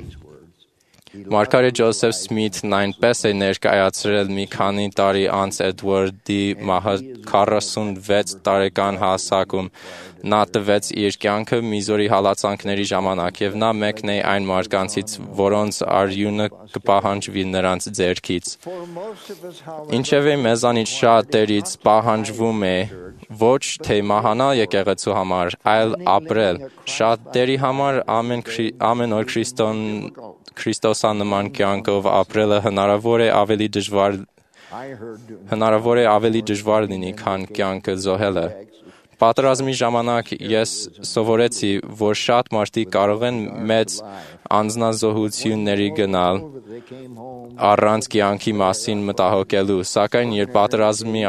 Speaker 10: Մարգարետ Ջոզեֆ Սմիթն այնպես է ներկայացրել մի քանի տարի անց Էդվարդի մահը քառասունվեց տարեկան հասակում նա տվեց իր կյանքը Միզորի հալածանքների ժամանակ, եւ նա մեկն է այն մարդկանցից, որոնց արյունը կպահանջվի նրանց ձեռքից։ Ինչևէ մեզանից շատերից պահանջվում է ոչ թե մահանալ եկեղեցու համար, այլ ապրել։ Շատերի համար ամեն, ամեն օր Քրիստոն Քրիստոսանման կյանքով ապրելը հնարավոր է ավելի դժվար հնարավոր է ավելի դժվար լինի, քան կյանքը զոհելը։ Պատերազմի ժամանակ ես սովորեցի, որ շատ մարդիկ կարող են մեծ անձնազոհությունների գնալ առանց կյանքի մասին մտահոգելու, սակայն երբ պատերազմի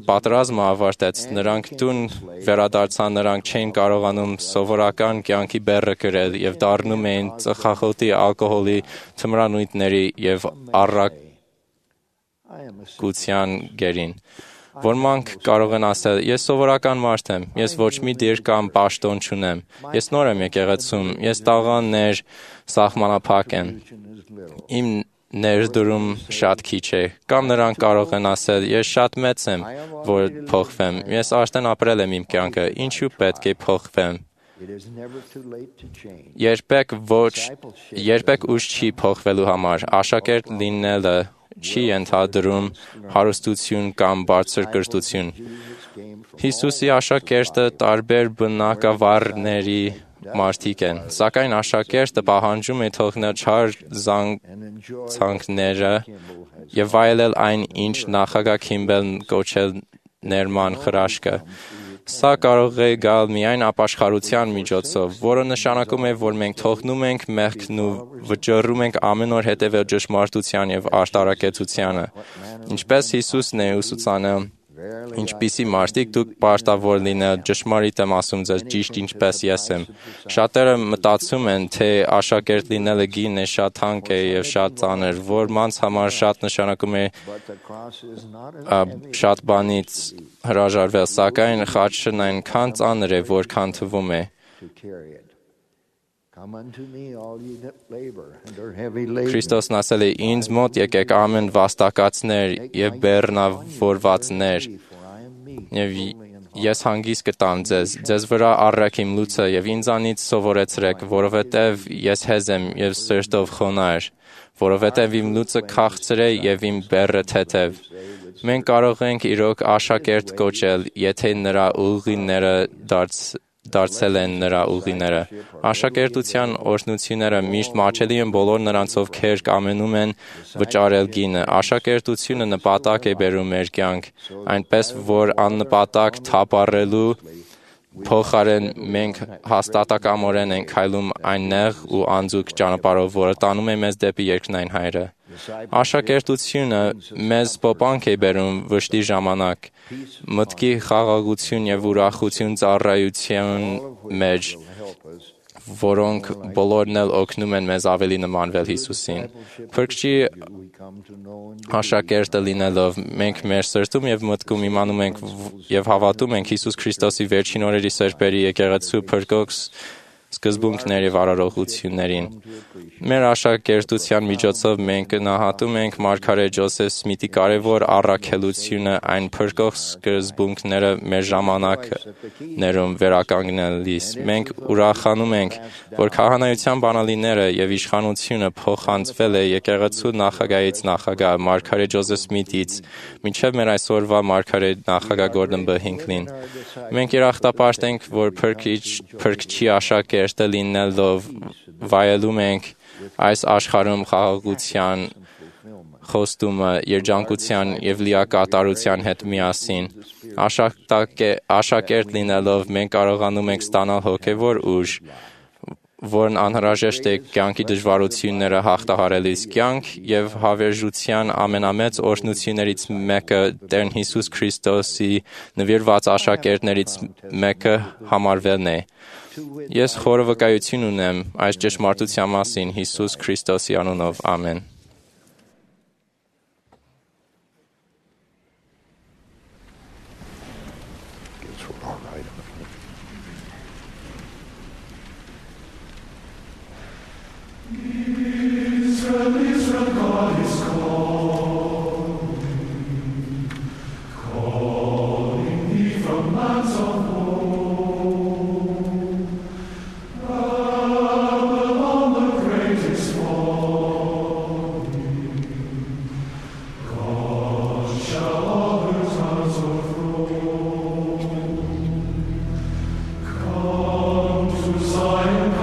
Speaker 10: պատերազմը ավարտեց, նրանք տուն վերադարձան, նրանք չէին կարողանում սովորական կյանքի բեռը կրել եւ դառնում էին ծխախոտի, ալկոհոլի, թմրանյութերի եւ առաքության գերին։ Ոմանք կարող են ասել, ես սովորական մարդ եմ, ես ոչ մի դիր կամ պաշտոն չունեմ, ես նոր եմ եկեղեցում, ես տաղաններ սահմանափակ եմ, իմ ներդրում շատ քիչ է, կամ նրանք կարող են ասել, ես շատ մեծ եմ, որ փոխվեմ, ես արդեն ապրել եմ իմ կյանքը, ինչու պետք է փոխվեմ։ Երբեք ոչ, երբեք ուշ չի փոխվելու համար, աշակերտ լինելը չի ենթադրում հարստություն կամ բարձր կրթություն։ Հիսուսի աշակերտը տարբեր բնակավարների մարդիկ են, սակայն աշակերտը պահանջում է թողնել չար զանգվածները եւ վայելել այն, ինչ նախագահ Քիմբելն կոչել ներման խրաշքը։ Սա կարող է գալ միայն ապաշխարության միջոցով, որը նշանակում է, որ մենք թողնում ենք մեղքն ու վճռում ենք ամեն օր հետևել ճշմարտության եւ արտարակեցությանը։ Ինչպես Հիսուսն է ուսուցանել, ինչպիսի մարդիկ դուք պարտավոր լինել, ճշմարիտ եմ ասում ձեզ, ճիշտ ինչպես ես եմ։ Շատերը մտածում են, թե աշակերտ լինելը գին է, շատ թանկ է եւ շատ ծանր, որոնց համար շատ նշանակում է շատ բանից հրաժարվել, սակայն խաչն այնքան ծանր է, որքան թվում է։ Քրիստոսն ասել է. «Ինձ մոտ եկեք ամեն վաստակածներ եւ բեռնավորվածներ, եւ ես հանգիստ կտամ ձեզ, ձեզ վրա առեք իմ լուծը եւ ինձանից սովորեցրեք, որովհետեւ ես հեզ եմ եւ սրտով խոնարհ, որովհետեւ իմ լուծը քաղցր է եւ իմ բեռը թեթև»։ Մենք կարող ենք իրոք աշակերտ կոչել, եթե նրա ուղիները դարձ դարձել են նրա ուղիները։ Աշակերտության օրհնությունները միշտ մաչելի են բոլոր նրանց, ովքեր կամենում են վճարել գինը։ Աշակերտությունը նպատակ է բերում մեր կյանք, այնպես որ աննպատակ թափառելու փոխարեն մենք հաստատակամորեն ենք քայլում այն նեղ ու անձուկ ճանապարհով, որը տանում է մեզ դեպի երկնային Հայրը։ Աշակերտությունը մեզ փոփանք է բերում վշտի ժամանակ, մտքի խաղաղություն եւ ուրախություն ծառայության մեջ, որոնք բոլորն էլ օգնում են մեզ ավելի նմանվել Հիսուսին։ Փրկչի աշակերտը լինելով, մենք մեր սրտում եւ մտքում իմանում ենք եւ հավատում ենք Հիսուս Քրիստոսի վերջին օրերի սրբերի եկեղեցու փրկող սկզբունքներ եւ արարողություններին։ Մեր աշակերտության միջոցով մենք գնահատում ենք Մարգարետ Ջոզեֆ Սմիթի կարևոր առաքելությունը այն փրկող սկզբունքները մեր ժամանակներում վերականգնելիս։ Մենք ուրախանում ենք, որ քահանայության բանալիները եւ իշխանությունը փոխանցվել է եկեղեցու նախագահից նախագահ Մարգարետ Ջոզեֆ Սմիթից մինչև մեր այսօրվա Մարգարետ նախագահ Գորդոն B. Հինքլին։ Մենք երախտապարտ ենք, որ փրկիչ փրկչի աշակերտը լինելով վայելում ենք այս աշխարհում խաղաղության խոստումը երջանկության եւ լիակատարության հետ միասին։ Աշակերտ լինելով մենք կարողանում ենք ստանալ հոգեվոր ուժ, որն անհրաժեշտ է կյանքի դժվարությունները հաղթահարելիս։ Կյանք եւ հավերժության ամենամեծ օրհնություններից մեկը Տեր Հիսուս Քրիստոսի նվիրված աշակերտներից մեկը համարվելն է։ Ես խորը վկայություն ունեմ այս ճշմարտության մասին Հիսուս Քրիստոսի անունով, ամեն։
Speaker 11: Come to Zion.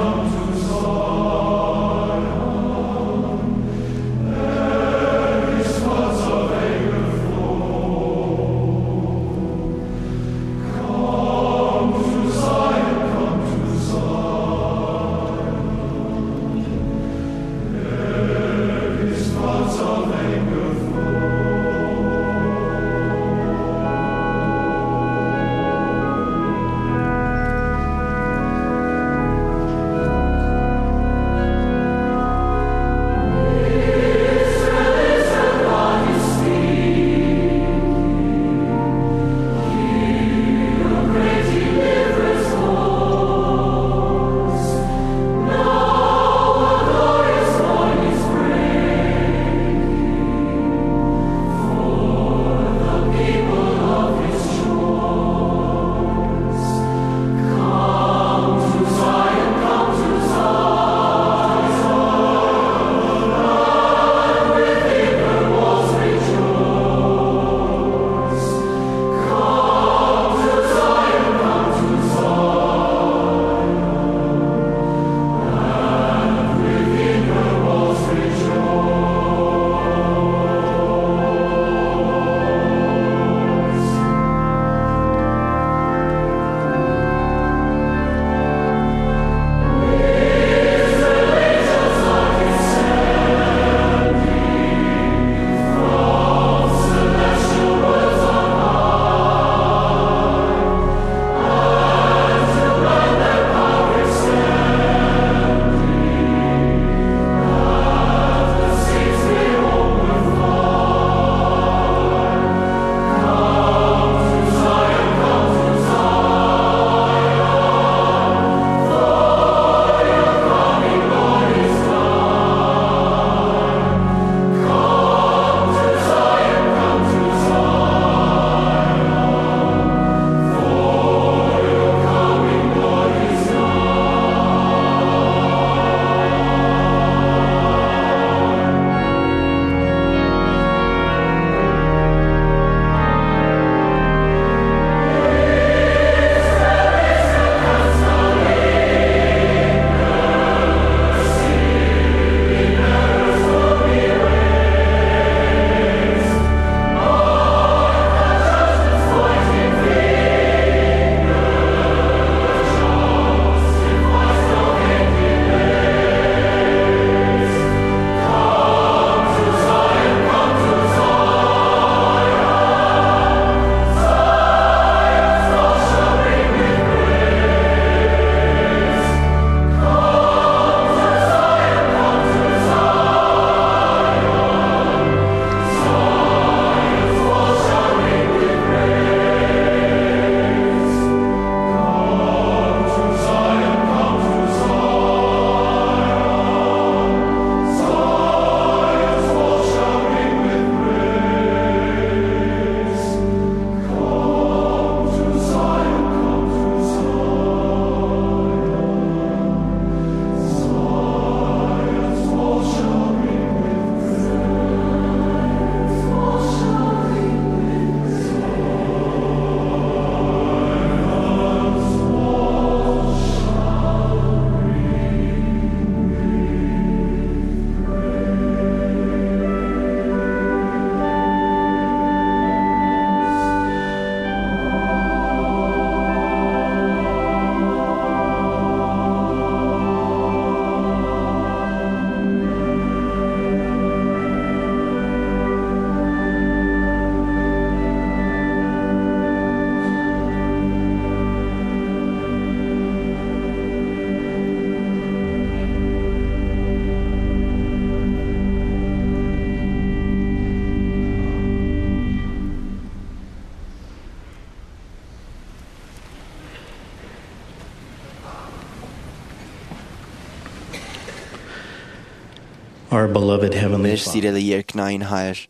Speaker 3: Our beloved Heavenly
Speaker 6: Մեր սիրելի երկնային Հայր,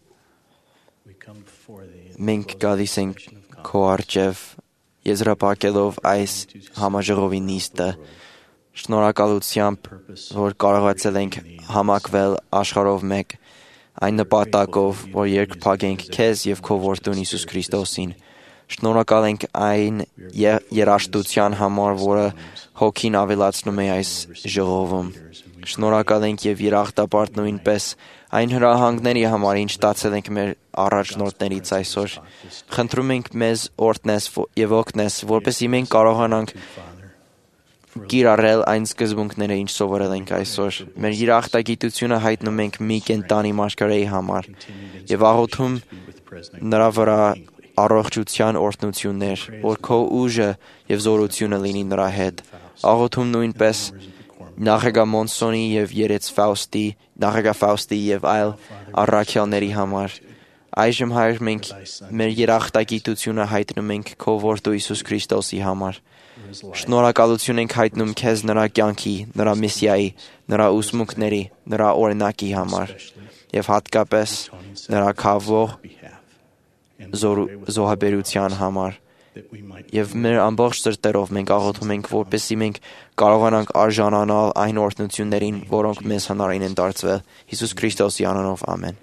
Speaker 6: մենք գալիս ենք քո առջև եզրափակելով այս համաժողովի նիստը, շնորհակալությամբ, որ կարողացել ենք համակվել աշխարհով մեկ, այն նպատակով, որ երկփակենք քեզ եւ քո որդուն Հիսուս Քրիստոսին։ Շնորհակալ ենք այն երաշտության համար, որը հոգին ավելացնում է այս ժողովում։ Շնորհակալ ենք եւ երախտապարտ նույնպես այն հրահանգների համար, ինչ ստացել ենք մեր առաջնորդներից այսօր։ Խնդրում ենք մեզ օրհնես եւ օգնես, որպեսզի մենք կարողանանք կիրառել այն սկզբունքները, ինչ սովորել ենք այսօր։ Մեր երախտագիտությունը հայտնում ենք մի կենտանի մարգարեի համար եւ աղոթում նրա վրա առողջության օրհնություններ, որ քո ուժը եւ զորությունը լինի նրա հետ։ Աղոթում նույնպես Նախագահ Մոնսոնի եւ Երեց Ֆաուստի, Նախագահ Ֆաուստի եւ այլ առաքյալների համար։ Այժմ Հայր, մենք մեր երախտագիտությունը հայտնում ենք քո որդու Հիսուս Քրիստոսի համար։ Շնորհակալություն ենք հայտնում քեզ նրա կյանքի, նրա միսիայի, նրա ուսմունքների, նրա օրինակի համար եւ հատկապես նրա քավող զոհաբերության համար։ Եվ մեր ամբողջ սրտերով մենք աղոթում ենք, որպեսզի մենք կարողանանք արժանանալ այն օրհնություններին, որոնք մեզ հնարին են դարձվել։ Հիսուս Քրիստոսի անունով, ամեն։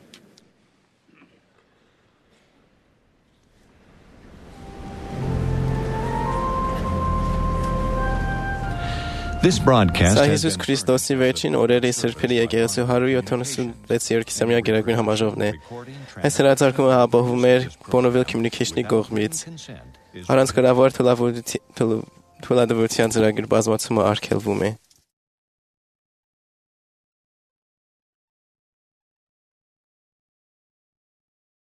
Speaker 1: This broadcast
Speaker 2: Սա
Speaker 1: has
Speaker 2: Հիսուս Քրիստոսի վերջին օրերի սրբերի եկեղեցու հարյուր յոթանասունվեց երեկիսամյա գերագույն համաժողովն է։ Այս հրատարակումը ապահովում էր Bonneville Communication-ի կողմից։ Առանց գրավոր թույլատվության ծրագրի բազմացումը արգելվում է։